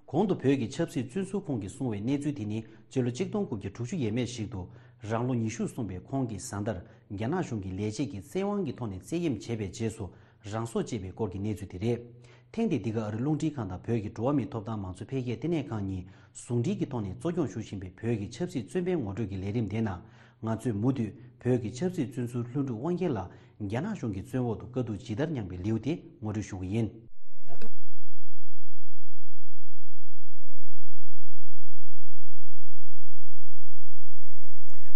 གོང་དུ་བོད་ཀྱི་ཆབ་སྲིད་བཙོན་ཟུར་ཁོངས་ཀྱིས་གསུངས་པའི་གནས་ཚུལ་དེ་ནི་སྤྱི་ལོ་གཅིག་སྟོང་དགུ་བརྒྱ་དྲུག་ཅུ་ཡས་མས་ཤིག་ཏུ་རང་ལོ་ཉི་ཤུ་སོན་པའི་ཁོང་གི་བཟའ་ཟླར་རྒྱ་ནག་གཞུང་གི་ལས་བྱེད་ཀྱིས་བཙན་དབང་གི་ཐོག་ནས་བཙན་གཡེམ་བྱས་པའི་རྗེས་སུ་རང་སྲོག་བཅད་པའི་སྐོར་གྱི་གནས་ཚུལ་དེ་རེད། ཐེངས་འདིའི་འདི་ག་ཨ་རི་རླུང་འཕྲིན་ཁང་དང་བོད་ཀྱི་འགྲོ་བ་མིའི་ཐོབ་ཐང་མང་གཙོ་འཕེལ་རྒྱས་ལྟེ་གནས་ཁང་གཉིས་ཟུང་འབྲེལ་གྱི་ཐོག་ནས་གཙོ་སྐྱོང་ཞུ་བཞིན་པའི་བོད་ཀྱི་ཆབ་སྲིད་བཙོན་པའི་ངོ་སྤྲོད་ཀྱི་ལས་རིམ་དེའི་ནང་། ང་ཚོས་མུ་མཐུད་བོད་ཀྱི་ཆབ་སྲིད་བཙོན་ཟུར་ལྷུན་གྲུབ་དབང་རྒྱལ་ལགས་རྒྱ་ནག་གཞུང་གི་བཙོན་འོག་ཏུ་དཀའ་སྡུག་ཇི་ལྟར་མྱངས་པའི་ལེའུ་དེ་ངོ་སྤྲོད་ཞུ་གི་ཡིན།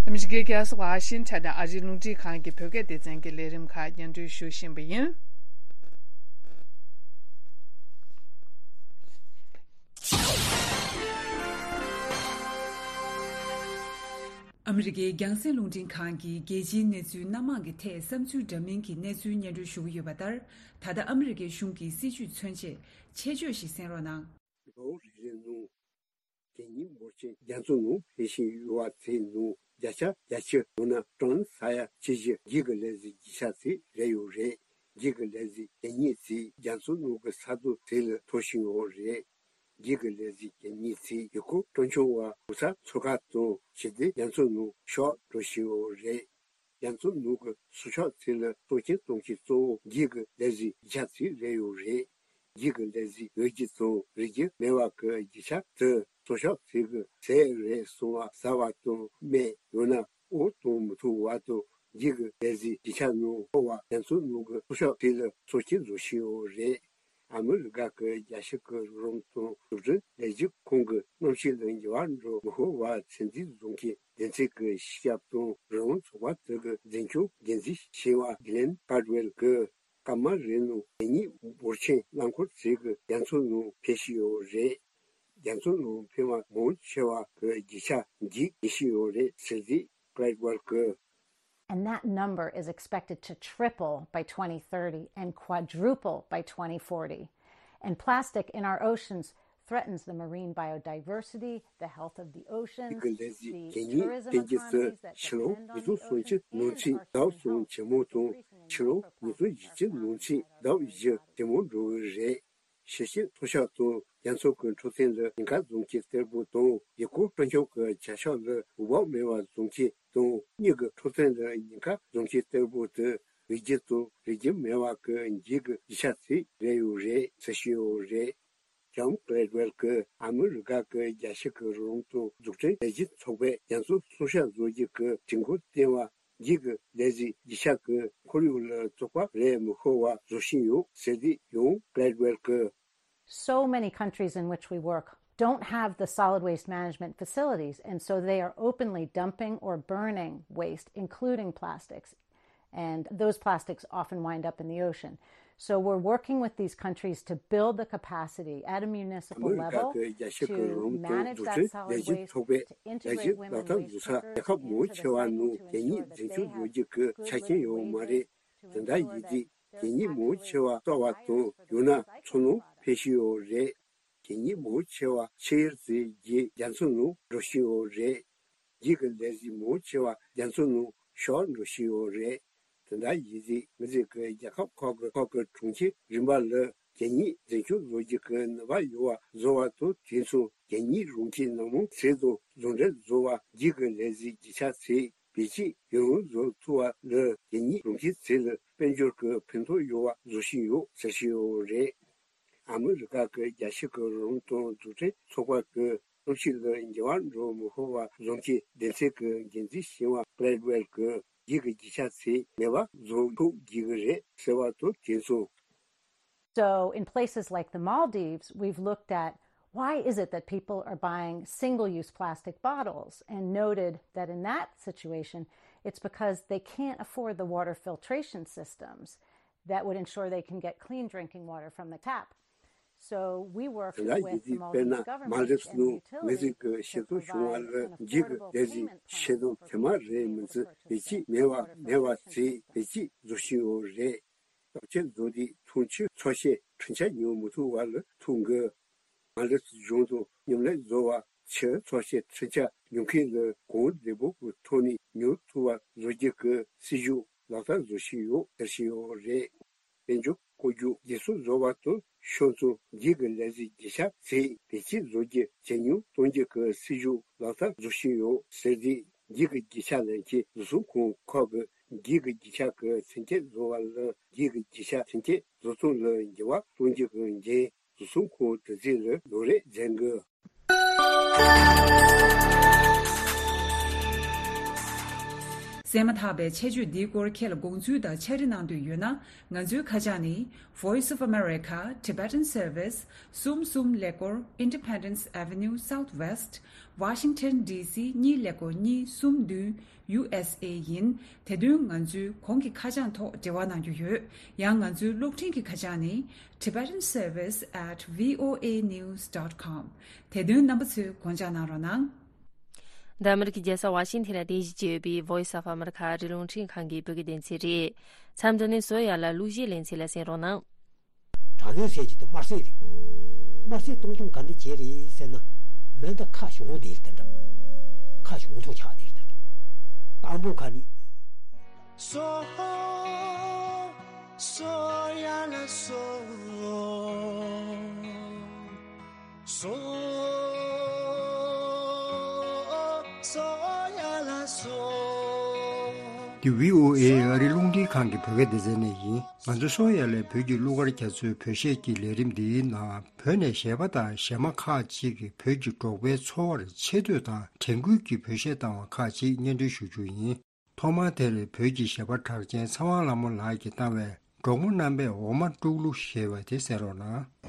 ཨ་མི་རི་ཀའི་རྒྱལ་ས་ཝ་ཤིང་ཊོན་ནས་ཨ་རིའི་རླུང་འཕྲིན་ཁང་གི་བོད་སྐད་སྡེ་ཚན་གྱི་ལས་རིམ་ཁག་སྙན་སྒྲོན་ཞུ་བཞིན་པ་ཡིན། ཨ་མི་རི་ཀའི་རྒྱང་སྲིང་རླུང་འཕྲིན་ཁང་གིས་རྒྱལ་སྤྱིའི་གནས་ཚུལ་སྣ་མང་གི་ཐད་བསམ་ཚུལ་འདྲ་མིན་གྱི་གནས་ཚུལ་སྙན་སྒྲོན་ཞུ་གི་ཡོད་པ་ལྟར། ད་ལྟ་ཨ་མི་རི་ཀའི་གཞུང་གི་སྲིད་བྱུས་མཚོན་ཆེད་ཆེད་བརྗོད་ཞིག་གསན་རོགས་གནང་། ལོ་རེ་རེའི་ནང་གད་སྙིགས་འབོར་ཆེན་རྒྱ་མཚོ་ནང་འཕེན་བཞིན་ཡོད་པ་དེའི་ནང་བརྒྱ་ཆ་བརྒྱད་ཅུ་ཡང་ན་ཊོན་ས་ཡ་ཆིག་བརྒྱ་གི་ལས་ཟིན་རྒྱུ་ཆ་དེ་རེད་ཡོད་རེད། འདི་གི་ལས་ཟིན་གད་སྙིགས་དེ་རྒྱ་མཚོ་ནང་གི་ས་རྡོ་དེ་ལ་འཐོར་བཞིན་ཡོད་རེད། འདི་གི་ལས་ཟིན་གད་སྙིགས་དེ་ཡུལ་སྐོར་སྤྲོ་འཆམ་པ་གོ་ས་མཚོན་ཁང་དང་བྱས་ཏེ་རྒྱ་མཚོ་ནང་ཤོར་འགྲོ་བཞིན་ཡོད་རེད། རྒྱ་མཚོ་ནང་གི་སྲོག་ཆགས་དེ་ལ་གཏོར་སྐྱོན་གཏོང་མཁན་གཙོ་བོ་འདི་གི་ལས་ཟིན་རྒྱུ་ཆ་དེ་རེད་ཡོད་རེད། འདི་གི་ལས་ཟིན་ཡོད་རྒྱུ་དང་རིག་རྒྱུ་མེད་པ་གི་རྒྱུ་ཆ་དེ་སྲོག་ཆགས་དེ་གི་ཟས་རེད་གསུངས་པ་ཟ་བ་དང་སྨན་ཡང་ན་འོ་བཏང་མི་ཐུབ་པ་དང་འདི་གི་ལས་ཟིན་རྒྱུ་ཆ་ནང་འཁོར་བ་རྒྱ་མཚོ་ནང་གི་སྲོག་ཆགས་དེ་ལ་གཏོར་སྐྱོན་བཟོ་བཞིན་ཡོད་རེད། ཨ་མི་རི་ཀ་གི་རྒྱལ་སྤྱི་གི་རོགས་རམ་དང་འཛུགས་སྐྲུན་ལས་གཞི་ཁང་གི་གནམ་གཤིས་ལ་འགྱུར་བ་འགྲོ་མི་ཤོར་བ་ཚོད་འཛིན་བཟོ་མཁན་སྡེ་ཚན་གྱི་སྤྱི་ཁྱབ་དང་རང་དབང་ཚོགས་པ་དེ་གི་འཛིན་སྐྱོང་འགན་འཛིན་བྱས་པ་གི་ལེན་ཀར་ཝེལ་གྱིས། སྐར་མ་རེའི་ནང་གད་སྙིགས་འབོར་ཆེན་རླངས་འཁོར་ཚོ་གི་རྒྱ་མཚོ་ནང་འཕེན་བཞིན་ཡོད་རེད། རྒྱ་མཚོ་ནང་འཕེན་པ་མང་ཆེ་བ་གི་རྒྱུ་ཆ་འདི་ཡིན་བཞིན་ཡོད་རེད་ཟེར་ཏེ་ཀར་ཝེལ་གྱིས། And that number is expected to triple by twenty thirty and quadruple by twenty forty. And plastic in our oceans threatens the marine biodiversity, the health of the oceans, གི་ལས་གཞི་གད་སྙིགས་འཕེན་རྒྱུ་དེ་ཕྱི་ལོ་ཉིས་སྟོང་སུམ་ཅུ་ནང་ཚུད་ལྡབ་གསུམ་ཇེ་མང་དང་ཕྱི་ལོ་ཉིས་སྟོང་ཉི་ཤུ་ནང་ཚུད་ལྡབ་བཞི་ཇེ་མང་འགྲོ་གི་རེད། ཤེས་བྱའི་མཐོ་ཤོས་དང་རྒྱ་མཚོ་གི་འཕྲོད་བསྟེན་ལ་ཉེན་ཁ་བཟོ་མཁན་གཏེ་པོ་དང་ཡུལ་སྐོར་སྤྲོ་འཆམ་གྱི་བྱ་གཞག་ལ་འོས་བབ་མེད་པ་བཟོ་མཁན་དང་གཉིས་ཀྱི་འཕྲོད་བསྟེན་ལ་ཉེན་ཁ་བཟོ་མཁན་གཏེ་པོ་དེ་རིགས་རྒྱུད་དང་རིགས་རྒྱུད་མེད་པ་གི་འགྱིག་གི་རྒྱུ་ཆ་ཚོ་རེད་ཡོད་རེད་ཟེར་བཞིན་ཡོད་རེད། ཇོན་ཀརེ་ཝེལ་གྱིས་ཨ་མི་རི་ཀ་གི་རྒྱལ་སྤྱི་གི་རོགས་རམ་དང་འཛུགས་སྐྲུན་ལས་གཞི་ཚོགས་པས་རྒྱ་མཚོ་སྲུང་སྐྱོབ་བཟོ་རྒྱུ་གི་དྲན་སྐུལ་བསྟན་པ། འགྱིག་གི་ལས་གཞི་རྒྱུ་ཆ་གི་ཁོར་ཡུག་ལ་བཙོག་པ་རེག་མི་ཤོར་བ་བཟོ་བཞིན་ཡོད་ཟེར་ཏེ་ཇོན་ཀརེ་ཝེལ་གྱིས། So many countries in which we work don't have the solid waste management facilities, and so they are openly dumping or burning waste, including plastics. And those plastics often wind up in the ocean. So we're working with these countries to build the capacity at a municipal level to manage that solid waste, to integrate women waste cookers into the community to ensure that they have access to a clean drinking water supply. ཨ་མི་རི་ཀ་གི་རྒྱལ་སྤྱི་གི་རོགས་རམ་དང་འཛུགས་སྐྲུན་ལས་གཞི་ཚོགས་པས་ལས་གཞི་ལག་བསྟར་བཟོ་ས་རྒྱལ་ཁབ་མང་ཆེ་བ་ནང་གད་སྙིགས་འཛིན་སྐྱོང་བཟོ་རྒྱུ་གི་ཆ་རྐྱེན་ཡོད་མ་རེད། དེ་འདྲ་ཡིན་དུས་གད་སྙིགས་མང་ཆེ་བ་གསོ་བ་དང་ཡང་ན་མཚོ་ནང་འཕེན་བཞིན་ཡོད་རེད། གད་སྙིགས་མང་ཆེ་བ་ཆུ་ཡུར་ཚོ་གིས་རྒྱ་མཚོ་ནང་འགྲོ་བཞིན་ཡོད་རེད། འགྱིག་གི་ལས་གཞི་མང་ཆེ་བ་རྒྱ་མཚོ་ནང་ཤོར་འགྲོ་བཞིན་ཡོད་རེད། དེ་འདྲ་ཡིན་དུས་ང་ཚོས་ཀྱི་རྒྱལ་ཁབ་ཁག་གི་ཁག་གི་གྲོང་ཁྱེར་རིམ་པ་ལ་གད་སྙིགས་འཛིན་སྐྱོང་བཟོ་རྒྱུ་གི་ནུས་པ་ཡོད་པ་བཟོ་བ་དང་དེ་མཚུངས་གད་སྙིགས་རང་ཁྱིམ་ནང་མོ་ཚེ་དང་ཟུང་འབྲེལ་བཟོ་བ་འགྱིག་གི་ལས་གཞི་རྒྱུ་ཆ་ཚོ་བེད་སྤྱོད་ཡུན་རིང་བཟོ་ཐུབ་པ་ལ་གད་སྙིགས་རང་ཁྱིམ་ཚོ་ལ་དཔལ་འབྱོར་གྱི་ཕན་ཐོགས་ཡོད་པ་བཟོ་བཞིན་ཡོད་ཟེར་བཞིན་ཡོད་རེད། ཨ་མི་རི་ཀ་གི་རྒྱལ་སྤྱི་གི་རོགས་རམ་དང་འཛུགས་སྐྲུན་ཚོགས་པ་གིས་གནམ་གཤིས་ལ་འགྱུར་བ་འགྲོ་མི་ཤོར་བ་བཟོ་མཁན་སྡེ་ཚན་གྱི་འགན་འཛིན་ཞིང་བ་ཀླེ་ཝེལ་གྱིས་འགྱིག་གི་རྒྱུ་ཆ་ཚོ་མེད་པ་བཟོ་ཐུབ་དགོས་ཀྱི་རེད་ཟེར་བ་དང་དེ་མཚུངས། So, in places like the Maldives, we've looked at why is it that people are buying single use plastic bottles and noted that in that situation, it's because they can't afford the water filtration systems that would ensure they can get clean drinking water from the tap. So, we worked དེ་འདྲ་ཡིན་དུས་དཔེར་ན་མཱལ་དིབ་ནང་མི་རིགས་ཀྱི་ཤེས་ཚོར་བྱུང་བ་ལ་འགྱིག་གི་ལས་གཞི་ཤེས་ཚོར་ཐེངས་མ་རེ་མི་ཚེ་བེད་སྤྱོད་མེད་པ་མེད་པ་ཚོ་བེད་སྤྱོད་བཟོ་བཞིན་ཡོད་རེད། སྟོབས་ཆེན་བཟོ་དུས་འཐུང་ཆུའི་ཚོར་ཤེས་འཕྲུལ་ཆས་ཉོ་མི་ཐུབ་པ་ལ་ཐུག་དགོས། མཱལ་དིབ་གཞུང་དུ་མཉམ་ལས་བཟོ་བ་ཆུའི་ཚོར་ཤེས་འཕྲུལ་ཆས་ཉོ་མཁན་ལ་གོང་བདེ་པོ་གི་ཐོག་ནས་ཉོ་ཐུབ་པ་བཟོ་རྒྱུ་གི་སྲིད་ཇུས་ལག་བསྟར་བཟོ་བཞིན་ཡོད་ཟེར་བཞིན་ཡོད་རེད། དཔལ་འབྱོར་བཀོད་རྒྱུ་བརྒྱུད་གསུམ་བཟོ་བ་དང་ཤོག་ཚོ་འགྱིག་གི་ལས་གཞི་རྒྱུ་ཆ་ཚོ་བེད་སྤྱོད་བཟོ་རྒྱུ་ཇེ་ཉུང་གཏོང་རྒྱུ་གི་སྲིད་ཇུས་ལག་བསྟར་བཟོ་བཞིན་ཡོད་ཟེར་ཏེ། འགྱིག་གི་རྒྱུ་ཆ་ལེན་མཁན་བཟོ་ཚོང་ཁང་ཁག་གིས་འགྱིག་གི་རྒྱུ་ཆ་གི་མཚོན་ཆ་བཟོ་བ་ལ་འགྱིག་གི་རྒྱུ་ཆ་མཚོན་ཆ་བཟོ་སྟངས་ལ་འགྱུར་བ་གཏོང་རྒྱུ་གི་འགན་བཟོ་ཚོང་ཁང་དེ་ཚོ་ལ་ལོ་རེ་འཛིན་དགོས། གསན་མ་ཐག་པའི་ཆེད་བརྗོད་འདིའི་སྐོར་ཁྱེད་ལ་དགོངས་ཚུལ་དང་ཕྱག་བྲིས་གནང་འདོད་ཡོད་ན། ང་ཚོའི་ཁ་བྱང་ནི། Voice of America, Tibetan Service, གསུམ་གསུམ་ཀླད་ཀོར། Independence Avenue Southwest, Washington D C གཉིས་ཀླད་ཀོར་གཉིས་གསུམ་བདུན། U S A ཡིན། དེ་དོན་ང་ཚོའི་གོང་གི་ཁ་བྱང་ཐོག་འབྲེལ་བ་གནང་རྒྱུ་ཡོད། ཡང་ང་ཚོའི་གློག་འཕྲིན་གྱི་ཁ་བྱང་ནི། Tibetan Service at V O A news dot com. དེ་དོན་རྣམ་པ་ཚོས་དགོངས་འཇགས་གནང་རོགས་གནང་། འདི་ཨ་མི་རི་ཀའི་རྒྱལ་ས་ཝ་ཤིང་ཐན་ལ་རྟེན་གཞི་བྱས་ཡོད་པའི་Voice of America ཨ་རིའི་རླུང་འཕྲིན་ཁང་གི་བོད་སྐད་སྡེ་ཚན་རེད། མཚམས་འདི་ནས་བཟོ་ཡ་ལ་གླུ་གཞས་ལེན་ཚུལ་ལ་གསན་རོགས་གནང་། དྲག་གནོན་ཟེར་གྱི་དེ་དམར་ཟས་རེད། དམར་ཟས་བཏུང་བཏུང་ག་འདྲ་བྱས་རེད་ཟེར་ན། མེ་མདའ་ཁ་གཞུང་དེ་ལ་དེ་འདྲ། ཁ་གཞུང་ཐོག་ཆགས་དེ་ལ་དེ་འདྲ། དང་པོ་ཁ་ནི། སོ། སོ་ཡ་ལ་སོ། སོ། སོ་ཡ་ལ་སོ། འདི་བྷི་ཨོ་ཨེ་ཨ་རིའི་རླུང་འཕྲིན་ཁང་གི་བོད་སྐད་སྡེ་ཚན་ནས་ཡིན། ང་ཚོ་སོ་ཡ་ལའི་བོད་ཀྱི་གླུ་གར་རྒྱ་མཚོའི་བོད་གཞས་ཀྱི་ལས་རིམ་འདིའི་ནང་བོད་ནས་གཞས་པ་དང་གཞས་མ་ཁག་ཅིག་གིས་བོད་ཀྱི་འབྲོག་པའི་འཚོ་བར་ཆེ་བསྟོད་དང་དྲན་སྐུལ་གྱི་བོད་གཞས་བཏང་བ་ཁག་ཅིག་སྙན་སྒྲོན་ཞུ་རྒྱུ་ཡིན། ཐོག་མར་དེར་བོད་ཀྱི་གཞས་པ་གྲགས་ཅན་ཚེ་དབང་ལྷ་མོ་ལགས་ཀྱིས་བཏང་བའི་ གྲོགས་མོ་རྣམ་པས་འོ་མ་དཀྲུག་གླུ་ཞེས་པ་དེ་གསན་རོགས་གནང་།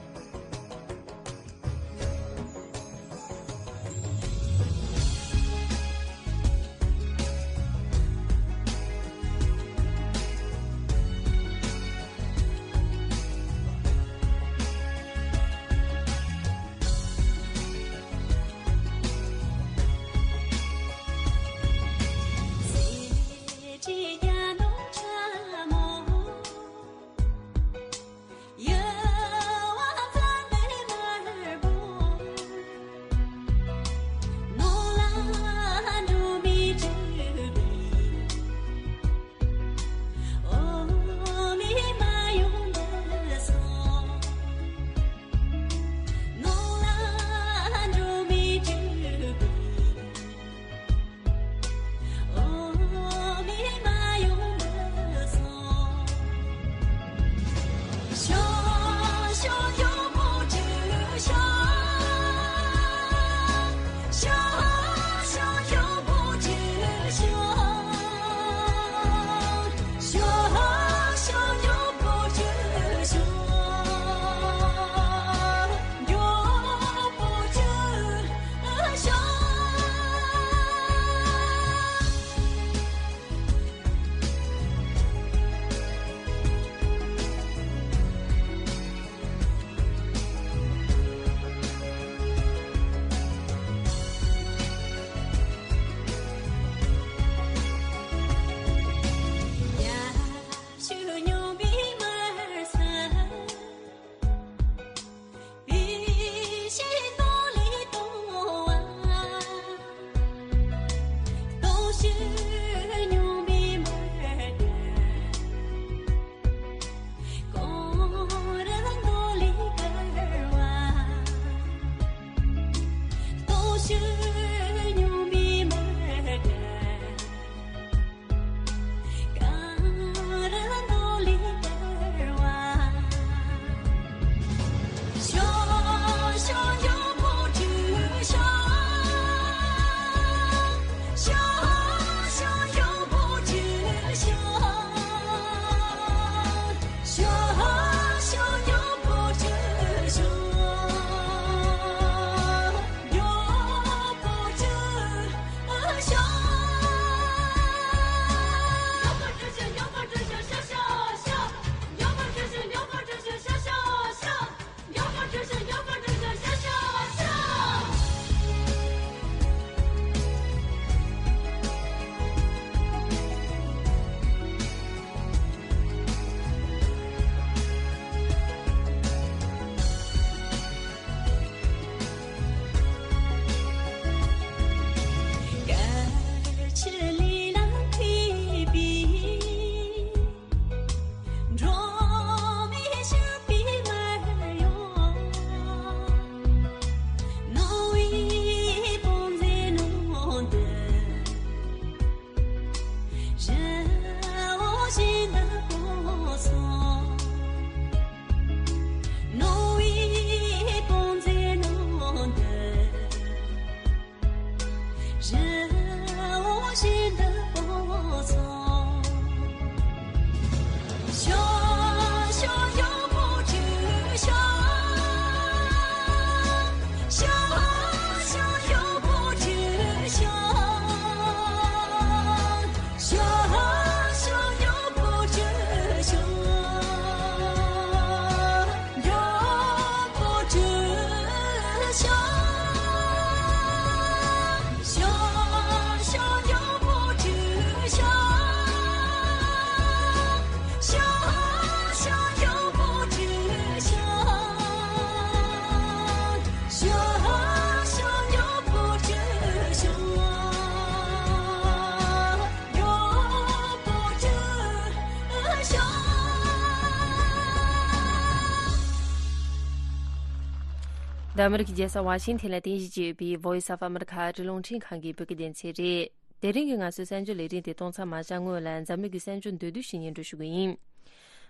འདི་ཨ་མི་རི་ཀའི་རྒྱལ་ས་ཝ་ཤིང་ཐན་ལ་རྟེན་གཞི་བྱས་ཡོད་པའི་Voice of America ཨ་རིའི་རླུང་འཕྲིན་ཁང་གི་བོད་སྐད་སྡེ་ཚན་རེད། དེ་རིང་གི་ང་ཚོའི་གསར་འགྱུར་ལས་རིམ་དེ་གཏོང་ཚར་མ་བཞག་སྔོན་ལ་འཛམ་གླིང་གི་གསར་འགྱུར་མདོར་བསྡུས་ཤིག་སྙན་སྒྲོན་ཞུ་གི་ཡིན།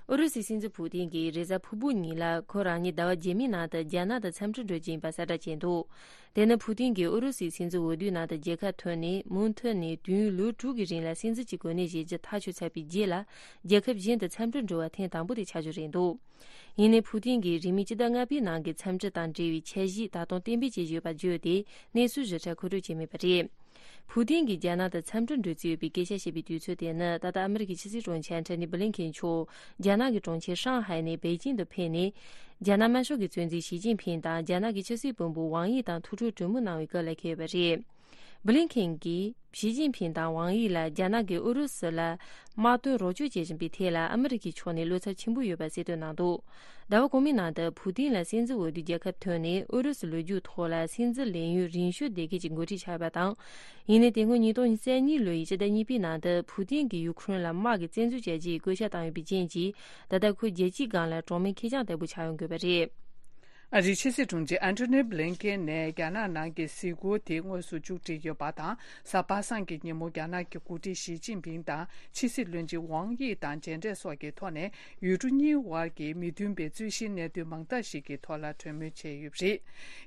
ཨུ་རུ་སུའི་སྲིད་འཛིན་ཕུ་ཏིན་གྱིས་རེས་གཟའ་ཕུར་བུ་ཉིན་ལ་ཁོ་རང་ཉིད་ཟླ་བ་རྗེས་མའི་ནང་དུ་རྒྱ་ནག་དང་འཚམས་འདྲི་འགྲོ་རྒྱུ་ཡིན་པ་གསལ་བསྒྲགས་བྱས་འདུག་དེ་ནི་ཕུ་ཏིན་གྱིས་ཨུ་རུ་སུའི་སྲིད་འཛིན་འོས་བསྡུའི་ནང་དུ་རྒྱལ་ཁ་ཐོན་ནས་མུ་མཐུད་ནས་དུས་ཡུན་ལོ་དྲུག་གི་རིང་ལ་སྲིད་འཛིན་གྱི་གོ་གནས་བཞེས་རྒྱུ་ཐག་གཅོད་ཚར་བའི་རྗེས་ལ། རྒྱལ་ཁབ་གཞན་དུ་འཚམས་འདྲིར་འགྲོ་བ་ཐེངས་དང་པོ་དེ་ཆགས་རྒྱུ་རེད་འདུག་ཡིན་ནའི་ཕུ་ཏིན་གྱིས་རིང་མིན་སྤྱི་ཟླ་ལྔ་པའི་ནང་གི་འཚམས་འདྲི་དང་འབྲེལ་བའི་འཆར་གཞི་ད་དུང་གཏན་འབེབས་བྱེད་བཞིན་ཡོད་པ་བརྗོད་དེ། གནས་ཚུལ་ཞིབ་ཕྲ་མཁོ་སྤྲོད་བྱས་མེད་པ་རེད། ཕུ་ཏིན་གྱིས་རྒྱ་ནག་དང་འཚམས་འདྲིར་འགྲོ་རྩིས་ཡོད་པའི་སྐད་ཆ་བཤད་པའི་དུས་ཚོད་དེ་ནི། ད་ལྟ་ཨ་མི་རི་ཀའི་ཕྱི་སྲིད་དྲུང་ཆེ་ཨན་ཐོ་ནི་བྷི་ལིན་ཁེན་མཆོག་རྒྱ་ནག་གི་གྲོང་ཁྱེར་ཧྲང་ཧའེ་ནས་པེ་ཅིང་དུ་ཕེབས་ནས། རྒྱ་ནག་དམར་ཤོག་གི་གཙོ་འཛིན་ཞི་ཅིན་ཕིང་དང་རྒྱ་ནག་གི་ཕྱི་སྲིད་བློན་པོ་ཝང་དབྱི་དང་ཐུག་འཕྲད་གྲོས་མོལ་གནང་བའི་སྐབས་ལ་འཁེལ་ཡོད་པ་རེད། བྷི་ལིན་ཁེན་གྱིས་ཞི་ཅིན་ཕིང་དང་ཝང་དབྱི་ལ་རྒྱ་ནག་གིས་ཨུ་རུ་སུ་ལ་དམག་དོན་རོགས་སྐྱོར་བྱེད་བཞིན་པའི་ཐད་ལ་ཨ་མི་རི་ཀའི་ཕྱོགས་ནས་བློ་འཚབ་ཆེན་པོ་ཡོད་པ་གསལ་སྟོན་གནང་འདུག་ཟླ་བ་གོང་མའི་ནང་དུ་ཕུ་ཏིན་ལ་སྲིད་འཛིན་འོས་བསྡུའི་རྒྱལ་ཁ་ཐོན་ནས་ཨུ་རུ་སུའི་ལོ་རྒྱུས་ཐོག་ལ་སྲིད་འཛིན་ལས་ཡུན་རིང་ཤོས་དེ་གའི་ཅིག་འགོ་ཁྲིད་ཆགས་ཡོད་པ་དང་། ཡིན་ནའི་དེ་སྔོན་ཉིས་སྟོང་ཉི་ཤུ་རྩ་གཉིས་ལོའི་ཕྱི་ཟླ་གཉིས་པའི་ནང་དུ་ཕུ་ཏིན་གྱིས་ཡུ་ཁུ་རེན་ལ་དམག་གི་བཙན་འཛུལ་བྱ་རྒྱུའི་བཀོད་ཁྱབ་བཏང་ཡོད་པའི་རྐྱེན་གྱིས། ད་ལྟ་ཁོའི་རྒྱལ་སྤྱིའི་སྒང་ལ་གྲངས་མེད་ཁེར་རྐྱང་ལྟ་བུ་ཆགས་ཡོང་དགོས་པ་རེད། ཨ་རིའི་ཕྱི་སྲིད་དྲུང་ཆེ་ཨན་ཐོ་ནི་བྷི་ལིན་ཀེན་ནས་རྒྱ་ནག་ནང་གི་གཟིགས་སྐོར་དེ་དངོས་སུ་མཇུག་སྒྲིལ་ཡོད་པ་དང་། གཟའ་པ་སངས་ཀྱི་ཉིན་མོ་རྒྱ་ནག་གི་འགོ་ཁྲིད་ཞི་ཅིན་ཕིང་དང་ཕྱི་སྲིད་བློན་ཆེན་ཝང་དབྱི་དང་མཇལ་འཕྲད་སོགས་ཀྱི་ཐོག་ནས། ཡུལ་གྲུ་གཉིས་དབར་གྱི་མི་མཐུན་པའི་རྩོད་གཞིའི་གནད་དོན་མང་དག་ཞིག་གི་ཐོག་ལ་གྲོས་མོལ་བྱས་ཡོད་པ་རེད།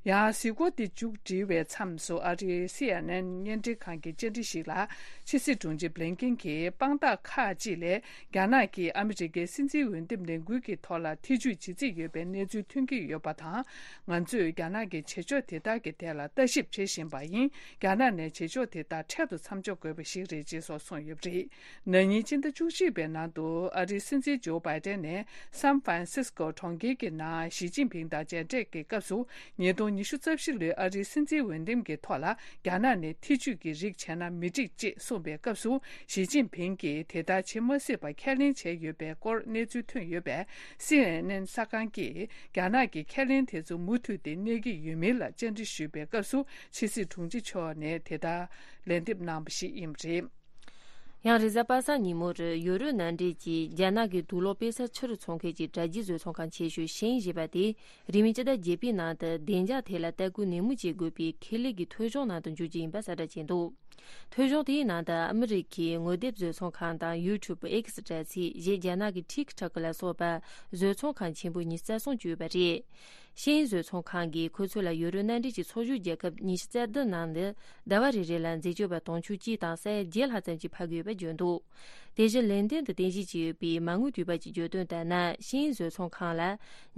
ཡང་གཟིགས་སྐོར་དེ་མཇུག་སྒྲིལ་བའི་མཚམས་སུ། ཨ་རིའི་སི་ཨེན་ཨེན་བརྙན་འཕྲིན་ཁང་གི་བཅར་འདྲི་ཞིག་ལ། ཕྱི་སྲིད་དྲུང་ཆེ་བྷི་ལིན་ཀེན་གྱིས་དཔང་རྟགས་ཁག་ཅིག་ལས། རྒྱ་ནག་གིས་ཨ་མི་རི་ཀའི་སྲིད་འཛིན་འོས་འདེམས་ལས་འགུལ་གྱི་ཐོག་ལ་ཐེ་ཇུས་བྱེད་རྩིས་ཡོད་པའི་གནས་ཚུལ་ཐོན་གྱི་ཡོད་པ་དང་། ང་ཚོས་རྒྱ་ནག་གི་བྱེད་ཕྱོགས་དེ་དག་གི་ཐད་ལ་ལྟ་ཞིབ་བྱེད་བཞིན་པ་ཡིན། རྒྱ་ནག་ནས་བྱེད་ཕྱོགས་དེ་དག་འཕྲལ་དུ་མཚམས་འཇོག་དགོས་པ་ཞིག་རེད་ཅེས་སོགས་གསུངས་ཡོད་པ་རེད། ན་ནིང་སྤྱི་ཟླ་བཅུ་གཅིག་པའི་ནང་དུ་ཨ་རིའི་སྲིད་འཛིན་ཇོ་བྷའི་ཏན་ནས་སན་ཧྥ་རན་སིས་ཀོ་གྲོང་ཁྱེར་གྱི་ནང་ཞི་ཅིན་ཕིང་དང་མཇལ་འཕྲད་ཀྱི་སྐབས་སུ། ཉིས་སྟོང་ཉི་ཤུ་རྩ་བཞི་ལོའི་ཨ་རིའི་སྲིད་འཛིན་འོས་འདེམས་ཀྱི་ཐོག་ལ་རྒྱ་ནག་ནས་ཐེ་ཇུས་ཀྱི་རིགས་བྱས་ན་མི་འགྲིག་ཅེས་གསུངས་པའི་སྐབས་སུ། ཞི་ཅིན་ཕིང་གིས་དེ་ལྟར་བྱེད་མ་སྲིད་པ་ཁས་ལེན་བྱས་ཡོད་པའི་སྐོར་གནས་ཚུལ་ཐོན་ཡོད་པས། སི་ཨེན་ཨེན་གསར་ཁང་གིས་རྒྱ་ནག་གི་ཁས་ལེན་དེ་ཚོ་མུ་མཐུད་དེ་གནས་ཀྱི་ཡོད་མིན་ལ་བཅར་འདྲི་ཞུས་པའི་སྐབས་སུ། ཕྱི་སྲིད་དྲུང་ཆེ་མཆོག་ནས་དེ་ལྟར་ལན་འདེབས་གནང་བ་ཞིག་ཡིན་པ་རེད། ཡང་རེས་གཟའ་པ་སངས་ཉིན་མོར་ཡོ་རོབ་མནའ་འབྲེལ་གྱིས་རྒྱ་ནག་གི་དུག་ལོག་དཔེ་གསར་ཕྱིར་ཚོང་མཁན་གྱི་དྲ་རྒྱའི་བཟོ་ཚོང་ཁང་ཆེ་ཤོས་ཤེང་ཞེས་པ་དེ། རིང་མིན་སྤྱི་ཟླ་བརྒྱད་པའི་ནང་དུ་བདེ་འཇགས་ཐད་ལ་ལྟ་སྐུལ་ནན་མོ་བྱེད་དགོས་པའི་ཁེ་ལས་ཀྱི་ཐོ་གཞུང་ནང་དུ་འཇུག་རྒྱུ་ཡིན་པ་གསལ་བསྒྲགས་བྱས་འདུག་ཐོ་གཞུང་དེའི་ནང་དུ་ཨ་མི་རི་ཁའི་ངོ་དེབ་བཟོ་ཚོང་ཁང་དང་ཡུ་ཊུབ། ཨེག་སི་དྲ་ཚིགས་བཞི། རྒྱ་ནག་གི་ཊིག་ཊོག་ལ་སོགས་པ་བཟོ་ཚོང་ཁང་ཆེན་པོ་ཉི་ཤུ་རྩ་གསུམ་བཅུག་ཡོད་པ་རེད། ཤེང་བཟོ་ཚོང་ཁང་གིས་ཁོ་ཚོ་ལ་ཡོ་རོབ་མནའ་འབྲེལ་གྱི་ཚོགས་ཞུགས་རྒྱལ་ཁབ་ཉི་ཤུ་རྩ་བདུན་ནང་ནས་ཟླ་བ་རེ་རེ་ལ་འཛད་སྤྱོད་པ་དུང་ཕྱུར་གཅིག་དང་ས་ཡ་བརྒྱད་ལྷག་ཙམ་ཞིག་ཕབ་ཀྱི་ཡོད་པ་བརྗོད་འདུག་དེ་བཞིན་ལན་ཏན་དུ་རྟེན་གཞི་བྱས་ཡོད་པའི་མ་དངུལ་དུས་པ་གཅིག་བརྗོད་དོན་ལྟར་ན། ཤིན་ཡིན་བཟོ་ཚོང་ཁང་ལ་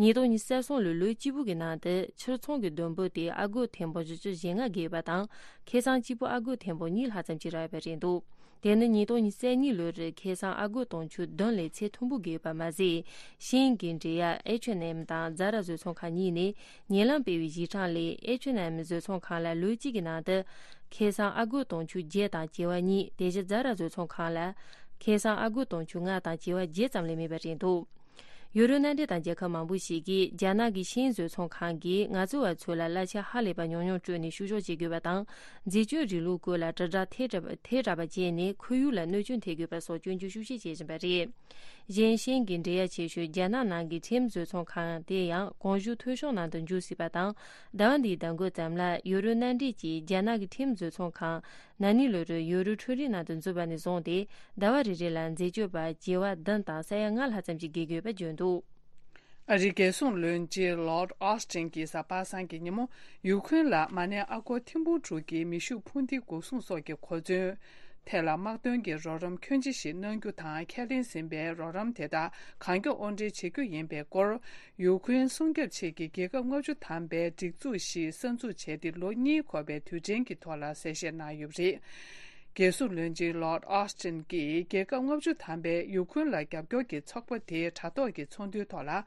ཉིས་སྟོང་ཉི་ཤུ་རྩ་གསུམ་ལོའི་ལོ་གཅིག་པུ་གི་ནང་དུ་ཕྱིར་ཚོང་གི་བསྡོམས་པོ་དེ་ཨ་སྒོར་ཐེར་འབུམ་བཞི་བཅུ་ཞེ་ལྔ་བརྒལ་ཡོད་པ་དང་། ཁེ་བཟང་གཅིག་པུ་ཨ་སྒོར་ཐེར་འབུམ་གཉིས་ལྷག་ཙམ་ཞིག་རག་ཡོད་པ་རེད་འདུག་དེ་ནི་ཉིས་སྟོང་ཉི་ཤུ་རྩ་གཉིས་ལོར་ཁེ་བཟང་ཨ་སྒོར་དུང་ཕྱུར་བདུན་ལས་ཚད་མཐོན་པོ་བརྒལ་ཡོད་པ་མ་ཟད། ཤིན་ཡིན་གྱི་འབྲེལ་ཡག་ཨེཆ་ཨེན་ཨེམ་དང་ཛ་ར་བཟོ་ཚོང་ཁང་གཉིས་ནས། ཉེ་ལམ་སྤེལ་བའི་གཞི་གྲངས་ལས་ཨེཆ་ཨེན་ཨེམ་བཟོ་ཚོང་ཁང་ལ་ལོ་གཅིག་གི་ནང་དུ་ཁེ་བཟང་ཨ་སྒོར་དུང་ཕྱུར་བརྒྱད་དང་བྱེ་བ་གཉིས། དེ་བཞིན་ཛ་ར་བཟོ་ཚོང་ཁང་ལ་ཁེ་བཟང་ཨ་སྒོར་དུང་ཕྱུར་ལྔ་དང་བྱེ་བ་བརྒྱད་ཙམ་ལས་མེད་པ་རེད་འདུག་ཡུ་རོབ་མནའ་འབྲེལ་དང་རྒྱལ་ཁབ་མང་པོ་ཞིག་གིས་རྒྱ་ནག་གི་ཤིན་བཟོ་ཚོང་ཁང་གིས་ངལ་རྩོལ་བ་ཚོ་ལ་གླ་ཆ་ཧ་ལས་པ་ཉུང་ཉུང་སྤྲོད་ནས་བཤུ་གཞོག་བྱེད་དགོས་པ་དང་། འཛད་སྤྱོད་རིང་ལུགས་སྐོར་ལ་དྲིལ་བསྒྲགས་ཐལ་དྲགས་པ་ཐལ་དྲགས་པ་བྱས་ནས་ཁོར་ཡུག་ལ་གནོད་སྐྱོན་ཐེབས་དགོས་པ་སོགས་སྐྱོན་བརྗོད་ཤུགས་ཆེ་བྱེད་བཞིན་པ་རེད། གཞན་ཤིན་གྱི་འབྲེལ་ཡག་ཆེ་ཤོས་རྒྱ་ནག་ནང་གི་ཁྲིམས་བཟོ་ཚོང་ཁང་དེ་ཡང་གོང་ཞུས་ཐོ་གཞུང་ནང་དུ་འཇུག་སྲིད་པ་དང་། ཟླ་བ་འདིའི་ཟླ་འགོ་ཙམ་ལ་ཡུ་རོབ་མནའ་འབྲེལ་གྱིས་རྒྱ་ནག་གི་ཁྲིམས་བཟོ་ཚོང་ཁང་ན་ནིང་ལོ་རུ་ཡུ་རོ་འཕྲུལ་རིག་ནང་དུ་འཛུལ་བ་ནས་བཟུང་སྟེ། ཟླ་བ་རེ་རེ་ལ་འཛད་སྤྱོད་པ་བྱེ་བ་བདུན་དང་ས་ཡ་ལྔ་ལྷག་ཙམ་ཞིག་བརྒལ་དགོས་པ་བརྗོད་འདུག་ཨ་རིའི་རྒྱལ་སྲུང་བློན་ཆེན་ལོར་ཨོ་སི་ཊིན་གྱིས་གཟའ་པ་སངས་ཀྱི་ཉིན་མོ། ཡུ་ཁུན་ལ་མ་ཎི་ཨ་སྒོར་ཐེར་འབུམ་དྲུག་གི་མེ་ཤུགས་འཕུར་མདེལ་འགོག་སྲུང་སོགས་ཀྱི་གོ་མཚོན་ཐད་ལ་དམག་དོན་གྱི་རོགས་རམ་ཁྱོན་ཆེ་ཞིག་གནང་རྒྱུ་དང་། ཁས་ལེན་ཟིན་པའི་རོགས་རམ་དེ་དག་གང་མགྱོགས་དབོར་འདྲེན་བྱེད་རྒྱུ་ཡིན་པའི་སྐོར། ཡུ་ཁུན་སྲུང་སྐྱོབ་ཆེད་ཀྱི་རྒྱལ་ཁབ་ལྔ་བཅུ་ཐམ་པའི་སྒྲིག་འཛུགས་ཤིག་གསར་འཛུགས་བྱས་ཏེ་ལོ་གཉིས་འཁོར་བའི་དུས་དྲན་གྱི་ཐོག་ལ་གསལ་བཤད་གནང་ཡོད་པ་རེད། རྒྱལ་སྲུང་བློན་ཆེན་ལོར་ཨོ་སི་ཊིན་གྱིས་རྒྱལ་ཁབ་ལྔ་བཅུ་ཐམ་པའི་ཡུ་ཁུན་ལ་རྒྱབ་སྐྱོར་གྱི་ཚོགས་པ་དེའི་དྲ་ཐོག་གི་ཚོགས་འདུའི་ཐོག་ལ།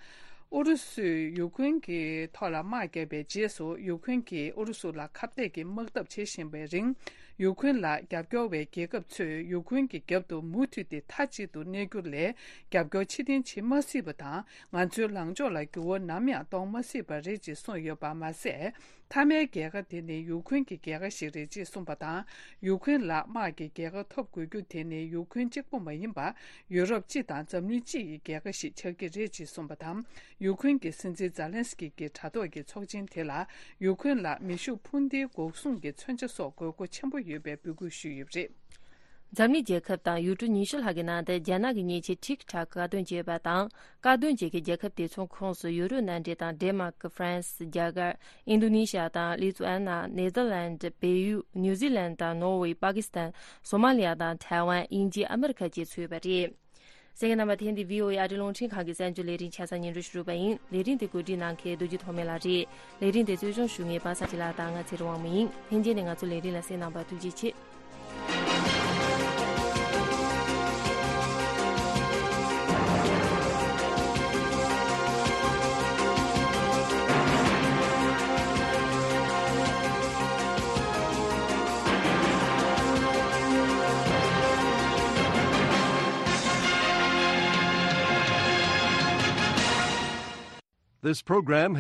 ཨུ་རུ་སུས་ཡུ་ཁུན་གྱི་ཐོག་ལ་དམག་བརྒྱབ་པའི་རྗེས་སུ། ཡུ་ཁུན་གྱིས་ཨུ་རུ་སུ་ལ་ཁ་གཏད་ཀྱི་དམག་འཐབ་བྱེད་བཞིན་པའི་རིང་། ཡུ་ཁུན་ལ་རྒྱབ་སྐྱོར་བའི་རྒྱལ་ཁབ་ཚོས་ཡུ་ཁུན་གྱི་རྒྱབ་ཏུ་མུ་མཐུད་དེ་མཐའ་གཅིག་ཏུ་གནས་རྒྱུ་ལས། རྒྱབ་སྐྱོར་ཕྱིར་འཐེན་བྱེད་མ་སྲིད་པ་དང་། ང་ཚོའི་ལངས་ཕྱོགས་ལ་འགྱུར་བ་ནམ་ཡང་གཏོང་མ་སྲིད་པ་རེད་ཅེས་གསུངས་ཡོད་པ་མ་ཟད། མཐའ་མའི་རྒྱལ་ཁ་དེ་ནི་ཡུ་ཁུན་གྱི་རྒྱལ་ཁ་ཞིག་རེད་ཅེས་གསུངས་པ་དང་། ཡུ་ཁུན་ལ་དམག་གི་རྒྱལ་ཁ་ཐོབ་དགོས་རྒྱུ་དེ་ནི་ཡུ་ཁུན་གཅིག་པུ་མ་ཡིན་པར། ཡུ་རོབ་སྤྱི་དང་འཛམ་གླིང་སྤྱི་ཡི་རྒྱལ་ཁ་ཞིག་ཆགས་ཀྱི་རེད་ཅེས་གསུངས་པ་དང་། ཡུ་ཁུན་གྱི་སྲིད་འཛིན་ཛཱ་ལན་སི་ཀི་གི་དྲ་ཐོག་གི་ཚོགས་ཆེན་དེ་ལ། ཡུ་ཁུན་ལ་མེ་ཤུགས་འཕུར་མདེལ་འགོག་སྲུང་གི་མཚོན་ཆ་སོགས་དགོས་མཁོ་ཆེན་པོ་ཡོད་པའི་འབོད་སྐུལ་ཞུས་ཡོད་པ་རེད། འཛམ་གླིང་རྒྱལ་ཁབ་དང་ཡུལ་གྲུ་ཉི་ཤུ་ལྷག་གི་ནང་དུ་རྒྱ་ནག་གི་མཉེན་ཆས་ཊིག་ཊོག་བཀག་སྡོམ་བྱས་པ་དང་། བཀག་སྡོམ་བྱེད་མཁན་རྒྱལ་ཁབ་དེ་ཚོའི་ཁོངས་སུ་ཡུ་རོབ་མནའ་འབྲེལ་དང་ཌེན་མཱག་ཧྥ་རན་སི། རྒྱ་གར། ཨིན་རྡོ་ནེ་ཤི་ཡ་དང་ལི་ཐུ་ཨན་ན། ནེ་ཐར་ལན། བལ་ཡུལ། ནིའུ་ཛི་ལན་དང་ནོར་ཝེ། པ་ཀི་སི་ཐན། སོ་མ་ལི་ཡ་དང་ཐའེ་ཝན། དབྱིན་ཇི། ཨ་མི་རི་ཁ་བཅས་ཚུད་ཡོད་པ་རེད། གསན་མཁན་རྣམ་པ། དེ་འདི་བྷི་ཨོ་ཨེ་ཨ་རིའི་རླུང་འཕྲིན་ཁང་གི་གསར་འགྱུར་ལས་རིམ་ཆ་ཚང་སྙན་སྒྲོན་ཞུ་རུ་བ་ཡིན། ལས་རིམ་དེ་གོ་སྒྲིག་གནང་མཁན་རྡོ་རྗེ་ཐོགས་མེད་ལགས་རེད། ལས་རིམ་དེ་གཙོ་སྐྱོང་ཞུ་མཁན་པ་སངས་སྐྱིད་ལགས་དང་ང་ཚེ་རིང་དབང་མོ་ཡིན། ལྷན་རྒྱས་ནས་ང་ཚོ་ལས་རིམ་ལ་གསན་གནང་བར་ཐུགས་རྗེ་ཆེ། This program